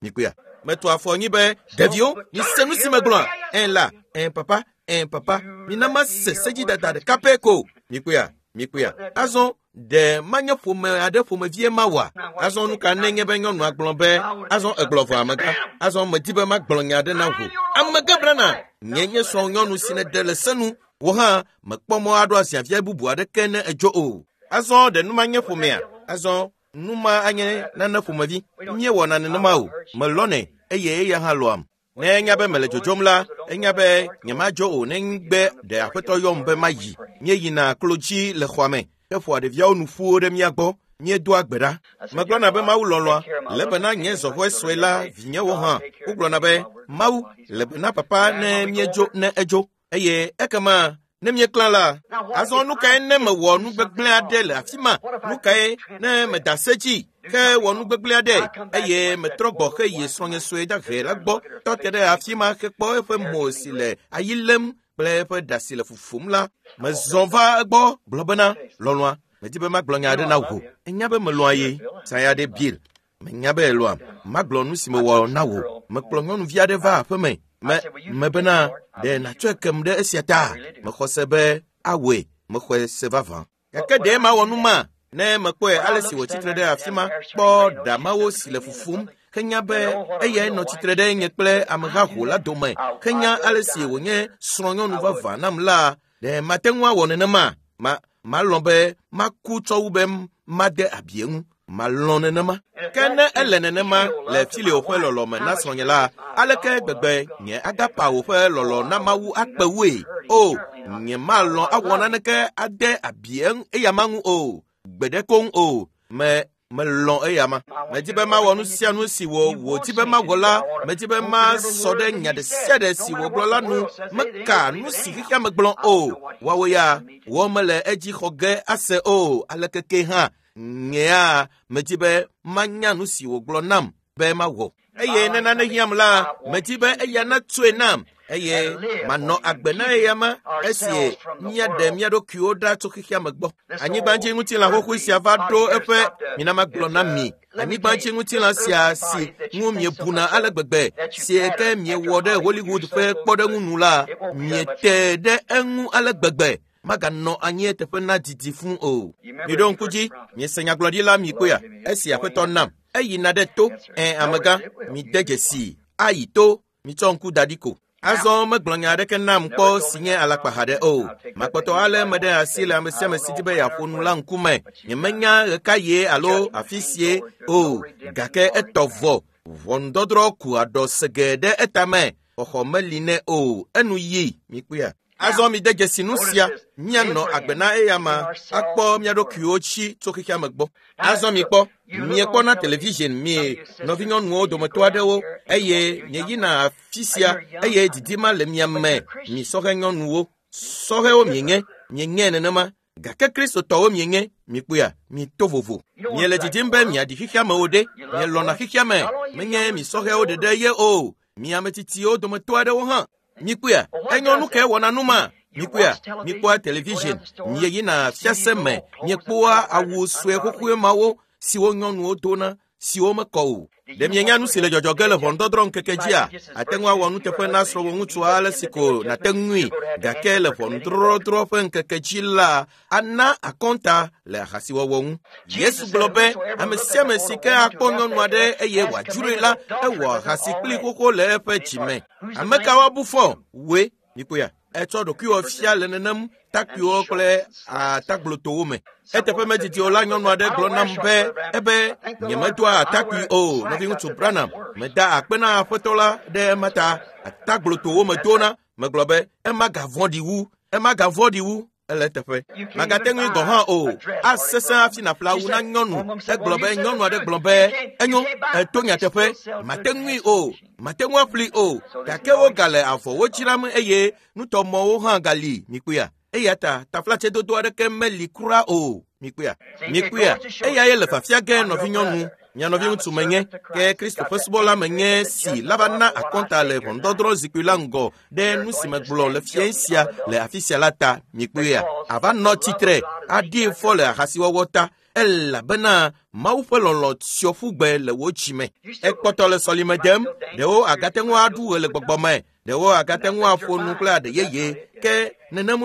Mikpɔea. Metu afɔ anyi be, ɖeviwo, mise nu si megblɔa. La, papa, papa, mina mase sedzidada ɖeka pɛ ko. Mikpɔea, mikpɔea. Azɔ ɖe manye ƒome aɖe ƒomevie mawɔa? Azɔ nu ka nenye be nyɔnua gblɔ be, azɔ egblɔ vɔ amegã, azɔ medi be magblɔ nya aɖe na wò. Amegã Branham, nye nye srɔ̃nyɔnu si nèɖe le se nu, wò hã mekpɔ mɔ aɖo aziavia bubu aɖeke ne edzo o. Azɔ ɖe nu ma nye ƒomea? Azɔ nu ma anye nane ƒomevi. Míewɔna nenema o. Melɔnɛ eye eya hã lɔam. Ne enya be mele dzodzom la, enya be nyemadzo o negbe ɖe aƒetɔ yɔm be mayi. Míeyina klo dzi le xɔa me heƒoa ɖeviawo nu ƒuwo ɖe mía gbɔ. Míedoa gbe ɖa. Megblɔna be Mawu lɔlɔ̃a, le bena nye zɔhɔe sue la vinyewo hã. Wogblɔna be Mawu le bena papa ne míedzo ne edzo. Eye ekema Ne míeklã la, azɔ nu kae ne mewɔ nu gbegblẽ aɖe le afi ma? Nu kae ne meda se dzi ke wɔ nu gbegblẽ aɖe eye metrɔ gbɔ heyi srɔ̃nye sue dahe la gbɔ tɔ te ɖe afi ma hekpɔ eƒe mo si le ayi lém kple eƒe ɖa si le fufum la, mezɔ va egbɔ gblɔ bena, lɔlɔ̃a, medi be magblɔ nya aɖe na wò. Enya be melɔ̃a ye. Saya ɖe Bill. Menya be elɔ̃am. Magblɔ nu si mewɔ na wò. Mekplɔ nyɔnuvi aɖe va aƒeme. Me bena ɖe nàtsɔe kem ɖe esia ta. Mexɔ se be awɔe. Mexɔe se vavã. Gake ɖe mawɔ nu ma ne mekpɔe ale si wòtsitre ɖe afi ma kpɔ ɖa mawo si le fufum henya be eyae nɔ tsitre ɖe nye kple amehaho la dome henya ale si wònye srɔ̃nyɔnu vavã nam la, ɖe mate ŋu awɔ nenema? Malɔ̃ be maku tsɔ wu be made abi eŋu. Malɔ̃ nenema. Ke ne ele nenema le Filio ƒe lɔlɔ̃me na srɔ̃nye la, aleke gbegbe nye agapawo ƒe lɔlɔ̃ na Mawu akpe wue? O, nye malɔ̃ awɔ naneke ade abi eyama ŋu o. Gbeɖe koŋ o. Melɔ̃ eyama. Medi be mawɔ nu sia nu si wòdi be mawɔ la. Medi be masɔ ɖe nya ɖe sia ɖe si wògblɔ la nu. Meka nu si xexea me gblɔ o. Woawo ya wɔ mele edzi xɔ ge ase o. Aleke ke hã nyea medi be manya nu si wògblɔ nam be mawɔ. Eye ne nane hiãm la, medi be eya natsoe nam eye manɔ agbe na eyama esi míaɖe mía ɖokuiwo ɖa tso xexea me gbɔ. Anyigbadzi ŋutilã xoxoe sia va ɖo eƒe mina magblɔ na mi. Anyigbadzi ŋutilã sia si ŋu miebuna ale gbegbe si ke miewɔ ɖe Hollywood ƒe kpɔɖeŋu nu la, miete ɖe eŋu ale gbegbe. Maganɔ anyi eteƒe na didi fũ o. Miɖo ŋku dzi, miese nyagblɔɖila mi kpɔea, esi aƒetɔ nam. Eyina ɖe to, amegã, mide dzesi, ayi to, mitsɔ ŋku da ɖi ko. Azɔ megblɔ nya aɖeke nam kpɔ si nye alakpaha ɖe o. Makpɔtɔ ale me ɖe asi le ame sia ame si di be yeaƒo nu la ŋkume. Nyemenya ɣekaɣie alo afi sie o, gake etɔ vɔ. Ʋɔnudɔdrɔ̃ ku aɖɔ sege ɖe etame. Xɔxɔ meli nɛ o. Enu yi, mikpɔea. Azɔ mide dzesi nu sia, míanɔ agbe na eyama akpɔ mía ɖokuiwo tsi tso xexea me gbɔ. Azɔ mikpɔ, miekpɔna television mi nɔvinyɔnuwo dometɔ aɖewo eye mieyina afi sia eye didi ma le mia me, mi sɔhɛ nyɔnuwo. Sɔhɛwo mienye, mienye nenema, gake Kristotɔwo mienye, mikpɔea, mito vovo. Miele didim be miaɖi xexea me o ɖe, mielɔ̃na xexea me, menye mi sɔhɛwo ɖeɖe ye o, mi ame tsitsiwo dometɔ aɖewo hã. Mikpɔea, enyo nu ke wɔna nu ma. Mikpɔea, mikpɔa television, mieyina fiase me, miekpɔa awu sue xoxoe mawo siwo nyɔnuwo dona, siwo mekɔ o. Ɖe mienya nu si le dzɔdzɔ ge le ʋɔnudɔdrɔ̃ ŋkeke dzia? Ate ŋu awɔ nuteƒe na srɔ̃wò ŋutsua ale si ko nàte ŋui, gake le ʋɔnudɔdrɔ̃ ƒe ŋkeke dzi la, ana akɔnta le ahasiwɔwɔ ŋu. Yesu gblɔ be ame sia ame si ke akpɔ nyɔnu aɖe eye wòadzroe la, ewɔ ahasi kpli xoxo le eƒe dzime. Ame ka woabu fɔ? Woe. Mikpɔea, etsɔ ɖokuiwò fia le nenem takpuiwo kple atagblotowo me. Eteƒe medidi o la, nyɔnu aɖe gblɔ nam be ebe nyemedoa atakpui o. Nɔviŋutsu Branham, meda akpe na aƒetɔ la ɖe ema ta. Atagblotowo medona. Megblɔ be ema gavɔ̃ɖi wu, ema gavɔ̃ɖi wu. Ele eteƒe. Magate ŋui gɔ̃ hã o. Asesẽ hafi nàƒle awu na nyɔnu. Egblɔ be nyɔnu aɖe gblɔ be enyo, eto nyateƒe. Mate ŋui o, mate ŋu aƒli o. Gake wogale avɔwo dzram eye nutɔmɔwo hã gali. Mikpɔea? Eya ta taflatsedodo aɖeke meli kura o. Mikpɔea? Mikpɔea? Eyae le fafia ge nɔvinyɔnu. Mia nɔviŋutsu menye, ke Kristo ƒe subɔla menye si la va na akɔnta le ʋɔnudɔdrɔ̃ zikpui la ŋgɔ ɖe nu si megblɔ le fiẽ sia le afi sia la ta. Mikpɔea? Ava nɔ tsitre aɖi fɔ le ahasiwɔwɔ ta, elabena Mawu ƒe lɔlɔ̃ tsyɔ ƒu gbe le wò dzime. Ekpɔtɔ le sɔlime dem, ɖewo agate ŋu aɖu ɣe le gbɔgbɔ me, ɖewo agate ŋu aƒo nu kple aɖe yeye, ke nenem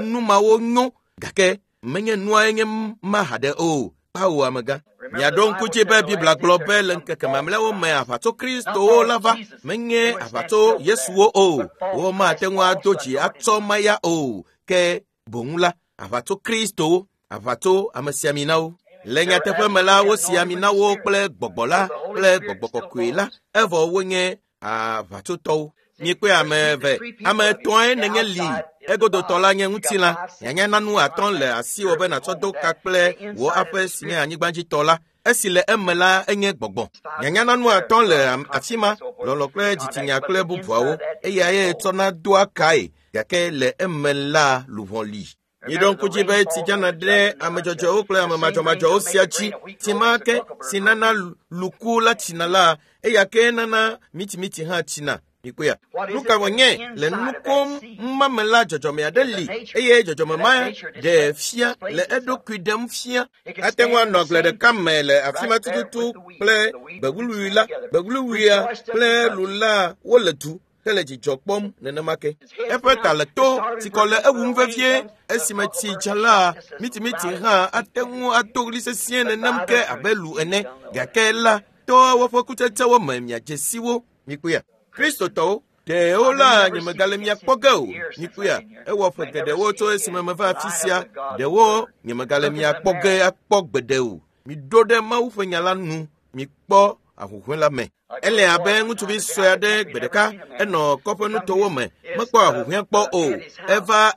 nu mawo nyo, gake menye nuae nye ma haɖe o. Kpawo amegã. Miaɖo ŋku dzi be Biblia gblɔ be le ŋkeke mamlɛawo me aʋatso Kristowo la va, menye aʋatso Yesuwo o. Womate ŋu ado dzi atsɔ maya o, ke boŋ la, aʋatso Kristowo, aʋatso amesiaminawo. Le nyateƒe me la, wosi ami na wo kple gbɔgbɔ la kple gbɔgbɔ kɔkɔe la, evɔ wonye aʋatsotɔwo. Mikpɔe ame eve, ame etɔ̃e nenye li. Egodotɔ la nye ŋutilã. Nyanya nanu atɔ̃ le asiwò be nàtsɔ do ka kple wò aƒe si nye anyigbadzitɔ la. Esi le eme la enye gbɔgbɔ. Nyanya nanu atɔ̃ le afi ma, lɔlɔ̃ kple dzitsinya kple bubuawo. Eyae tsɔna doa kae. gake le eme la luʋɔ li. Miɖo ŋku dzi be tsi dzana ɖe ame dzɔdzɔewo kple ame madzɔmadzɔwo sia dzi. Tsi ma ke si nana luku la tsina la, eya ke nana mitimiti hã tsina. Mikpɔea? Nu ka wònye le nukom ma me la dzɔdzɔme aɖe li eye dzɔdzɔme ma ɖe fia le eɖokui ɖem fia. Ate ŋu anɔ agble ɖeka me le afi ma tututu kple gbewluwui la, gbewluwuia kple lu la wole du hele dzidzɔ kpɔm nenema ke. Eƒe ta le to, tsikɔ le ewum vevie. Esime tsi dza la, mitimiti hã ate ŋu ado ɣli sesĩe nenem ke abe lu ene. Gake la, to woƒe kutsetsewo me miadze si wo. Mikpɔea? Kristotɔwo, ɖewo la nyemegale mia kpɔ ge o. Mikpɔea? Ewɔ ƒe geɖewo tso esime meva afi sia. Ɖewo nyemegale mia kpɔ ge akpɔ gbeɖe o. Miɖo ɖe Mawu ƒe nya la nu. Mikpɔ ahuhɔ̃e la me. Ele abe ŋutsuvi sue aɖe gbe ɖeka enɔ kɔƒenutowo me mekpɔ ahuhɔ̃e kpɔ o. Eva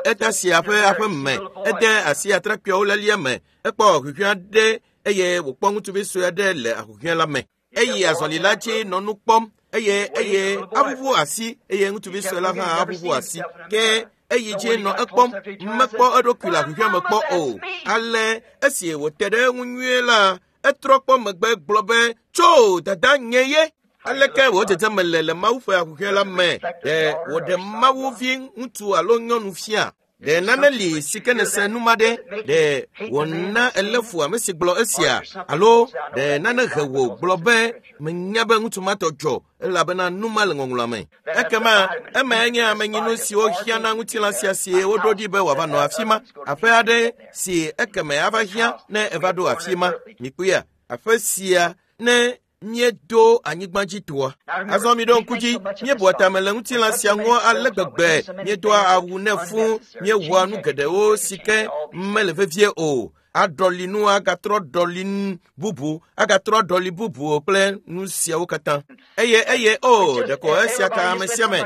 etasia ƒe aƒe me, ede asi atrakpuiawo lelia me, ekpɔ ahuhɔ̃e aɖe eye wòkpɔ ŋutsuvi sue aɖe le ahuhɔ̃e la me. Eyi azɔli la dzi nɔ nu kpɔm eye eye aʋuʋu asi eye ŋutsuvi sue la hã aʋuʋu asi. Ke eyi dzi nɔ ekpɔm mekpɔ eɖokui le ahuhɔ̃e me kpɔ o. Ale esi wòte ɖe eŋu nyuie la, etrɔ kpɔ megbe gblɔ be tso dada nye ye. Aleke wò dzedzeme le le Mawu ƒe ahuhɔ̃e la me? Ɖe wòɖe Mawu vi ŋutsu alo nyɔnu fia? Ɖe nane li si ke nèse nu ma ɖe? Ɖe wòna èlé fu ame si gblɔ esia? Alo ɖe nane he wò gblɔ be menya be ŋutsu ma tɔ dzɔ elabena nu ma le ŋɔŋlɔa me? Ekema emae nye amenyinu siwo hiã na ŋutilã sia si woɖo ɖi be wòava nɔ afi ma. Aƒe aɖe si ekeme ava hiã ne eva ɖo afi ma. Mikpɔea? Aƒe sia ne míedo anyigba dzi toa. Azɔ miɖo ŋku dzi, míebua tame le ŋutilã sia ŋu ale gbegbe, míedoa awu nɛ fũu, míewɔa nu geɖewo si ke mele vevie o. Aɖɔli nu agatrɔ ɖɔli bubu, agatrɔ ɖɔli bubu kple nu siawo katã. Eye eye o ɖeko esia ka ame sia ame.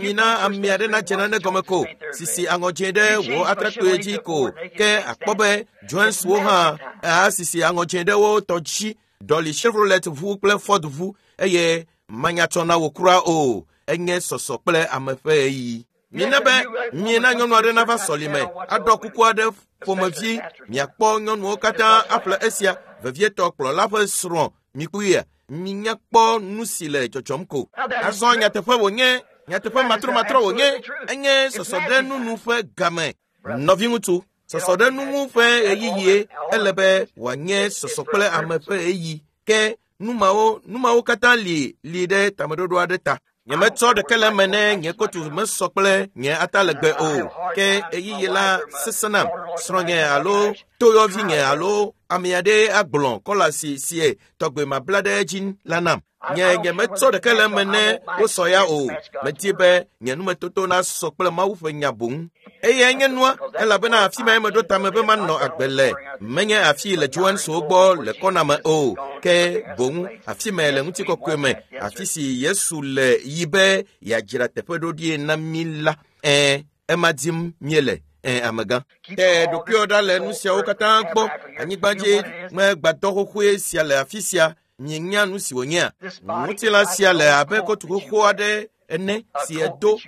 Mina ame aɖe nadze nane gɔme ko, sisi aŋɔ dzẽ ɖe wò atrakpui dzi ko, ke akpɔ be Joneswo hã asisi aŋɔ dzẽ ɖe wo tɔ dzi. Ɖɔli Chevrolet ʋu kple Ford ʋu eye manyatsɔ na wò kura o. Enye sɔsɔ kple ame ƒe ɣeyiɣi. Mina be miena nyɔnu aɖe nava sɔlime aɖɔ kuku aɖe ƒomevi. Miakpɔ nyɔnuwo katã aƒle esia, vevietɔ kplɔla ƒe srɔ̃. Mikpɔea? Minya kpɔ nu si le dzɔdzɔm ko. Azɔ nyateƒe wònye, nyateƒe matrɔmatrɔ wònye, enye sɔsɔ ɖe nunu ƒe game. Nɔviŋutsu, sɔsɔ ɖe nu ŋu ƒe ɣeyiɣie ele be wòanye sɔsɔ kple ame ƒe ɣeyiɣi. Ke nu mawo katã li li ɖe tameɖoɖo aɖe ta. Nyemetsɔ ɖeke le eme ne nye kotu mesɔ kple nye atalegbe o. Ke ɣeyiɣi la sesẽ nam. Srɔ̃nye alo toyɔvinye alo ame aɖe agblɔ kɔla si sie tɔgbe mabla ɖe edzi la nam. Nye nyemetsɔ ɖeke le eme ne wosɔ ya o. Medi be nye numetoto nasɔ kple Mawu ƒe nya boŋ. Eyae nye nua, elabena afi mae meɖo tame be manɔ agbe le. Menye afi le Johanneswo gbɔ le kɔna me o, ke boŋ afi me le ŋutikɔkɔe me, afi si Yesu le yi be yeadzra teƒe ɖoɖie na mí la. Ɛ̃, ema dim míele. Ɛ̃, amegã. Te ɖokuiwò ɖa le nu siawo katã gbɔ. Anyigbadzi me gbadɔ xoxoe sia le afi sia. Mienya nu si wònyea? Ŋutilã sia le abe kotu xoxo aɖe ene si edo,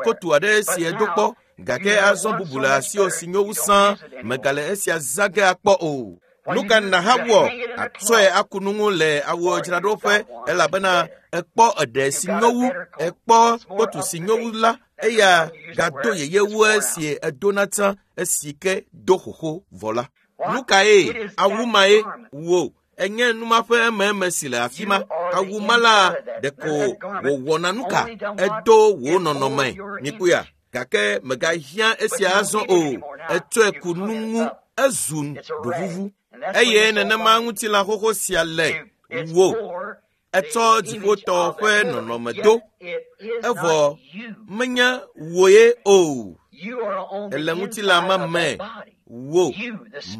kotu aɖe si edo kpɔ. Gake azɔ bubu le asiwò si nyo wu sãa, mègale esia zã ge akpɔ o. Nu ka nàhawɔ? Atsɔe aku nu ŋu le awudzraɖoƒe elabena ekpɔ eɖe si nyo wu, ekpɔ kotu si nyo wu la, eya gado yeye wu esi edona tsã esi ke do xoxo vɔ la. Nu kae awu mae wò? Enye nu ma ƒe ememe si le afi ma. Awu ma la ɖeko wòwɔna nu ka? Edo wò nɔnɔme. Mikpɔea? Gake mègahiã esia azɔ o. Etsɔe ku nu ŋu, ezu ɖovuvu. Eye nenema ŋutilã xoxo sia le wò. Etsɔ dziƒotɔ ƒe nɔnɔme do. Evɔ menye wòe o. Ele ŋutilã ma me. Wò,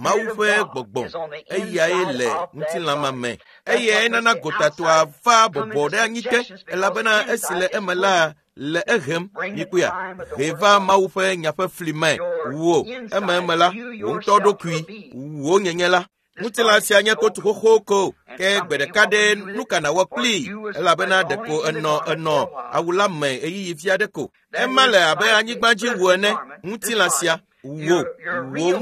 Mawu ƒe gbɔgbɔ, eyae le ŋutilã ma me. Eyae nana gotatoa va bɔbɔ ɖe anyi te, elabena esi le eme la le ehem. Mikpɔea? Hee va Mawu ƒe nya ƒe fli me. Wò, ememe la, wò ŋutɔ ɖokui, wò nyenye la. Ŋutilã sia nye kotu xoxo ko, ke gbe ɖeka ɖe nu ka nàwɔ kplii, elabena ɖeko enɔ awu la me ɣeyiɣi vi aɖe ko. Ema le abe anyigba dzi wu ene. Ŋutilã sia, wò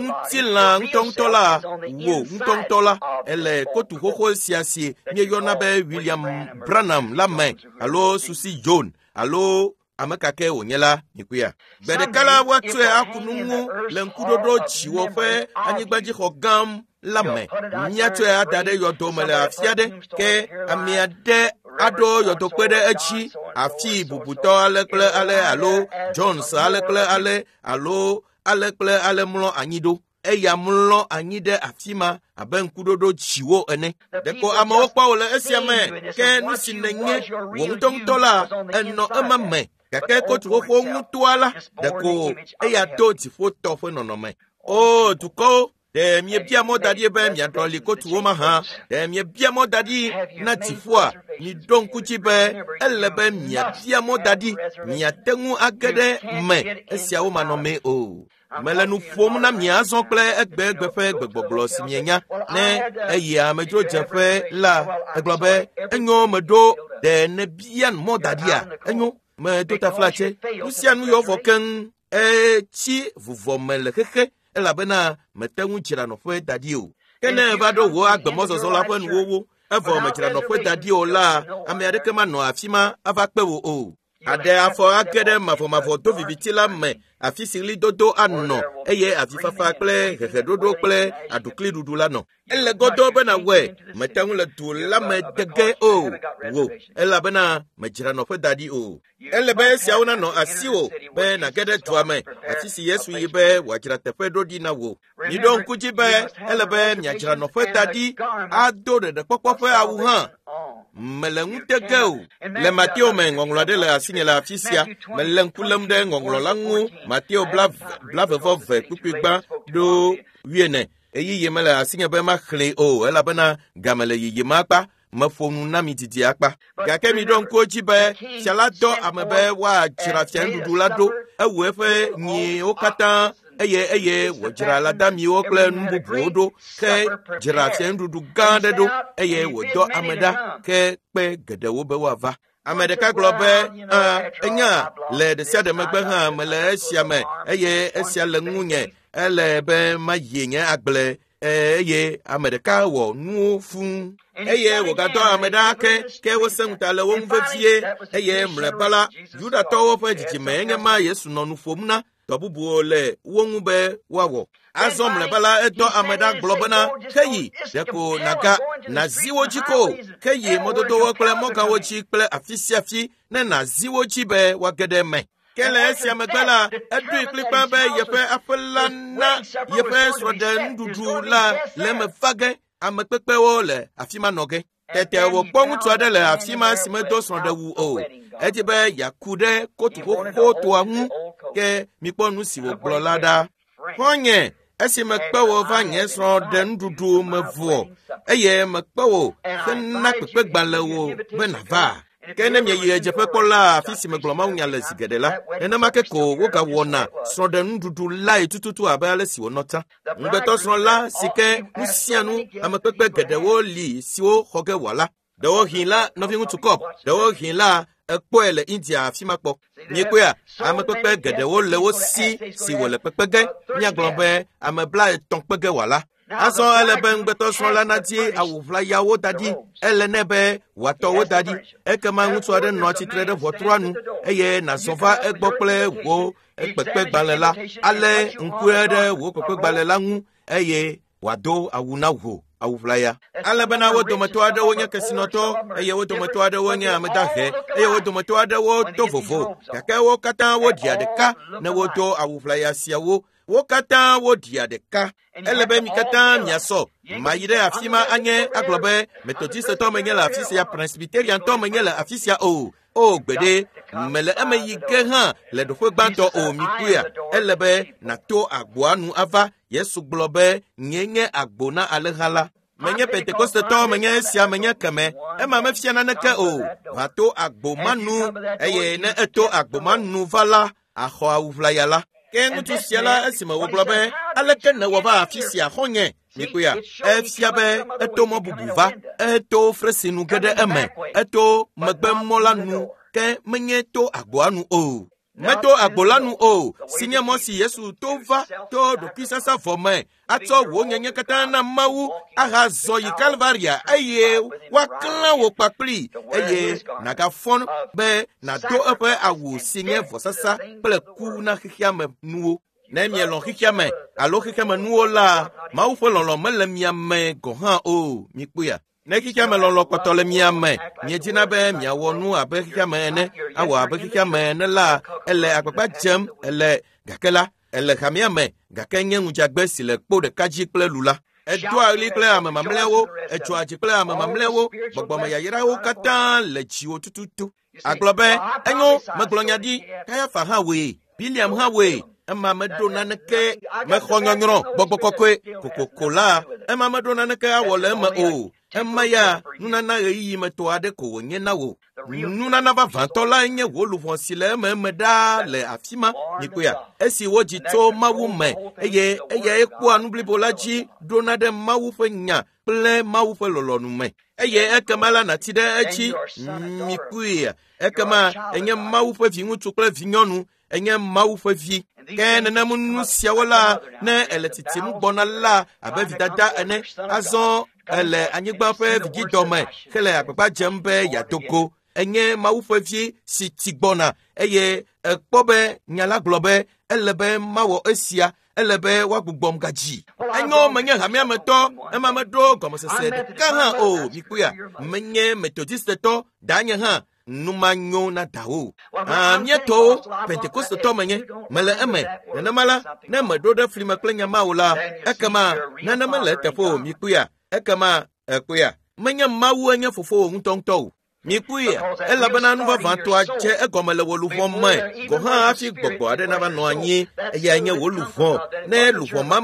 ŋutilã ŋutɔŋutɔ la, wò ŋutɔŋutɔ la, ele kotu xoxo sia si míeyɔna be William Branham la me, alo Susie Jones, alo ame ka ke wònye la, mikuya. Gbe ɖeka la woatsɔe aku nu ŋu le ŋkuɖoɖo dziwò ƒe anyigbadzixɔ gã la me. Míatsɔe ada ɖe yɔdo me le afi aɖe, ke ame aɖe aɖo yɔdokpe ɖe edzi, afi bubutɔ ale kple ale, alo Jones ale kple ale, alo ale kple ale mlɔ anyi ɖo. Eya mlɔ anyi ɖe afi ma abe ŋkuɖoɖo dziwò ene. Ɖeko amewo kpɔ wò le esia me, ke nu si nènye wò ŋutɔŋutɔ la, enɔ ema me. Gake kotu xoxo ŋutɔa la, ɖeko eya to dziƒotɔ ƒe nɔnɔme. O dukɔwo, ɖe miebia mɔ da ɖi be miaɖɔli kotuwo mahã? Ɖe miebia mɔ da ɖi na dziƒoa? Miɖo ŋku dzi be ele be miabia mɔ da ɖi, miate ŋu age ɖe me esiawo manɔmee o. Mele nu ƒom na mi azɔ kple egbegbe ƒe gbegbɔgblɔ si mienya. Ne eyi amedzrodzeƒe la, egblɔ be, enyo meɖo, ɖe nèbia mɔ da ɖia? Enyo, medo taflatse. Nu sia nu yɔ vɔ keŋ. Etsi vuvɔ me le xexe, elabena mete ŋu dzra nɔƒe da ɖi o. Ke ne eva ɖo wò agbemɔzɔzɔ la ƒe nuwuwu, evɔ medzra nɔƒe da ɖi o la, ame aɖeke manɔ afi ma ava kpe wò o. Aɖe afɔ age ɖe mavɔmavɔ do viviti la me, afi si ɣlidodo anɔ, eye avifafa kple heheɖoɖo kple aɖukliɖuɖu la nɔ. Ele godoo be nàwɔe, mete ŋu le du la me de ge o, wò, elabena medzra nɔƒe da ɖi o. Ele be esiawo nanɔ asiwò be nàge ɖe dua me, afi si Yesu yi be wòadzra teƒe ɖo ɖi na wò. Miɖo ŋku dzi be ele be miadzra nɔƒe da ɖi, ado ɖeɖekpɔkpɔ ƒe awu hã. Mele ŋute ge o. Le Mateo me ŋɔŋlɔ aɖe le asinye le afi sia. Mele ŋku lém ɖe ŋɔŋlɔ la ŋu. Mateo 22 kpukpui gbã ɖo 9. Ɣeyiɣi mele asinye be maxlẽe o, elabena game le yiyim akpa. Meƒo nu na mi didi akpa. Gake miɖo ŋku edzi be fia la dɔ ame be woadzra fianuɖuɖu la ɖo. Ewu eƒe nyiwo katã eye wòdzra lãdamiwo kple nu bubuwo ɖo, ke dzra fianuɖuɖu gã aɖe ɖo, eye wòdɔ ame ɖa ke kpe geɖewo be woava. Ame ɖeka gblɔ be, enya, le ɖe sia ɖe megbe hã mele esia me, eye esia le ŋunye, ele be mayi nye agble, eye ame ɖeka wɔ nuwo fũu. Eye wògadɔ ame ɖa ke wosẽ ŋuta le wo ŋu vevie, eye mlɔeba la, Yudatɔwo ƒe dzidzime enye ma Yesu nɔ nu ƒom na, dɔ bubuwo le wo ŋu be woawɔ. Azɔ mlɔeba la, edɔ ame ɖa gblɔ bena, heyi, ɖeko nàga nàzi wo dzi ko, heyi mɔdodowo kple mɔgawo dzi kple afi sia afi ne nàzi wo dzi be woage ɖe eme. Ke le esia megbe la, eɖoe kplikpaa be yeƒe aƒe la na yeƒe srɔ̃ɖenuɖuɖu la le eme va ge, ame kpekpewo le afi ma nɔ ge. Tete wòkpɔ ŋutsu aɖe le afi ma si medo srɔ̃ɖewu o. Edi be yeaku ɖe kotu xoxotoa ŋu, ke mikpɔ nu si wògblɔ la ɖa. Xɔ̃nye, esi mekpe wò va nye srɔ̃ɖenuɖuɖu me vɔ, eye mekpe wò hena kpekpegbalẽ wò be nàva. Ke ne mieyi ɣedzeƒe kpɔ la, afi si megblɔ mawunya le zi geɖe la, nenema ke ko wogawɔna srɔ̃ɖenuɖuɖu lae tututu abe ale si wònɔ tsã. Ŋugbetɔsrɔ̃ la si ke nu sia nu amekpekpe geɖewo li siwo xɔ ge wòala. Ɖewohĩ la, nɔviŋutsu Kɔp, ɖewohĩ la, ekpɔe le India afi ma kpɔ. Miekpɔea, amekpekpe geɖewo le wo si si wòle kpekpe ge. Míagblɔ be ame 30 kpe ge wòala. Azɔ ele be ŋugbetɔsrɔ̃ la nadi awu ʋlayawo da ɖi. Ele nɛ be wòatɔ wo da ɖi. Ekema ŋutsu aɖe nɔa tsitre ɖe ʋɔtrua nu eye nàzɔ va egbɔ kple wò kpekpegbalẽ la. Ale ŋkue ɖe wò kpekpegbalẽ la ŋu eye wòado awu na wò awu ʋlaya. Ale bena wo dometɔ aɖewo nye kesinɔtɔ, eye wo dometɔ aɖewo nye ame dahe, eye wo dometɔ aɖewo to vovo. Gake wo katã woɖia ɖeka ne wodo awu ʋlaya siawo. Wo katã woɖia ɖeka. Ele be mi katã miasɔ. Mayi ɖe afi ma anye agblɔ be Methodistetɔ menye le afi sia, Presbyteriantɔ menye le afi sia o. O gbeɖe, mele eme yi ge hã le ɖoƒe gbãtɔ o, mikpɔea. Ele be nàto agboa nu ava. Yesu gblɔ be, nye nye agbo na alẽha la. Menye Pentekostetɔ, menye esia, menye keme. Ema mefia naneke o. Va to agbo ma nu, eye ne eto agbo ma nu va la, axɔ awu ʋlaya la. Ke ŋutsu sia la, esime wògblɔ be, aleke nèwɔ va afi sia, xɔ̃nye? Mikpɔea, efia be eto mɔ bubu va, eto fresinu ge ɖe eme, eto megbemɔ la nu, ke menye to agboa nu o. Meto agbo la nu o, si nye mɔ si Yesu to va to ɖokuisasa vɔ me, atsɔ wò nyenye katã na Mawu ahazɔ yi Kalvaria eye woaklã wò kpakpli eye nàgafɔ be nàdo eƒe awu si nye vɔsasa kple ku na xexea me nuwo. Ne mielɔ̃ xexea me alo xexea me nuwo la, Mawu ƒe lɔlɔ̃ mele mia me gɔ̃ hã o. Mikpɔea? Ne xexea me lɔlɔ̃ kpɔtɔ le mia me, miedina be miawɔ nu abe xexea me ene, awɔ abe xexea me ene la, ele agbagba dzem, ele gake la, ele hamea me, gake nye ŋudzagbe si le kpo ɖeka dzi kple lu la. Edoa ɣli kple ame mamlɛawo, etsɔa dzi kple ame mamlɛawo, gbɔgbɔmeyayrawo katã le dziwò tututu. Agblɔ be, enyo, megblɔ nya ɖi, Kayafa hã wɔe, Biliam hã wɔe, ema meɖo naneke, mexɔ nyɔnyrɔ, gbɔgbɔ kɔkɔe, kokoko la, ema meɖo naneke awɔ le eme o. Ema ya nunana ɣeyiɣi me tɔ aɖe ko wònye na wò. Nunana vavãtɔ lae nye wò luʋɔ si le ememe ɖaa le afi ma. Mikpɔea, esi wodzi tso Mawu me eye eyae kpɔa nu blibo la dzi ɖona ɖe Mawu ƒe nya kple Mawu ƒe lɔlɔ̃nu me. Eye ekema la nàti ɖe edzi. Mikpɔea, ekema enye Mawu ƒe viŋutsu kple vinyɔnu, enye Mawu ƒe vi. Ke nenem nu siawo la, ne ele tsitsim gbɔna la abe vidada ene, azɔ ele anyigba ƒe vidzidɔme hele agbagba dzem be yeado go. Enye Mawu ƒe vi si tsi gbɔna eye ekpɔ be nya la gblɔ be ele be mawɔ esia, ele be woagbugbɔm gadzi. Enyo menye hamea me tɔ, ema meɖo gɔmesese ɖeka hã o. Mikpɔea, menye Metodistetɔ, danye hã nu ma nyo na dawo. Míetɔwo Pentekostetɔ menye, mele eme. Nenema la, ne meɖo ɖe fli me kple nya ma o la, ekema nane mele eteƒe o. Mikpɔea, ekema ekpɔea, menye Mawu enye fofowò ŋutɔŋutɔ o. Mikpɔea, elabena nu vavãtɔa dze egɔme le wò luʋɔ me gɔ̃ hã hafi gbɔgbɔ aɖe nava nɔ anyi. Eyae nye wò luʋɔ. Ne luʋɔ ma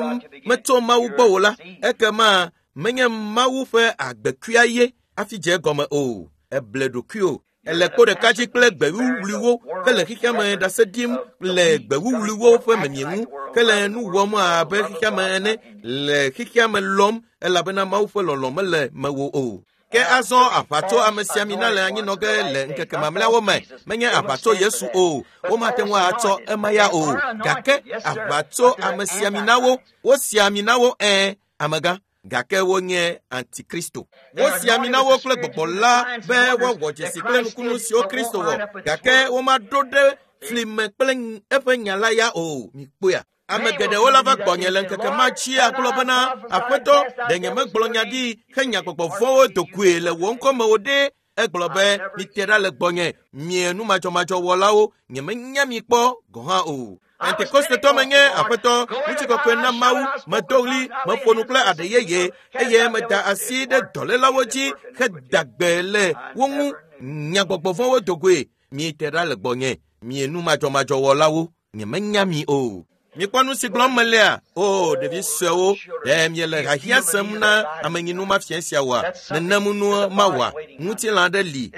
metso Mawu gbɔ o la, ekema menye Mawu ƒe agbekuia ye hafi dze egɔme o. Eble ɖokuiwò. Ele kpo ɖeka dzi kple gbewuwuliwo hele xexea me ɖase ɖim le gbewuwuliwo ƒe memie ŋu hele nu wɔm abe xexea me ene le xexea me lɔm elabena Mawu ƒe lɔlɔ̃ mele mewò o. Ke azɔ aʋatso amesiamina le anyinɔ ge le ŋkeke mamlɛawo me. Menye aʋatso Yesu o, womate ŋu atsɔ ema ya o. Gake aʋatso amesiaminawo, wosi ami na wo ẽ, amegã, gake wonye antikristo. Wosi ami na wo kple gbɔgbɔ la be woawɔ dzesi kple nukunu siwo Kristo wɔ, gake womaɖo ɖe fli me kple eƒe nya la ya o. Mikpɔea? Ame geɖewo la va gbɔnye le ŋkeke ma dzi agblɔ bena, Aƒetɔ, ɖe nyemegblɔ nya ɖi henya gbɔgbɔ vɔ̃wo do goe le wò ŋkɔ me o ɖe? Egblɔ be, mite ɖa le gbɔnye, mie nu madzɔmadzɔwɔlawo, nyemenya mi kpɔ gɔ̃ hã o. Pentekostetɔ menye, Aƒetɔ, ŋutikɔkɔe na Mawu, medo ɣli, meƒo nu kple aɖe yeye eye meda asi ɖe dɔlélawo dzi heda gbe le wo ŋu, nya gbɔgbɔ vɔ̃wo do goe. Mite ɖa le gbɔnye, mie nu madzɔmadzɔwɔlawo, nyemenya mi o. Mikpɔ nu si gblɔm melea? O, ɖevi suewo, ɖe miele hiahiã sem na amenyinu mafia sia oa? Nenem nu mawɔa? Ŋutilã aɖe li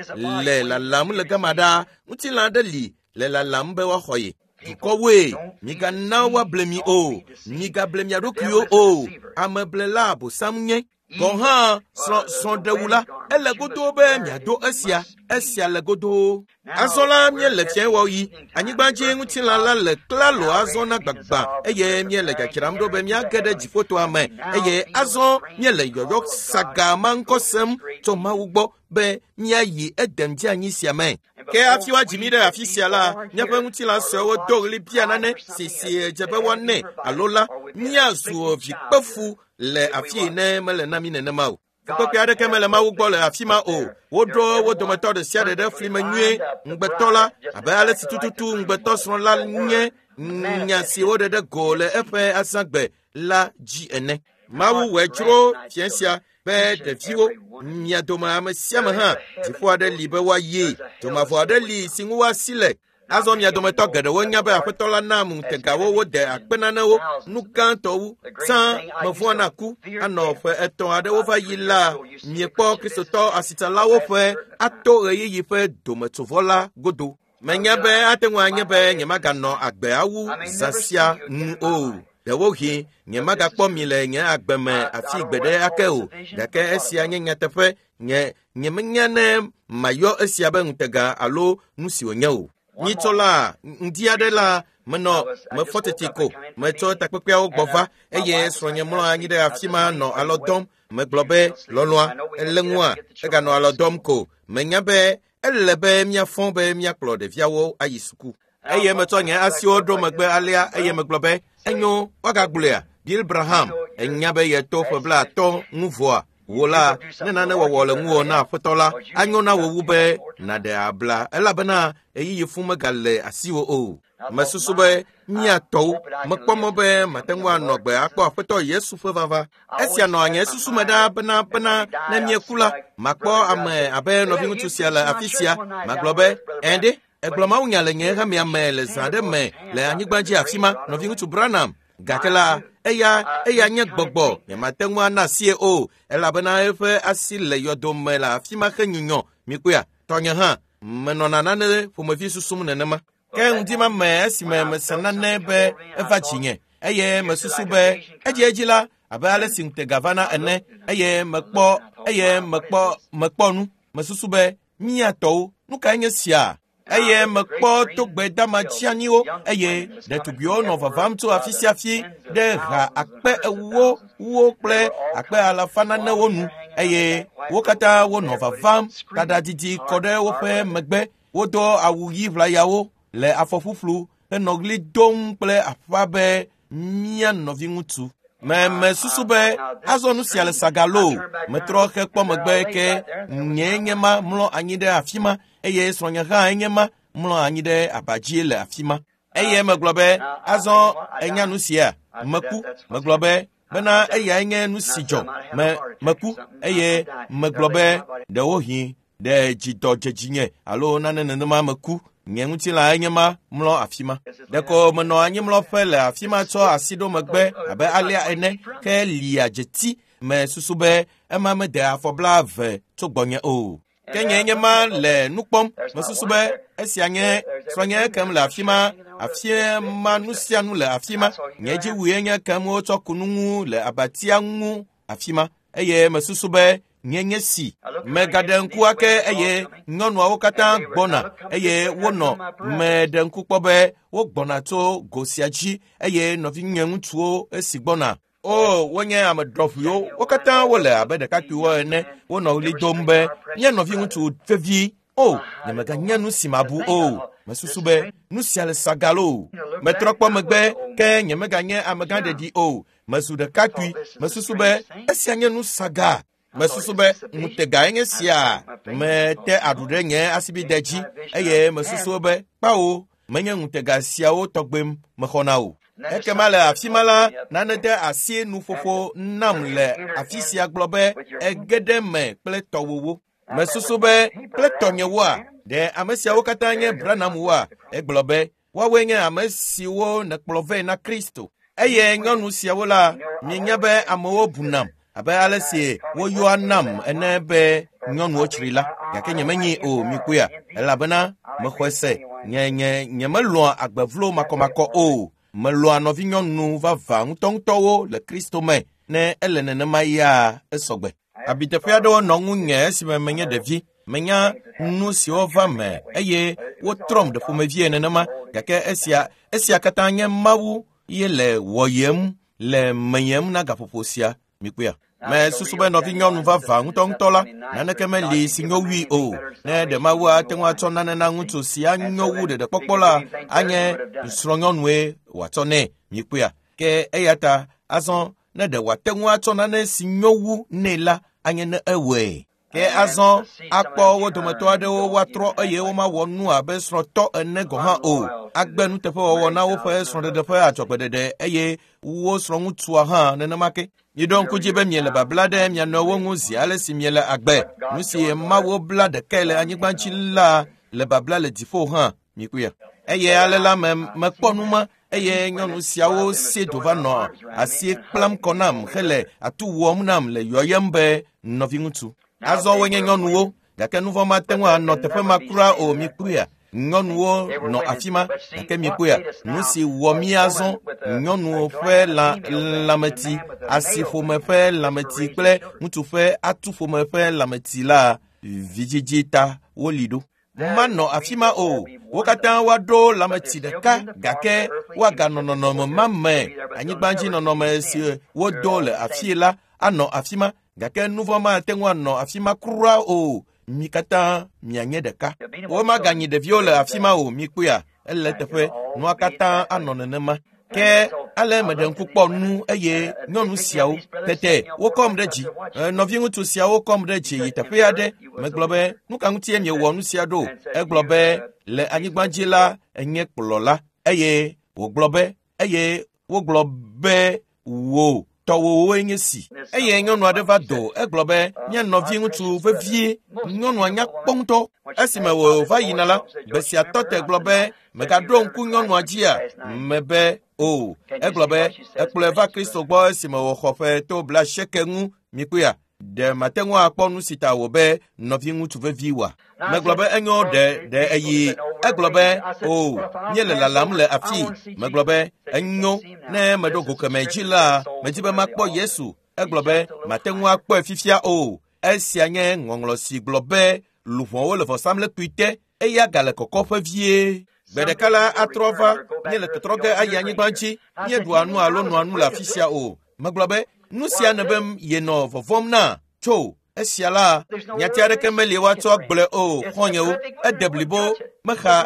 le lalam le gama ɖaa. Ŋutilã aɖe li le lalam be woaxɔ ye. Dukɔwoe, migana woable mi o. Migable mia ɖokuiwo o. Ameblela Abosam nye. Gɔ̃ hã srɔ̃ɖewu la, ele godoo be miado esia, esia le godoo. Azɔ la míele fiẽwɔɣi, anyigbadzi ŋutilã la le klalo azɔ na gbagba eye míele dzadzram ɖo be míage ɖe dziƒotoa me eye azɔ míele yɔyɔ saga ma ŋkɔ sem tso Mawu gbɔ be míayi edem dzi anyi sia me. Ke hafi woadzi mí ɖe afi sia la, míaƒe ŋutilã suewo do ɣli bia nane si si dze be woanɛ alo la, míazu vikpefu le afi ne mele na mí nenema o. Fukpekpe aɖeke mele Mawu gbɔ le afi ma o. Woɖo wo dometɔ ɖe sia ɖe ɖe fli me nyuie. Ŋugbetɔ la, abe ale si tututu ŋugbetɔsrɔ̃ la nye nya si woɖe ɖe go le eƒe azãgbe la dzi ene. Mawu wɔe dzro fia sia be ɖeviwo, mia dome ame sia ame hã, dziƒo aɖe li be woayi, dzomavɔ aɖe li si ŋu woasi le. Azɔ mia dometɔ geɖewo nya be Aƒetɔ la na ŋutegawo wode akpe nanewo, nu gãtɔ wu. Tsã mevɔ̃a na ku anɔ ƒe 3 aɖewo va yi la, miekpɔ Kristotɔ asitsalawo ƒe ato ɣeyiɣi ƒe dometsovɔ la godo. Menya be ate ŋu anye be nyemaganɔ agbe awu zã sia nu o. Ɖewohĩ nyemagakpɔ mi le nye agbe me afi gbeɖe ake o, gake esia nye nyateƒe. Nye nyemenya ne mayɔ esia be ŋutega alo nu si wònye o. Nyitsɔ la, ŋdi aɖe la, menɔ mefɔ tete ko, metsɔ takpekpeawo gbɔ va eye srɔ̃nye mlɔ anyi ɖe afi ma nɔ alɔ dɔm. Megblɔ be, lɔlɔ̃a, ele ŋua, eganɔ alɔ dɔm ko. Menya be ele be míafɔ be míakplɔ ɖeviawo ayi suku. Eye metsɔ nye asiwo ɖo megbe alea eye megblɔ be, enyo, woagagblɔea, Bill Branham, enya be yeto ƒe 50 ŋu vɔa, wò la, ne nane wɔwɔ le ŋuwò na aƒetɔ la, anyo na wò wu be nàɖe abla elabena ɣeyiɣi fũ megale asiwò o. Mesusu be míatɔwo, mekpɔ mɔ be mate ŋu anɔ gbe akpɔ aƒetɔ Yesu ƒe vava. Esia nɔ nye susu me ɖaa bena ne míeku la, makpɔ ame abe nɔviŋutsu sia le afi sia. Magblɔ be, ɛ̃ ɖe, egblɔ mawunya le nye hamea me le zã aɖe me le anyigba dzi afi ma, nɔviŋutsu Branham. Gake la, eya nye gbɔgbɔ, nyemate ŋu ana asie o, elabena eƒe asi le yɔdo me le afi ma henyunyɔ. Mikpɔea, tɔnye hã, menɔna nane ƒomevi susum nenema. Ke ŋdi ma me esime mese nane be eva dzinye eye mesusu be edziedzi la abe ale si ŋutega vana ene eye mekpɔ nu. Mesusu be míatɔwo, nu kae nye sia? Eye mekpɔ togbe dama tsianyiwo eye ɖetugbiwo nɔ vavam tso afi sia afi ɖe ha akpe ewo wo kple akpe alafa nanewo nu eye wo katã wonɔ vavam taɖadidi kɔ ɖe woƒe megbe. Wodo awu ɣi ʋlayawo le afɔ ƒuƒlu henɔ ɣli dom kple aƒa be mía nɔviŋutsu. Mesusu be azɔ nu sia le saga loo. Metrɔ hekpɔ megbe ke nyee nye ma mlɔ anyi ɖe afi ma eye srɔ̃nye hã enye ma mlɔ anyi ɖe aba dzi le afi ma. Eye megblɔ be azɔ enya nu sia meku. Megblɔ be bena eyae nye nu si dzɔ. Meku eye megblɔ be ɖewohĩ ɖe dzidɔ dze dzinye alo nane nenema meku. Nye ŋutilã enye ma mlɔ afi ma. Ɖeko menɔ anyimlɔƒe le afi ma tsɔ asi ɖo megbe abe alea ene ke lia dzeti. Mesusu be ema mede afɔ 20 tso gbɔnye o. Ke nye nye ma le nu kpɔm. Mesusu be esia nye srɔ̃nye kem le afi ma. Afi ma nu sia nu le afi ma. Nye dziwue nye kem wotsɔ ku nu ŋu le abatia ŋu afi ma. Eye mesusu be nye nye si. Megaɖe ŋku ake eye nyɔnuawo katã gbɔna eye wonɔ meɖe ŋku kpɔ be wogbɔna tso go sia dzi eye nɔvinye ŋutsuwo esi gbɔna. O, wonye ame ɖɔʋuiwo, wo katã wole abe ɖekakpuiwo ene. Wonɔ ɣli dom be mía nɔviŋutsu vevi. O, nyemeganya nu si mabu o. Mesusu be nu sia le saga loo. Metrɔ kpɔ megbe ke nyemeganye amegã ɖeɖi o. Mezu ɖekakpui. Mesusu be esia nye nu saga. Mesusu be ŋutegae nye sia. Mete aɖu ɖe nye asibide dzi eye mesusu be kpawo menye ŋutega siawo tɔgbe mexɔna o. Ekema le afi ma la, nane de asi nuƒoƒo nam le afi sia gblɔ be ege ɖe me kple tɔwòwo. Mesusu be kple tɔnyewoa, ɖe ame siawo katã nye Branhamwoa? Egblɔ be woawoe nye ame siwo nèkplɔ vɛ na Kristo. Eye nyɔnu siawo la, mienya be amewo bunam abe ale si woyɔa nam ene be nyɔnuwo tsri la, gake nyemenyi o mikpɔea, elabena mexɔe se nye nyemelɔ̃a agbe vlo makɔmakɔ o. Melɔ̃a nɔvinyɔnu vavã ŋutɔŋutɔwo le Kristo me. Ne ele nenema ya esɔgbe. Abiteƒe aɖewo nɔ ŋunye esime menye ɖevi. Menya nu siwo va me eye wotrɔm ɖe ƒomevie nenema, gake esia katã nye Mawu ye le wɔyem le meyem na gaƒoƒo sia. Mikpɔea? Mesusu be nɔvinyɔnu vavã ŋutɔŋutɔ la, naneke meli si nyo wui o. Ne ɖe Mawu ate ŋu atsɔ nane na ŋutsu si anyo wu ɖeɖekpɔkpɔ la, anye srɔ̃nyɔnue wòatsɔ nɛ. Mikpɔea? Ke eya ta azɔ ne ɖe wòate ŋu atsɔ nane si nyo wu nɛ la, anye ne ewɔe. Ke azɔ akpɔ wo dometɔ aɖewo woatrɔ eye womawɔ nu abe srɔ̃tɔ ene gɔ̃ hã o. Agbe nuteƒewɔwɔ na woƒe srɔ̃ɖeɖe ƒe adzɔgbeɖeɖe eye wo srɔ̃ŋutsua hã nenema ke. Miɖo ŋku dzi be miele babla ɖe mia nɔewo ŋu zi ale si miele agbe. Nu si Mawu bla ɖekae le anyigba dzi la le babla le dziƒo hã. Mikpɔea? Eye ale la mekpɔ nu ma eye nyɔnu siawo si do va nɔ asi kplam kɔ nam hele atu wɔm nam le yɔyem be nɔviŋutsu. Azɔ wonye nyɔnuwo, gake nu vɔ̃ mate ŋu anɔ teƒe ma kura o. Mikpɔea? Nyɔnuwo nɔ afi ma gake mikpɔea nu si wɔ mí azɔ nyɔnuwo ƒe lãmeti, asiƒome ƒe lãmeti kple ŋutsu ƒe atuƒome ƒe lãmeti la vidzidzi ta woli ɖo. Manɔ afi ma o. Wo katã woaɖo lãmeti ɖeka gake woaganɔ nɔnɔme ma me. Anyigbadzinɔnɔme si wodo le afii la anɔ afi ma gake nu vɔ̃ mate ŋu anɔ afi ma kura o. Mi katã mianye ɖeka. Womaganyi ɖeviwo le afi ma o. Mikpɔea, ele teƒe. Nua katã anɔ nenema. Ke ale meɖe ŋku kpɔ nu eye nyɔnu siawo tete wokɔm ɖe dzi. Nɔviŋutsu siawo kɔm ɖe dzi yi teƒe aɖe. Megblɔ be nu ka ŋutie miewɔ nu sia ɖo? Egblɔ be le anyigba dzi la enye kplɔla eye wògblɔ be eye wogblɔ be wò tɔwòwoe nye si. Eye nyɔnu aɖe va do. Egblɔ be nye nɔviŋutsu vevie. Nyɔnua nya kpɔ ŋutɔ. Esime wòva yina la, gbe sia tɔ te gblɔ be megaɖo ŋku nyɔnua dzia? Mebe o. Egblɔ be ekplɔe va Kristo gbɔ esime wòxɔ ƒe to 80 ŋu. Mikpɔea? Ɖe mate ŋu akpɔ nu si ta wò be nɔviŋutsu vevi wòa? Megblɔ be enyo ɖe eyi. Egblɔ be o, míele lalam le afii. Megblɔ be enyo ne meɖo go kemɛ dzi la, medzi be makpɔ Yesu. Egblɔ be mate ŋu akpɔe fifia o. Esia nye ŋɔŋlɔ si gblɔ be luʋɔwo le vɔsamlekpui te eya gale kɔkɔƒe vie. Gbe ɖeka la atrɔ va, míele tɔtrɔ ge ayi anyigba dzi, míeɖua nu alo nɔa nu le afi sia o. Megblɔ be nu sia nebe yenɔ vɔvɔ̃m na tso esia la nyati aɖeke meli woatsɔ agblɔe o. Xɔ̃nyewo, ede blibo mexa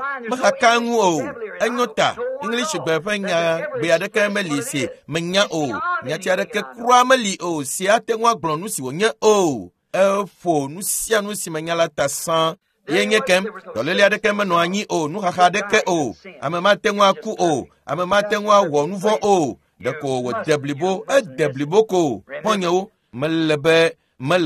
ka ŋu o. Enyo ta English gbe ƒe nyagbe aɖeke meli si menya o. Nyati aɖeke kura meli o si ate ŋu agblɔ nu si wònye o. Eƒo nu sia nu si menya la ta sã. Ye nye kem, dɔléle aɖeke menɔ anyi o, nuxaxa aɖeke o. Ame mate ŋu aku o, ame mate ŋu awɔ nu vɔ̃ o. Ɖeko wòde blibo, ede blibo ko. Xɔ̃nyewo, mele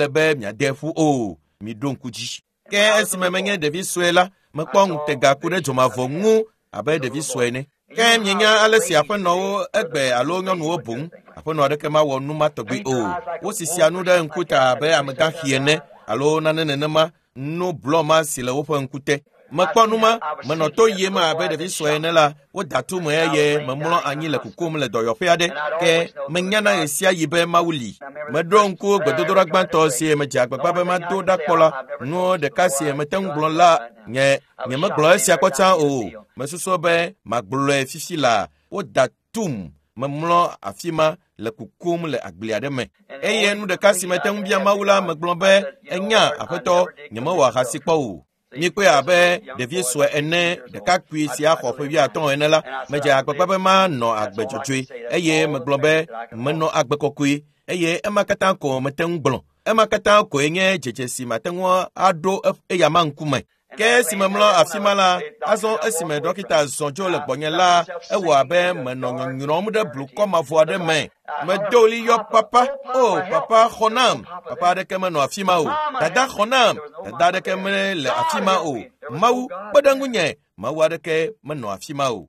be miade ƒu o. Miɖo ŋku dzi. Ke esime menye ɖevi sue la, mekpɔ ŋutega ku ɖe dzomavɔ ŋu abe ɖevi sue ene. Ke mienya ale si aƒenɔwo egbe alo nyɔnuwo boŋ. Aƒenɔ aɖeke mawɔ nu ma tɔgbi o. Wosisia nu ɖe ŋkuta abe amegãxi ene alo nane nenema. Nu blɔ ma si le woƒe ŋkute. Mekpɔ nu ma, menɔ to yiem abe ɖevi sue ene la, woda tu me eye memlɔ anyi le kukum le dɔyɔƒe aɖe. Ke menyana ɣe sia ɣi be Mawu li. Meɖo ŋku gbedodoɖa gbãtɔ si medze agbagba be mado ɖa kpɔ la, nu ɖeka si mete ŋu gblɔ la nye nyemegblɔ esia kpɔ tsã o. Mesusu be magblɔe fifi la. Woda tum, memlɔ afi ma le kukum le agble aɖe me. Eye nu ɖeka si mete ŋu bia Mawu la, megblɔ be enya aƒetɔ, nyemewɔ ahasi kpɔ o. Mikpɔe abe ɖevi sue ene, ɖekakpui si axɔ ƒe 50 ene la, medze agbagba be manɔ agbe dzɔdzɔe eye megblɔ be menɔ agbe kɔkɔe eye ema katã ko mete ŋu gblɔ. Ema katã koe nye dzedze si mate ŋu aɖo eya ma ŋkume. Ke esime mlɔ afi ma la, azɔ esime dɔkita zɔ dzo le gbɔnye la, ewɔ abe menɔ nyɔnyrɔm ɖe blukɔ mavɔ aɖe me. Medo ɣli yɔ papa, o papa xɔ nam. Papa aɖeke menɔ afi ma o. Dada xɔ nam. Dada aɖeke mele afi ma o. Mawu kpe ɖe ŋunye. Mawu aɖeke menɔ afi ma o.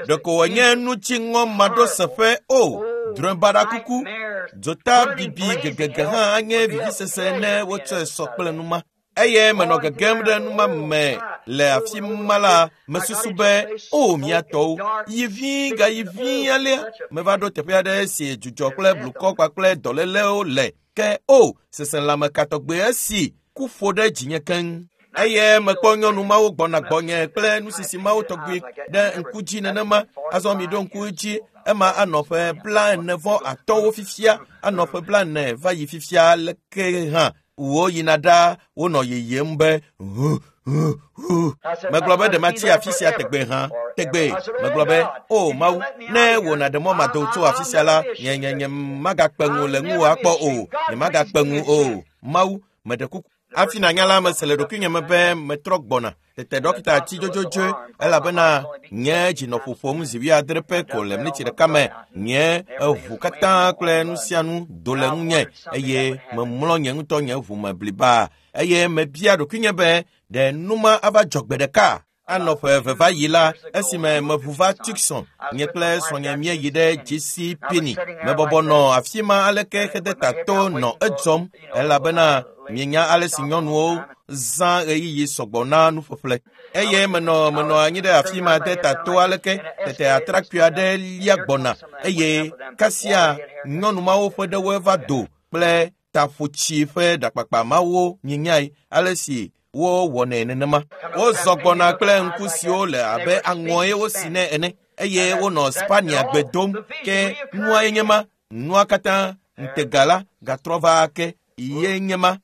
Ɖeko wònye nutsiŋɔ maɖoseƒe o. Drɔ̃ebaɖa kuku, dzota bibi gegege hã anye vivisese ne wotsɔe sɔ kple nu ma. Eye menɔ gegem ɖe nu ma me le afi ma la, mesusu be o mía tɔwo, yi vi gayi vi alea. Meva ɖo teƒe aɖe si dzudzɔ kple blukɔ kpakple dɔlélewo le. Ke o seselãme ka tɔgbe esi ku ƒo ɖe dzinye keŋ. Eye mekpɔ nyɔnu mawo gbɔna gbɔnye kple nusisi mawo tɔgbi ɖe ŋku dzi nenema. Azɔ miɖo ŋku dzi, ema anɔ ƒe 45 fifia, anɔ ƒe 40 va yi fifia leke hã. Wo yina ɖa, wonɔ yeyem be hu hu hu. Megblɔ be ɖe matsi afi sia tegbe hã, tegbe. Megblɔ be o Mawu, ne wò nàɖe mɔ mado tso afi sia la, nye nye nye magakpe ŋu le ŋuwò akpɔ o, nye magakpe ŋu o. Mawu, meɖe kuku. Hafi nànya la, mese le ɖokuinye me be metrɔ gbɔna. Tete dɔkita tsi dzodzodzoe elabena nye dzi nɔ ƒoƒom zi 70 pɛ ko le miniti ɖeka me. Nye eʋu katã kple nu sia nu do le ŋunye eye memlɔ nye ŋutɔ nye ʋu me bliba. Eye mebia ɖokuinye be ɖe nu ma ava dzɔ gbe ɖeka. Anɔ ƒe eve va yi la, esime meʋu va Tucson, nye kple srɔ̃nye míeyi ɖe JC Penney. Mebɔbɔ nɔ afi ma aleke xedetato nɔ edzɔm elabena mienya ale si nyɔnuwo zã ɣeyiɣi sɔgbɔ na nuƒeƒle. Eye menɔ anyi ɖe afi ma de tato aleke tete atrakpui aɖe lia gbɔna eye kasia nyɔnu mawo ƒe ɖewoe va do kple taƒotsi ƒe ɖakpakpa mawo mienyae ale si wowɔnɛ nenema. Wozɔ gbɔna kple ŋku siwo le abe aŋɔe wosi nɛ ene eye wonɔ Spania gbe dom ke nuae nye ma nua katã ŋutega la gatrɔ va ake ye nye ma.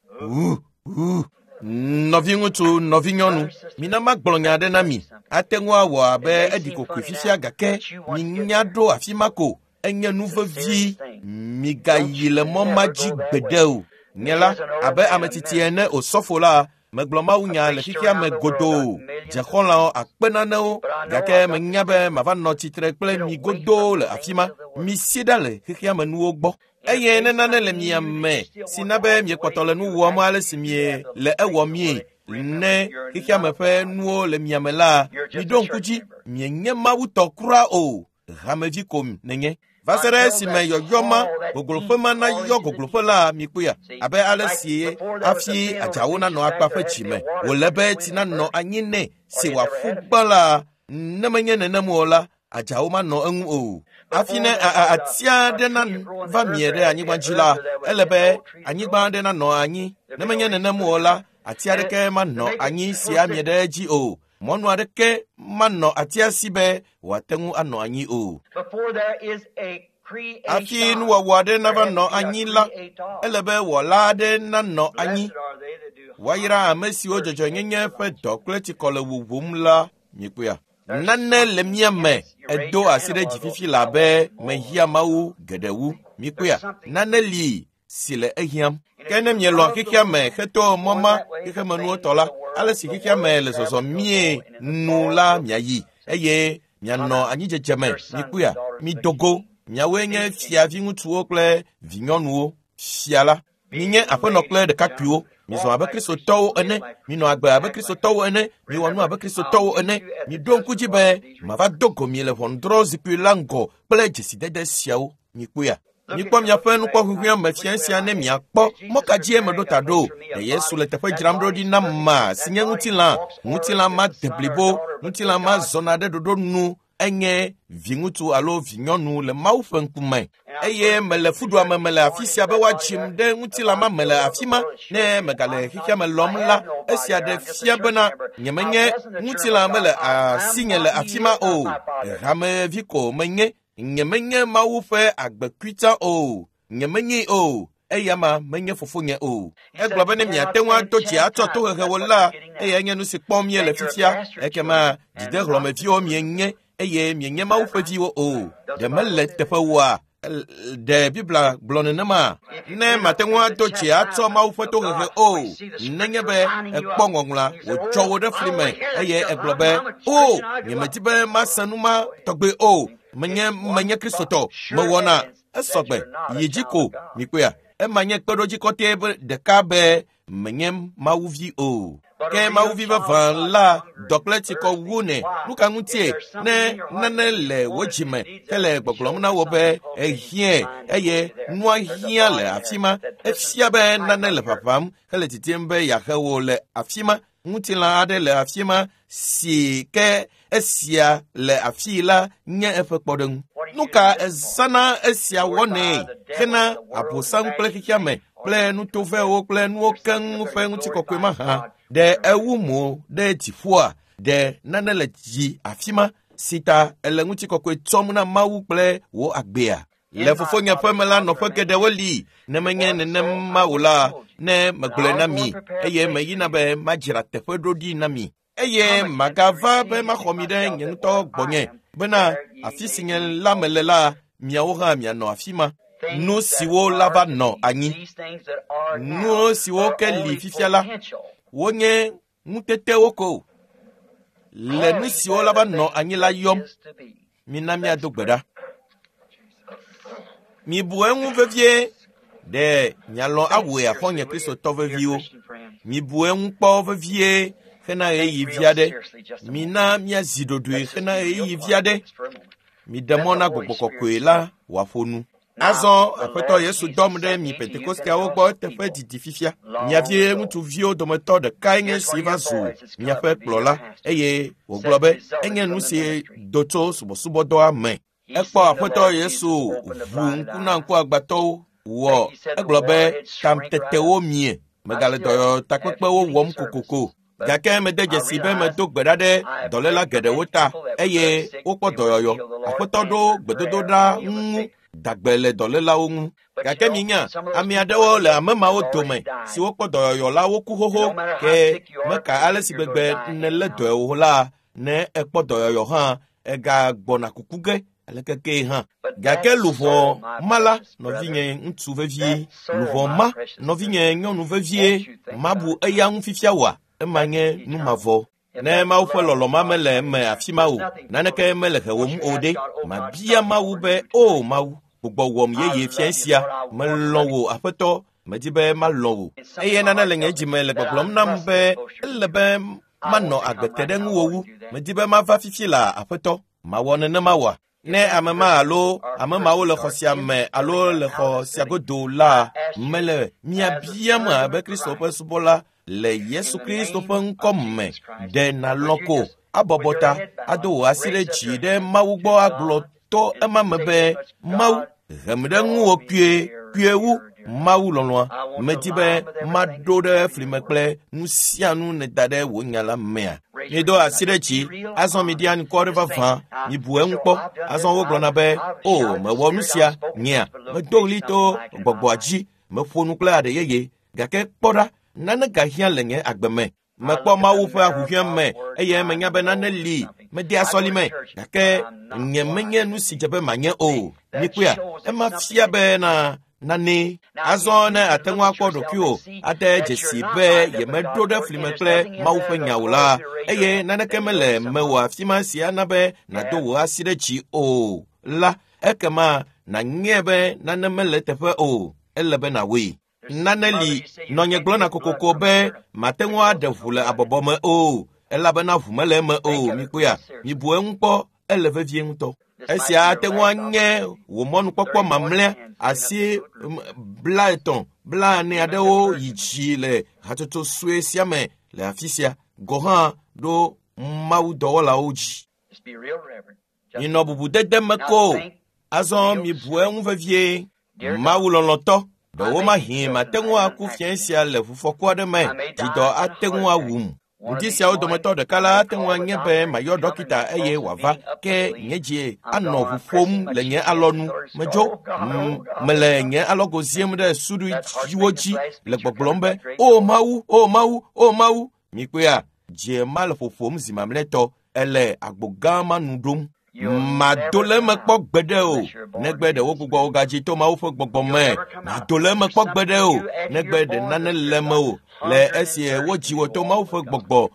Nɔviŋutsu, nɔvinyɔnu, mina magblɔ nya aɖe na mi. Ate ŋu awɔ abe eɖi kokoe fifia gake minya ɖo afi ma ko. Enye nu vevi. Migayi le mɔ ma dzi gbeɖe o. Nye la, abe ame tsitsi ene osɔfo la, megblɔ mawunya le xexea me godoo. Dze xɔlɔ̃wo akpe nanewo gake menya be mava nɔ tsitre kple mi godoo le afi ma. Misi ɖa le xexea me nuwo gbɔ. Eye ne nane le mia me si na be miekpɔtɔ le nu wɔm ale si mie le ewɔ mie ne xexea me ƒe nuwo le mia me la, miɖo ŋku dzi mienye Mawu tɔ kura o. Hamevi ko nenye. Va se ɖe esime yɔyɔ ma gogloƒe ma nayɔ gogloƒe la mikpɔea abe ale si hafi adzawo nanɔ akpa ƒe dzime wòle be tsi nanɔ anyi nɛ si wòaƒu gbã la ne menye nenem o la adzawo manɔ eŋu o. Hafi ne ati aɖe nava mie ɖe anyigba dzi la ele be anyigba aɖe nanɔ anyi ne menye nenem o la ati aɖeke manɔ anyi si amie ɖe edzi o. Mɔnu aɖeke manɔ atia si be wòate ŋu anɔ anyi o. Hafi nuwɔwɔ aɖe nava nɔ anyi la, ele be wɔla aɖe nanɔ anyi. Woayra ame siwo dzɔdzɔenyenye ƒe dɔ kple tsikɔ le wuwum la mikpɔea. Nane le mía me edo asi ɖe dzi fifi la be mehiã Mawu geɖe wu mikpɔea. Nane li si le ehiãm. Ke ne mielɔ̃ xexea me heto mɔ ma xexemenuwo tɔ la, ale si xexea me le zɔzɔm mie nu la miayi eye mianɔ anyidzedze me mikpɔea. Mido go. Miawoe nye fiaviŋutsuwo kple vinyɔnuwo. Fia la. Minye aƒenɔ kple ɖekakpuiwo. Mizɔ abe Kristotɔwo ene. Minɔ agbe abe Kristotɔwo ene. Miwɔ nu abe Kristotɔwo ene. Miɖo ŋku dzi be mava do go mi le ʋɔnudrɔ̃zikpui la ŋgɔ kple dzesidede siawo. Mikpɔea. Mikpɔ miaƒe nukpɔhuhua me fia sia ne miakpɔ mɔ ka dzie meɖo ta ɖo. Ɖe Yesu le teƒe dzram ɖo ɖi na ma si nye ŋutilã. Ŋutilã ma de blibo. Ŋutilã ma zɔna ɖe ɖoɖo nu. Enye viŋutsu alo vinyɔnu le Mawu ƒe ŋkume. Eye mele fuɖuame me le afi sia be woadzim ɖe ŋutilã ma me le afi ma. Ne megale xexea me lɔm la, esia ɖe fia bena nyemenye ŋutilã mele asinye le afi ma o. Hamevi ko menye. Nyemenye Mawu ƒe agbekuitsa o. Nyemenyee o. Eya ma menye fofonye o. Egblɔ be ne miate ŋu ado dzi atsɔ tohehewo la, eyae nye nu si kpɔm míele fifia. Ekema dzidehlɔ̃meviwo mienye eye mienye Mawu ƒe viwo o. Ɖe mele teƒe woa? Ɖe Biblia gblɔ nenema? Ne mate ŋu ado dzi atsɔ Mawu ƒe tohehe o, nenye be ekpɔ ŋɔŋlɔa wòtsɔ wo ɖe fli me eye egblɔ be o, nyemedi be mase nu ma tɔgbe o. Menye Kristotɔ, mewɔna esɔgbe yi dzi ko mikpɔea. Ema nye kpeɖodzi kɔtɛ ɖeka be menye Mawuvi o. Ke Mawuvi vavã la dɔ kple tsikɔ wu nɛ. Nu ka ŋutie ne nane le wò dzime hele gbɔgblɔm na wò be ehiãe eye nua hiã le afi ma, efia be nane le ʋaʋãm hele didim be yeahe wò le afi ma. Ŋutilã aɖe le afi ma si ke esia le afii la nye eƒe kpɔɖeŋu. Nu ka ezãna esia wɔnɛ hena abosam kple xexea me kple nutovɛwo kple nuwo keŋ ƒe ŋutikɔkɔe mahã? Ɖe ewu mo ɖe dziƒoa? Ɖe nane le dzi afi ma si ta ele ŋutikɔkɔe tsɔm na Mawu kple wò agbea? Le fofonye ƒe me la nɔƒe geɖewo li. Ne menye nenema o la, ne megblɔe na mi eye meyina be madzra teƒe ɖo ɖi na mi. Eye magava be maxɔ mi ɖe nye ŋutɔ gbɔnye bena afi si nye la mele la, miawo hã mianɔ afi ma. Nu siwo la va nɔ anyi. Nu siwo ke li fifia la, wonye ŋutetewo ko. Le nu siwo la va nɔ anyi la yɔm. Mina míado gbe ɖa. Mibu eŋu vevie. Ɖe mialɔ̃ awɔe axɔ̃nye Kristotɔ veviwo. Mibu eŋu kpɔ vevie hena ɣeyiɣi vi aɖe. Mina míazi ɖoɖoe hena ɣeyiɣi vi aɖe. Miɖe mɔ na Gbɔgbɔ Kɔkɔe la wòaƒo nu. Azɔ Aƒetɔ Yesu dɔm ɖe mi Pentekosteawo gbɔ eteƒe didi fifia. Mia vi ŋutsuviwo dometɔ ɖekae nye si va zu miaƒe kplɔla eye wògblɔ be enye nu si do tso subɔsubɔdɔa me. Ekpɔ Aƒetɔ Yesu ʋu ŋku na ŋkuagbãtɔwo wɔ egblɔ be tamtetewo mie megale dɔyɔtakpekpewo wɔm kokoko. Gake mede dzesi be medo gbe ɖa ɖe dɔléla geɖewo ta eye wokpɔ dɔyɔyɔ. Aƒetɔ ɖo gbedodoɖa ŋu dagbe le dɔlélawo ŋu. Gake minya, ame aɖewo le ame mawo dome siwo kpɔ dɔyɔyɔ la woku xoxo ke meka ale si gbegbe nèlé dɔe o la, ne ekpɔ dɔyɔyɔ hã egagbɔna kuku ge aleke kee hã. Gake luʋɔ ma la, nɔvinye ŋutsu vevie, luʋɔ ma, nɔvinye nyɔnu vevie, mabu eya ŋu fifia oa? Ema nye nu mavɔ. Ne Mawu ƒe lɔlɔ̃ ma mele eme afi ma o, naneke mele hewòm o ɖe, mabia Mawu be, “O Mawu, gbugbɔ wɔm yeye fia sia, melɔ̃ wò Aƒetɔ, medi be malɔ̃ wò.” Eye nane le nye dzime le gbɔgblɔm nam be ele be manɔ agbe te ɖe ŋuwò wu. Medi be mava fifi la Aƒetɔ, mawɔ nenema oa? Ne ame ma alo ame mawo le xɔ sia me alo le xɔ sia godo la, mele mia biam abe Kristo ƒe subɔla le Yesu Kristo ƒe ŋkɔ me, ɖe nàlɔ̃ ko abɔbɔ ta ado wò asi ɖe dzi ɖe Mawu gbɔ agblɔ to ema me be, Mawu, hem ɖe ŋuwò kpuie, kpuie wu Mawu lɔlɔ̃a. Medi be maɖo ɖe fli me kple nu sia nu nèda ɖe wò nya la mea. Mido asi ɖe dzi, azɔ miɖi anukware vavã, mibu eŋu kpɔ. Azɔ wogblɔna be, “O, mewɔ nu sia, nyea, medo ɣli to gbɔgbɔa dzi, meƒo nu kple aɖe yeye, gake kpɔ ɖa, nane gahiã le nye agbe me. Mekpɔ Mawu ƒe ahuhɔ̃e me eye menya be nane li medea sɔlime gake nye menye nu si dze be manye o. Mikpɔea, ema fia be na nane. Azɔ ne ate ŋu akpɔ ɖokuiwò ade dzesi be yemeɖo ɖe fli me kple Mawu ƒe nya o la, eye naneke mele mewò afi ma si ana be nàdo wò asi ɖe dzi o la, ekema nànyae be nane mele eteƒe o. Ele be nàwɔe. Nane li nɔnye gblɔna kokoko be mate ŋu aɖe ʋu le abɔbɔ me o, elabena ʋu mele eme o. Mikpɔea, mibu eŋu kpɔ, ele vevie ŋutɔ. Esia ate ŋu anye wò mɔnukpɔkpɔ mamlɛa asi 50, 40 aɖewo yi dzi le hatsotso sue sia me le afi sia gɔ̃ hã ɖo Mawu dɔwɔlawo dzi. Minɔ bubudede me ko. Azɔ mibu eŋu vevie. Mawu lɔlɔ̃tɔ, ɖewomahi mate ŋu aku fia sia le ʋufɔku aɖe me, dzidɔ ate ŋu awum. Ŋdi siawo dometɔ ɖeka la ate ŋu anye be mayɔ dɔkita eye wòava, ke nye dzi anɔ ʋu ƒom le nye alɔnu. Medzo, mele nye alɔgo ziem ɖe suɖuiwo dzi le gbɔgblɔm be, “O Mawu, o Mawu, o Mawu!” Mikpɔea, dzi ma le ƒoƒom zi mamlɛtɔ, ele agbo gã ma nu ɖom. Mado le eme kpɔ gbeɖe o, negbe ɖe wogbugbɔ wò gadzi to Mawu ƒe gbɔgbɔ me. Mado le eme kpɔ gbeɖe o, negbe ɖe nane le mewò le esi wodzi wò to Mawu ƒe gbɔgbɔ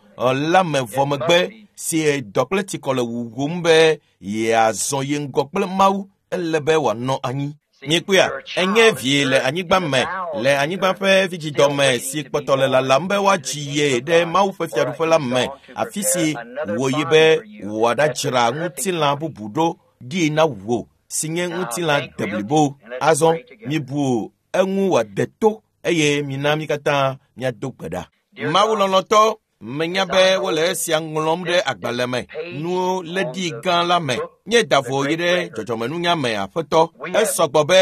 la me vɔ megbe si dɔ kple tsikɔ le wuwum be yeazɔ yi ŋgɔ kple Mawu, ele be wòanɔ anyi. Mikpɔea, enye vie le anyigba me, le anyigba ƒe vidzidɔme si kpɔtɔ le lalam be woadzi ye ɖe Mawu ƒe fiaɖuƒe la me, afi si wòyi be wòaɖadzra ŋutilã bubu ɖo ɖi na wò, si nye ŋutilã deblibo. Azɔ mibu eŋu wòade to eye mina mí katã míado gbe ɖa. Mawu lɔlɔ̃tɔ, menya be wole esia ŋlɔm ɖe agbalẽ me, nuwo lé ɖi gã la me. Míeda vo yi ɖe dzɔdzɔmenunya me Aƒetɔ. Esɔgbɔ be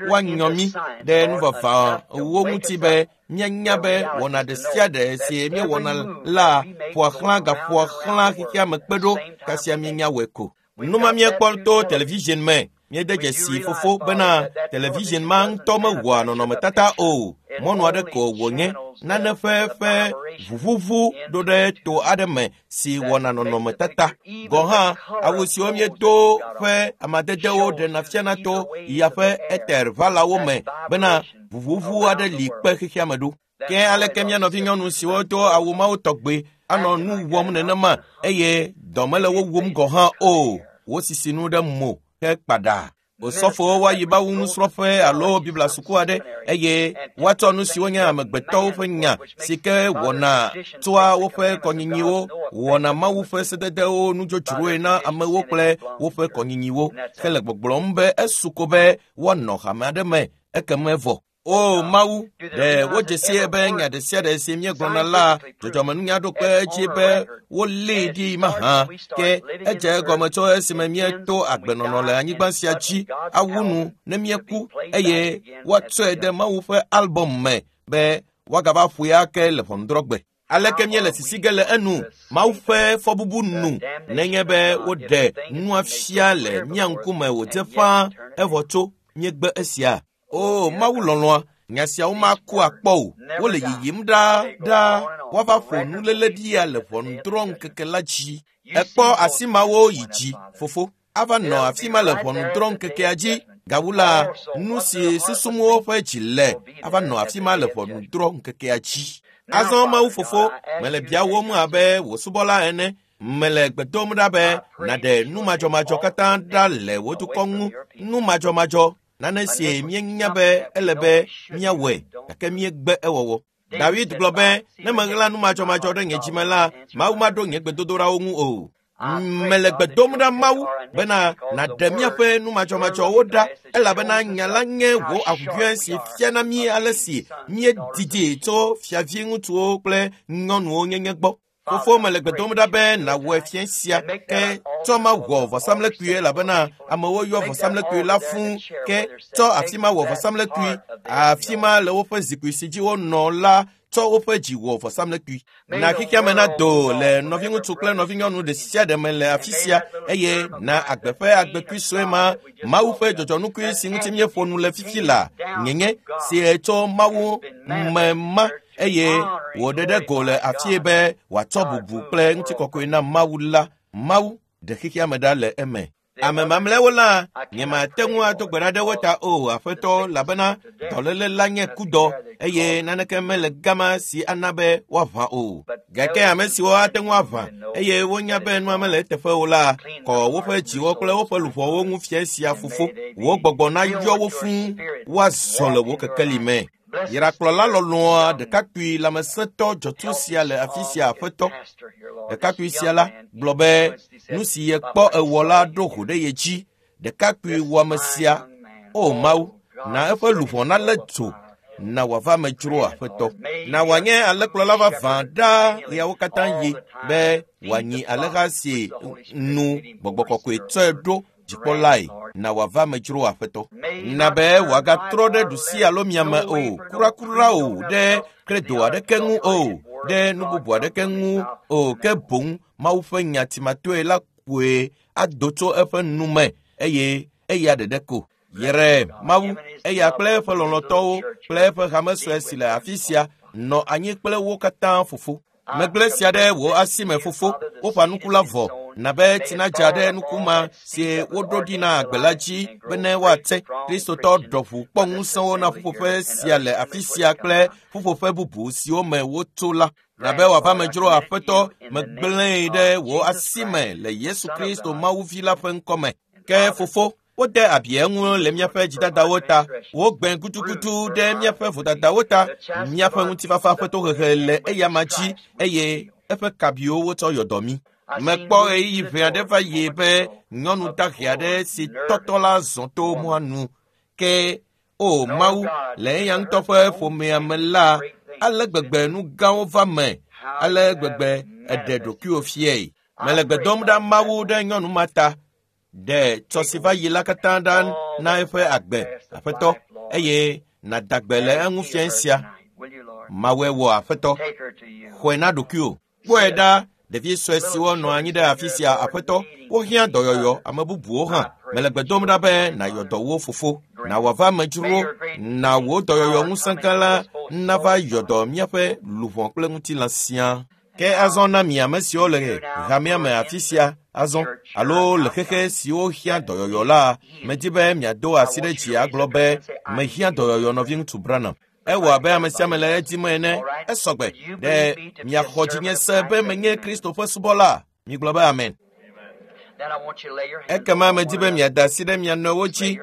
woanyɔ mí ɖe nuvɔ̃wo ŋuti be míanya be wɔna ɖe sia ɖe si míewɔna la ƒoa xlã gaƒoa xlã xexea me kpe ɖo kasia míenya wɔe ko. Nu ma míekpɔ to television me. Míede dzesi fofo bena television ma ŋutɔ mewɔa nɔnɔmetata o. Mɔnu aɖe ko wònye nane ƒe ƒe ʋuʋuʋu ɖo ɖe to aɖe me si wɔna nɔnɔmetata. Gɔ̃ hã, awu siwo míedo ƒe amadedewo ɖena fiana to ya ƒe eter ʋalawo me bena ʋuʋuʋu aɖe li kpe xexea me ɖo. Ke aleke mía nɔvinyɔnu siwo do awu mawo tɔgbe anɔ nu wɔm nenema eye dɔ mele wo wum gɔ̃ hã o. Wosisi nu ɖe mo ke kpaɖa. Osɔfowo woayi Mawu nusrɔ̃ƒe alo Biblia suku aɖe eye woatsɔ nu siwo nye amegbetɔwo ƒe nya si ke wɔna tsoa woƒe kɔnyinyiwo wɔna Mawu ƒe sededewo nudzodzroe na amewo kple woƒe kɔnyinyiwo hele gbɔgblɔm be esu ko be woanɔ hame aɖe me ekeme vɔ. O Mawu, ɖe wodze sie be nya ɖe sia ɖe si míegblɔna la, dzɔdzɔmenunya ɖo kpe edzi be wolée ɖi mahã. Ke edze egɔme tso esime míeto agbenɔnɔ le anyigba sia dzi awu nu ne míeku eye woatsɔe de Mawu ƒe albɔm me be woagava ƒoe ake le ʋɔnudrɔ̃gbe. Aleke míele sisi ge le enu Mawu ƒe fɔbubu nu nenye be woɖe nua fia le mía ŋkume wòdze ƒãa evɔ tso míegbe esia. O Mawu lɔlɔ̃a, nya siawo maku akpɔ o. Wole yiyim ɖaa ɖaa. Woava ƒo nuléle ɖia le ʋɔnudrɔ̃ŋkeke la dzi. Ekpɔ asi mawo yi dzi, fofo. Ava nɔ afi ma le ʋɔnudrɔ̃ŋkekea dzi. Gawu la, nu si susum woƒe dzi le ava nɔ afi ma le ʋɔnudrɔ̃ŋkekea dzi. Azɔ Mawu fofo, mele biawòm abe wò subɔla ene. Mele gbe dom ɖa be nàɖe nu madzɔmadzɔ katã ɖa le wò dukɔ ŋu. Nu madzɔmadzɔ, nane si míenya be ele be míawɔe gake míegbe ewɔwɔ. David gblɔ be, ne meɣla nu madzɔmadzɔ ɖe nye dzime la, Mawu maɖo nye gbedodoɖawo ŋu o. Mele gbe dom ɖa Mawu bena nàɖe míaƒe nu madzɔmadzɔwo ɖa elabena nya la nye wò ahuhɔ̃e si fiana mí ale si míedidi tso fiavi ŋutsuwo kple nyɔnuwo nyenye gbɔ. Fofo mele gbe dom ɖa be nàwɔe fia sia ke tsɔ ma wɔ vɔsamlekpui elabena amewo yɔ vɔsamlekpui la fũu ke tsɔ afi ma wɔ vɔsamlekpui afi ma le woƒe zikpui si dzi wonɔ la tsɔ woƒe dzi wɔ vɔsamlekpui. Na xexea me nado le nɔviŋutsu kple nɔvinyɔnu ɖe sia ɖe me le afi sia eye na agbe ƒe agbekui sue ma Mawu ƒe dzɔdzɔnukui si ŋuti míeƒo nu le fifi la nyenye si tso Mawu me ma eye wòɖe ɖe go le afie be wòatsɔ bubu kple ŋutikɔkɔe na Mawu la. Mawu ɖe xexea me ɖa le eme. Ame mamlɛwo la, nyemate ŋu ado gbe ɖa ɖe wo ta o, Aƒetɔ, elabena dɔléle la nye kudɔ eye naneke mele gama si ana be woaʋã o. Gake ame siwo ate ŋu aʋã eye wonya be nua mele eteƒe o la, kɔ woƒe dziwo kple woƒe luʋɔwo ŋu fia sia fofo. Wò gbɔgbɔ nayɔ wo fũu woazɔ le wò kekeli me. Yrakplɔla lɔlɔ̃a ɖekakpui lãmesẽtɔ dzɔtsu sia le afi sia Aƒetɔ. Ɖekakpui sia la gblɔ be nu si yekpɔ ewɔ la ɖo ho ɖe ye dzi. Ɖekakpui wɔame sia, o Mawu, na eƒe luʋɔ nalé dzo, na wòava me dzro Aƒetɔ. Na wòanye alẽkplɔla vavã ɖaa ɣeawo katã yi be wòanyi alẽha si nu gbɔgbɔ kɔkɔe tsɔe ɖo dzikpɔlae na wòava me dzro Aƒetɔ. Na be wòagatrɔ ɖe ɖusi alo miame o, kurakura o, ɖe kredo aɖeke ŋu o, ɖe nu bubu aɖeke ŋu o, ke boŋ Mawu ƒe nya timatoe la koe ado tso eƒe nu me eye eya ɖeɖe ko. Yere Mawu, eya kple eƒe lɔlɔ̃tɔwo kple eƒe hame sue si le afi sia nɔ anyi kple wo katã fofo. Megblẽ sia ɖe wò asi me fofo, woƒã nuku la vɔ, na be tsi nadza ɖe nuku ma si woɖo ɖi na agbe la dzi bene woate. Kristotɔ ɖɔʋu kpɔ ŋusẽwo na ƒuƒoƒe sia le afi sia kple ƒuƒoƒe bubu siwo me wotso la. Na be wòava me dzro Aƒetɔ, megblẽe ɖe wò asi me le Yesu Kristo Mawu Vi la ƒe ŋkɔ me. Ke fofo, wode abi eŋu le míaƒe dzidadawo ta, wogbe gudugudu ɖe míaƒe vodadawo ta, míaƒe ŋutifafa ƒe tohehe le eyama dzi eye eƒe kabiwo wotsɔ yɔ dɔ mí. Mekpɔ ɣeyiɣi ʋɛ aɖe va yi be nyɔnu dahe aɖe si tɔtɔ la zɔ to mɔa nu. Ke o Mawu, le eya ŋutɔ ƒe ƒomea me la, ale gbegbe nu gãwo va me, ale gbegbe eɖe ɖokuiwò fiae. Mele gbe dom ɖa Mawu ɖe nyɔnu ma ta. Ɖe tsɔ si va yi la katã ɖa na eƒe agbe, Aƒetɔ, eye nàda gbe le eŋu fia sia. Mawɔe wɔ Aƒetɔ. Xɔe na ɖokuiwò. Kpɔe ɖa, ɖevi sue siwo nɔ anyi ɖe afi sia, Aƒetɔ, wohiã dɔyɔyɔ, ame bubuwo hã. Mele gbe dom ɖa be nàyɔ dɔ wo fofo, na wòava me dzro, na wò dɔyɔyɔ ŋusẽ gã la nava yɔ dɔ míaƒe luʋɔ kple ŋutilã siaa. Ke azɔ na mi ame siwo le hamea me afi sia azɔ alo le xexe siwo hiã dɔyɔyɔ la, medi be miado asi ɖe dzi agblɔ be mehiã dɔyɔyɔ nɔviŋutsu Branham. Ewɔ abe ame sia ame le edim ene. Esɔgbe ɖe miaxɔ dzinye se be menye Kristo ƒe subɔla. Migblɔ be amen. Ekema medi be miada asi ɖe mia nɔewo dzi.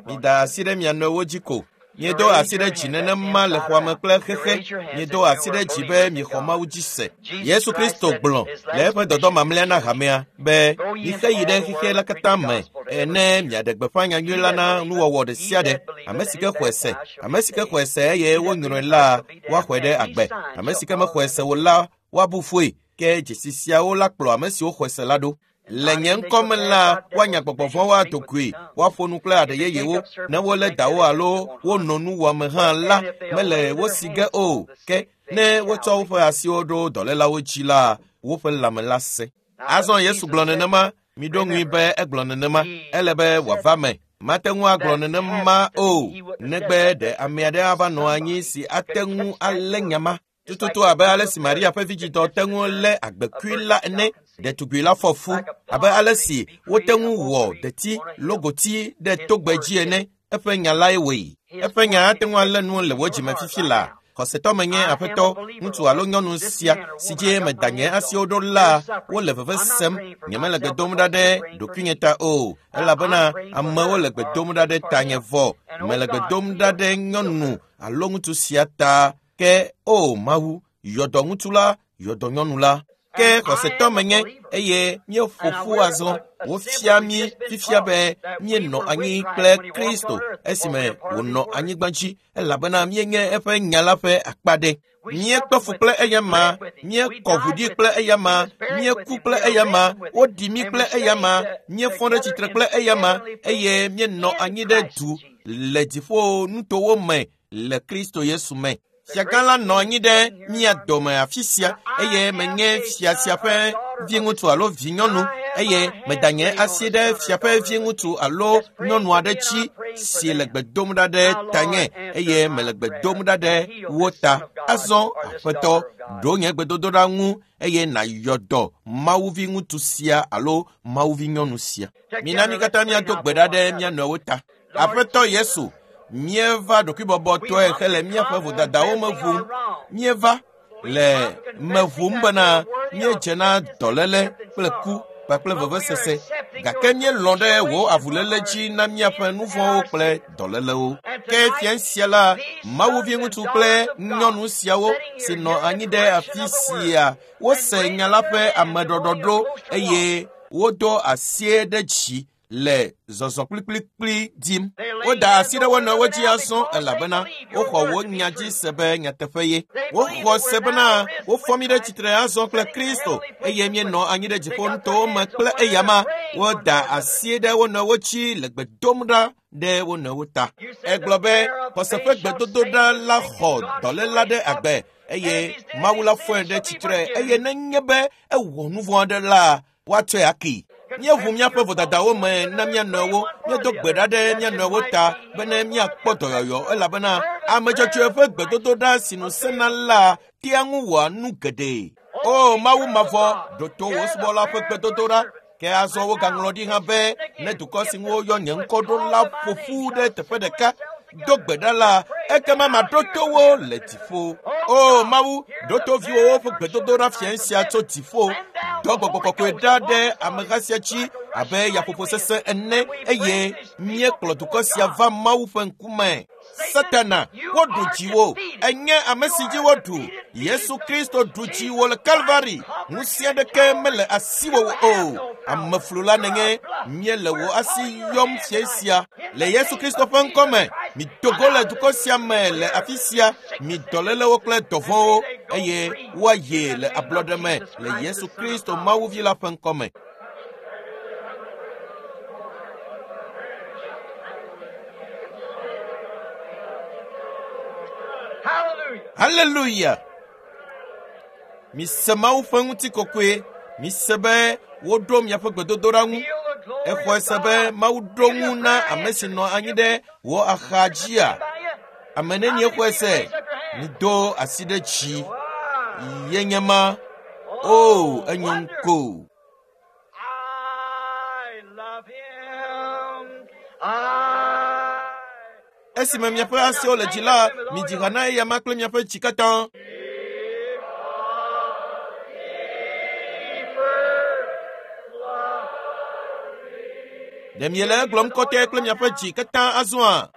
Mida asi ɖe mia nɔewo dzi ko. Miedo asi ɖe dzi nenema le xɔa me kple xexe. Miedo asi ɖe dzi be miexɔ Mawu dzi se. Yesu Kristo gblɔ le eƒe dɔdɔ mamlɛa na hamea be mixe yi ɖe xexe la katã me ene miaɖe gbeƒã nyanyui la na nuwɔwɔ ɖe sia ɖe. Ame si ke xɔe se, ame si ke xɔe se eye wonyrɔe la, woaxɔe ɖe agbe. Ame si ke mexɔe se o la, woabu fɔe. Ke dzesi siawo la kplɔ ame siwo xɔe se la ɖo. Le nye ŋkɔ me la, woanya gbɔgbɔ vɔ̃wo ado goe, woaƒo nu kple aɖe yeyewo. Ne wolé dawo alo wonɔ nu wɔme hã la, mele wo si ge o. Ke ne wotsɔ woƒe asiwo ɖo dɔlélawo dzi la, woƒe lãme la sẽ. Azɔ Yesu gblɔ nenema, miɖo ŋui be egblɔ nenema, ele be wòava me. Mate ŋu agblɔ nenema o, negbe ɖe ame aɖe ava nɔ anyi si ate ŋu alé nya ma. Tututu abe ale si Maria ƒe vidzidɔ te ŋu lé agbekui la ene, ɖetugbui la fɔ fu abe ale si wote ŋu wɔ deti logoti ɖe togbɛ dzi ene. Eƒe nya lae wɔe. Eƒe nya ate ŋu alé nu le wò dzime fifi laa. Xɔsetɔ menye aƒetɔ, ŋutsu alo nyɔnu sia si dzi meda nye asiwo ɖo la, wole veve sem. Nyemele gbe dom ɖa ɖe ɖokuinye ta o, elabena amewo le gbe dom ɖa ɖe tanye vɔ. Mele gbe dom ɖa ɖe nyɔnu alo ŋutsu sia ta. Ke o Mawu, yɔ dɔ ŋutsu la, yɔ dɔ nyɔnu la. Ke xɔsetɔ menye eye míeƒo ƒu azɔ. Wofia mí fifia be míenɔ anyi kple Kristo esime wònɔ anyigba dzi elabena míenye eƒe nya la ƒe akpa ɖe. Míekpe fu kple eyama, míekɔ ʋu ɖi kple eyama, míeku kple eyama, woɖi mí kple eyama, míefɔ ɖe tsitre kple eyama eye míenɔ anyi ɖe du le dziƒo nutowo me le Kristo Yesu me. Fiagã la nɔ anyi ɖe mía dome afi sia eye menye fia sia ƒe viŋutsu alo vinyɔnu eye meda nye asi ɖe fia ƒe viŋutsu alo nyɔnu aɖe dzi si le gbe dom ɖa ɖe tanye eye mele gbe dom ɖa ɖe wo ta. Azɔ Aƒetɔ, ɖo nye gbedodoɖa ŋu eye nàyɔ dɔ Mawu viŋutsu sia alo Mawu vinyɔnu sia. Mina mí katã míado gbe ɖa ɖe mía nɔewo ta. Aƒetɔ Yesu, míeva ɖokuibɔbɔtɔe hele míaƒe vodadawo me ʋum. Míeva le me ʋum bena míedze na dɔléle kple ku kpakple vevesese gake míelɔ̃ ɖe wò avuléle dzi na míaƒe nu vɔ̃wo kple dɔlélewo. Ke fia sia la, Mawu viŋutsu kple nyɔnu siawo si nɔ anyi ɖe afi sia, wose nya la ƒe ameɖɔɖɔɖo eye wodo asie ɖe dzi le zɔzɔ kplikplikpli dim. Woda asi ɖe wo nɔewo dzi azɔ elabena woxɔ wo nya dzi se be nyateƒe ye. Woxɔ se bena wofɔ mí ɖe tsitre azɔ kple Kristo eye míenɔ anyi ɖe dziƒo nutowo me kple eyama. Woda asi ɖe wo nɔewo dzi le gbe dom ɖa ɖe wo nɔewo ta. Egblɔ be xɔse ƒe gbedodoɖa la xɔ dɔléla ɖe agbe eye Mawu la fɔe ɖe tsitre eye nenye be ewɔ nu vɔ̃ aɖe la, woatsɔe akee. Míeʋu míaƒe vodadawo me na mía nɔewo, míedo gbe ɖa ɖe mía nɔewo ta bene míakpɔ dɔyɔyɔ elabena ame dzɔdzɔe ƒe gbedodoɖa si nu sẽna la tea ŋu wɔa nu geɖe. O Mawu mavɔ, ɖo to wò subɔla ƒe gbedodoɖa. Ke azɔ wogaŋlɔ ɖi hã be ne dukɔ si ŋu woyɔ nye ŋkɔ ɖo la ƒo ƒu ɖe teƒe ɖeka do gbe ɖa la, ekema maɖo to wo le dziƒo. O Mawu, ɖo to viwòwo ƒe gbedodoɖa fiẽ sia tso dziƒo. Dɔ gbɔgbɔ kɔkɔe ɖa ɖe ameha sia dzi abe yaƒoƒo sesẽ ene eye míekplɔ dukɔ sia va Mawu ƒe ŋkume. Satana, woɖu dziwò. Enye ame si dzi woɖu. Yesu Kristo ɖu dziwò le Kalvari. Ŋusẽ aɖeke mele asiwò o. Ameflula nènye. Míele wò asi yɔm fiẽ sia. Le Yesu Kristo ƒe ŋkɔ me, mido go le dukɔ sia me le afi sia, mi dɔlélewo kple dɔvɔ̃wo, eye woayi le ablɔɖe me le Yesu Kristo Mawuvi la ƒe ŋkɔ me. Haleluya! Mise Mawu ƒe ŋutikɔkɔe. Mise be woɖo miaƒe gbedodoɖa ŋu. Exɔe se be Mawu ɖo ŋu na ame si nɔ anyi ɖe wò axa dzia? Ame nenie xɔe se? Mido asi ɖe dzi. Ye nye ma. O, enyo ŋko. Esime miaƒe asiwo le dzi la, midzi ha na eyama kple miaƒe dzi katã. Ɖe miele egblɔm kɔtɛ kple miaƒe dzi katã azɔa?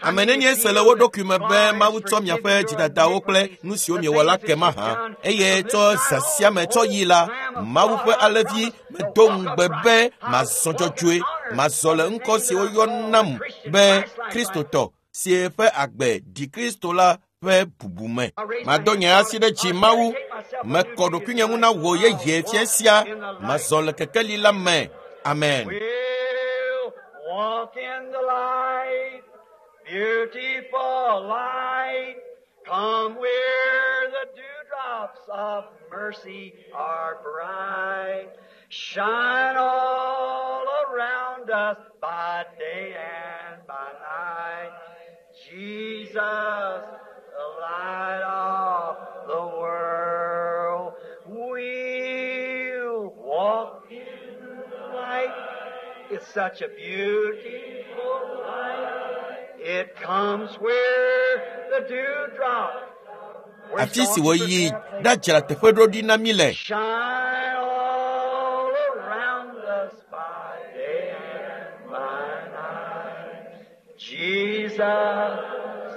Ame nenie se le wo ɖokui me be Mawu tsɔ miaƒe dzidadawo kple nu siwo miewɔ la ke mahã, eye tsɔ zã sia me tsɔ yi la, Mawu ƒe alẽvi medo ŋugbe be mazɔ dzɔdzɔe, mazɔ le ŋkɔ si woyɔ nam be Kristotɔ si ƒe agbe ɖi Kristo la ƒe bubu me. Mado nye asi ɖe dzi Mawu, mekɔ ɖokuinye ŋu na wò yeye fia sia, mazɔ le kekeli la me. Amen. We'll walk in the light, beautiful light. Come where the dewdrops of mercy are bright. Shine all around us by day and by night. Jesus, the light of the world. We'll walk in the light. It's such a beautiful light. It comes where the dewdrop. where Afi si wòyi ɖadzra teƒe ɖo ɖi na mí le. Shine all around us by day and by night. Jesus,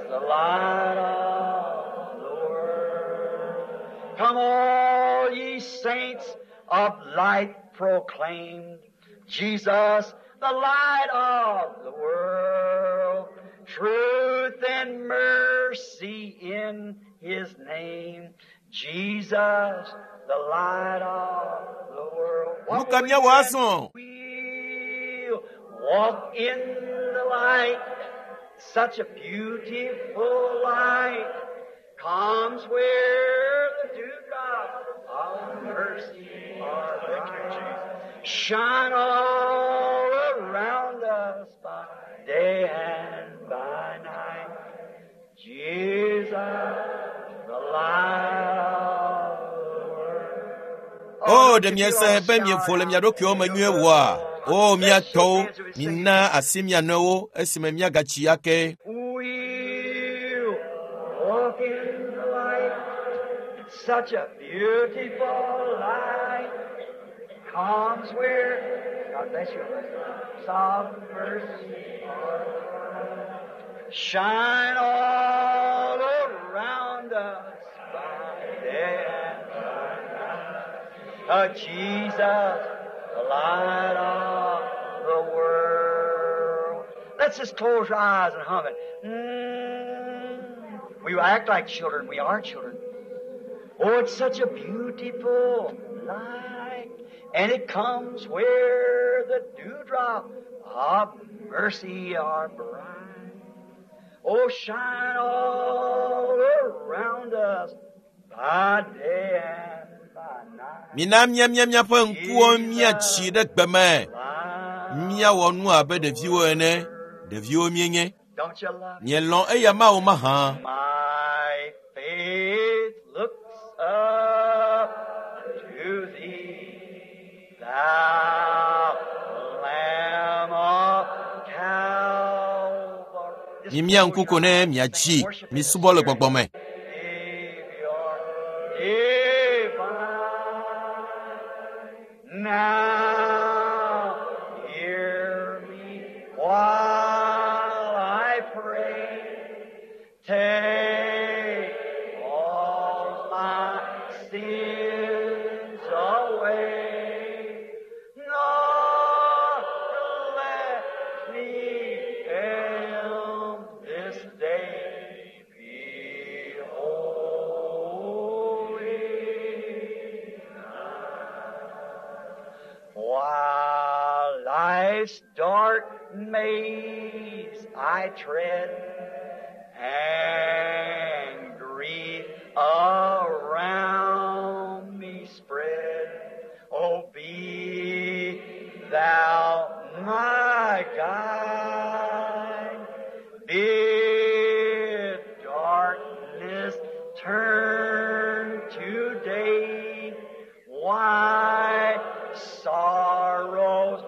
the light of the world. Come all ye saints of light proclaimed. Jesus, the light of the world. Truth and mercy in His name. Jesus, the light of the world. Nu ka míawɔ azɔ? We'll walk in the light. Such a beautiful light comes where the dewdrops of mercy are bright. Shine all around us by day and by night. Jesus, the light of the world. O, ɖe miese be mievo le mia ɖokuiwo me nyuie woa? O, mia tɔwo, mina asi mia nɔewo esime miagatsi ake. We'll walk in the light. Such a beautiful light comes where God bless you. Some mercy are bright. Shine all around us by day and by night. Jesus, the light of the world. Let's just close our eyes and hum it. We act like children. We are children. Oh, it's such a beautiful light, and it comes where the dewdrop of mercy are bright. Oh, shine all around us by day and by night. Mina míamia míaƒe ŋkuwo míatsi ɖe gbe me. Light. Míawɔ nu abe ɖeviwo ene. Ɖeviwo míenye. Don't you love Mielɔ̃ eya Mawu mahã. My faith looks up to thee, thou Lamb of Calvary. Mimia ŋku ko ne miatsi, misubɔ le gbɔgbɔ me. Savior divine. Now hear me while I pray. Take all my sins away. Nor let me fail this day. Be holy. While life's dark maze I tread, and grief around me spread, oh, be thou my guide. Bid darkness turn to day. Why sorrows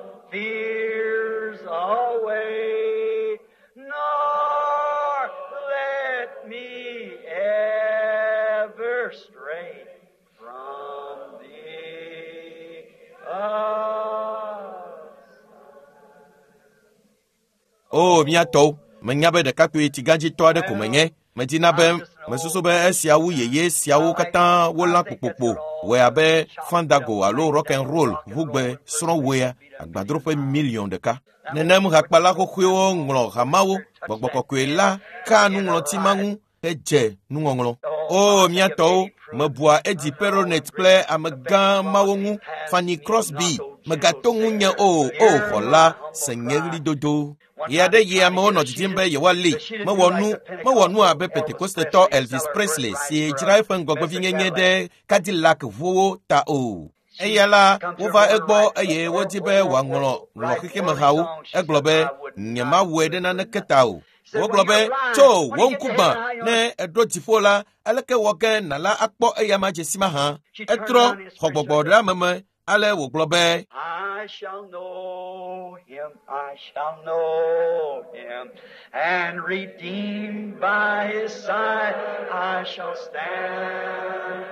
O mía tɔwo, menya be ɖekakpui tsigãdzitɔ aɖe ko menye. Medina be mesusu be esiawo yeye siawo katã wolã kpokpokpo wɔe abe fandago alo rock and roll ʋugbe srɔ̃wɔea agbadroƒe miliɔn ɖeka. Nenem hakpala xoxoewo ŋlɔ hamawo, gbɔgbɔ kɔkɔe la ka nuŋlɔti ma ŋu hedze nuŋɔŋlɔ. O mía tɔwo, mebua Eddie Peronet kple amegã mawo ŋu, Fanny Crosby, megato ŋunye o, o xɔla, se nye ɣlidodo. Ɣe aɖe yi amewo nɔ didim be yewoalée. Mewɔ nu, mewɔ nu abe Pentekostetɔ Elvis Presley si dzra eƒe ŋgɔgbevinyenye ɖe Cadillac ʋuwo ta o. Eya la, wova egbɔ eye wodi be wòaŋlɔ ŋlɔ xexemehawo. Egblɔ be, nyemawɔe ɖe naneke ta o. Wogblɔ be, tso wò ŋku gbã, ne èɖo dziƒo la, aleke wɔ ge nàla akpɔ eya ma dze si mahã? Etrɔ xɔ gbɔgbɔ ɖe ame me ale wògblɔ be, I shall know him, I shall know him, and redeemed by his side I shall stand.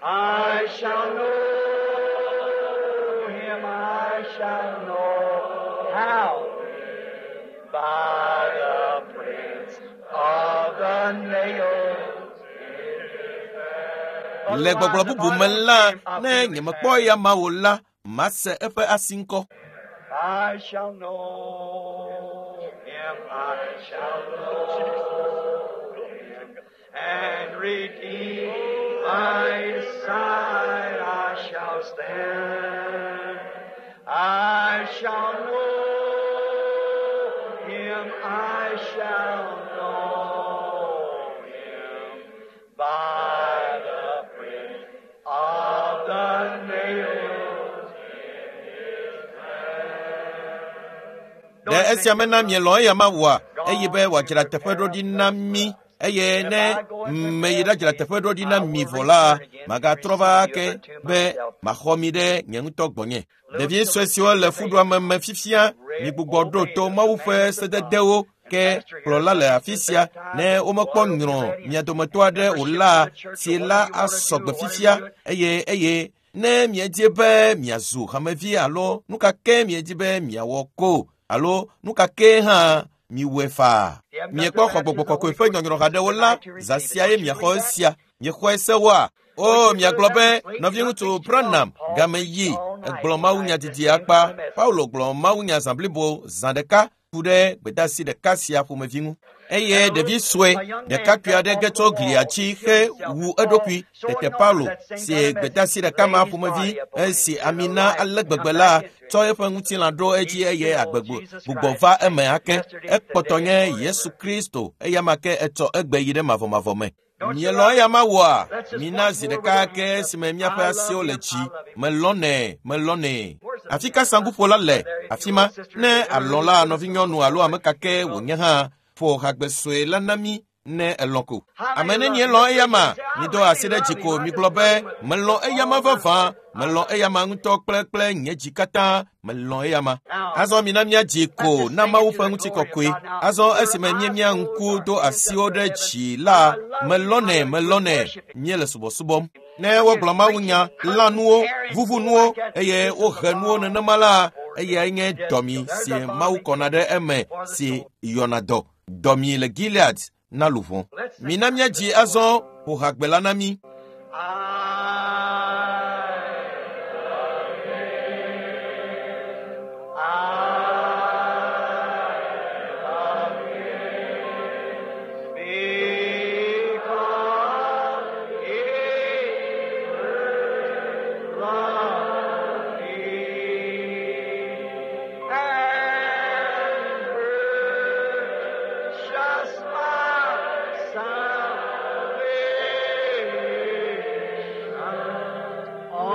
I shall know him, I shall know how by the prints of the nails. Le gbɔgblɔ bubu me la, ne nyemekpɔ eya ma o la, mase eƒe asi ŋkɔ. I shall know him, I shall know him, and redeemed by his side I shall stand. I shall know him, I shall know him, by the print of the nails in his hand. Ɖe esia mena mielɔ̃ eya ma oa? Eye be wòadzra teƒe ɖo ɖi na mí eye ne meyi ɖadzra teƒe ɖo ɖi na mi vɔ la, magatrɔ va ake be maxɔ mi ɖe nye ŋutɔ gbɔnye. Ɖevi sue siwo le fuɖuame me fifia, migbugbɔ ɖo to Mawu ƒe sededewo ke kplɔla le afi sia ne womekpɔ nyrɔ mia dometɔ aɖe o la, tsi la asɔ gbe fifia eye eye ne miedzi be miazu hamevi alo nu ka ke miedzi be miawɔ ko alo nu ka ke hã miwɔe faa. Miekpɔ xɔ gbɔgbɔ kɔkɔe ƒe nyɔnyrɔ haɖewo la, zã sia ye miaxɔ esia. Miexɔe se woa? O, miagblɔ be nɔviŋutsu Branham game yi egblɔ mawunya didi akpa. Paulo gblɔ mawunya zã blibo zã ɖeka ku ɖe gbedeasi ɖeka sia ƒomevi ŋu. Eye ɖevi sue ɖekakpui aɖe ge tso glia dzi he wu eɖokui. Tete Paulo si gbedeasi ɖeka ma ƒomevi esi ami na ale gbegbe la tsɔ eƒe ŋutilã ɖo edzi eye agbegbe gbugbɔ va eme ake. Ekpɔtɔ nye Yesu Kristo eya ma ke etsɔ egbe yi ɖe mavɔmavɔ me. Mielɔ̃ eya ma wɔa? Mina zi ɖeka ke esime míaƒe asiwo le dzi. Melɔ̃nɛ, melɔ̃nɛ. Afi ka saŋkuƒola le? Afi ma, ne alɔ̃ la nɔvinyɔnu alo ame ka ke wònye hã, ƒo hagbe sue la na mí ne elɔ̃ ko. Ame nenie lɔ̃ eya ma? Mido asi ɖe dzi ko migblɔ be, melɔ̃ eya ma vavã, melɔ̃ eya ma ŋutɔ kple kple nye dzi katã, melɔ̃ eya ma. Azɔ mina míadzi ko na Mawu ƒe ŋutikɔkɔe. Azɔ esime míemia ŋku do asiwo ɖe dzi la, melɔ̃nɛ, melɔ̃nɛ, míele subɔsubɔm. Ne wogblɔ mawunya, lã nuwo, vuvu nuwo eye wohe nuwo nenema la, eyae nye dɔmi si Mawu kɔna ɖe eme si yɔna dɔ. Dɔmi le Gilead na luʋɔ. Mina míadzi azɔ ƒo hagbe la na mí. Because he first loved me and purchased my salvation on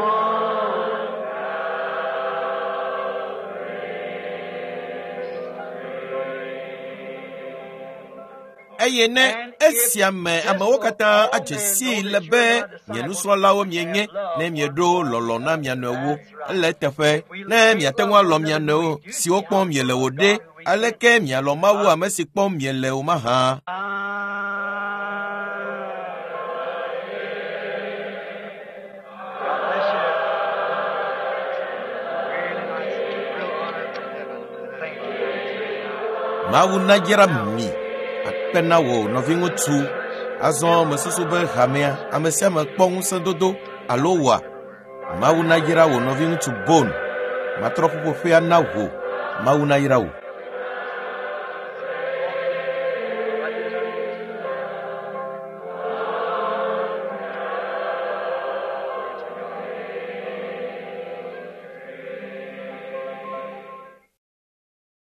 Eye ne esia me amewo katã adze sii le be nye nusrɔ̃lawo mienye ne mieɖo lɔlɔ̃ na mia nɔewo. Ele eteƒe ne miate ŋu alɔ̃ mia nɔewo siwo kpɔm miele o ɖe, aleke mialɔ̃ Mawu ame si kpɔm miele o mahã? God bless you. Really nice. Real honor from heaven. Thank you. Mawu nayra mi. Akpe na wò nɔviŋutsu. Azɔ mesusu be hamea ame sia ame kpɔ ŋusẽdodo alo wɔa. Mawu nayra wò nɔviŋutsu Bon. Matrɔ ƒuƒoƒea na wò. Mawu nayra wò.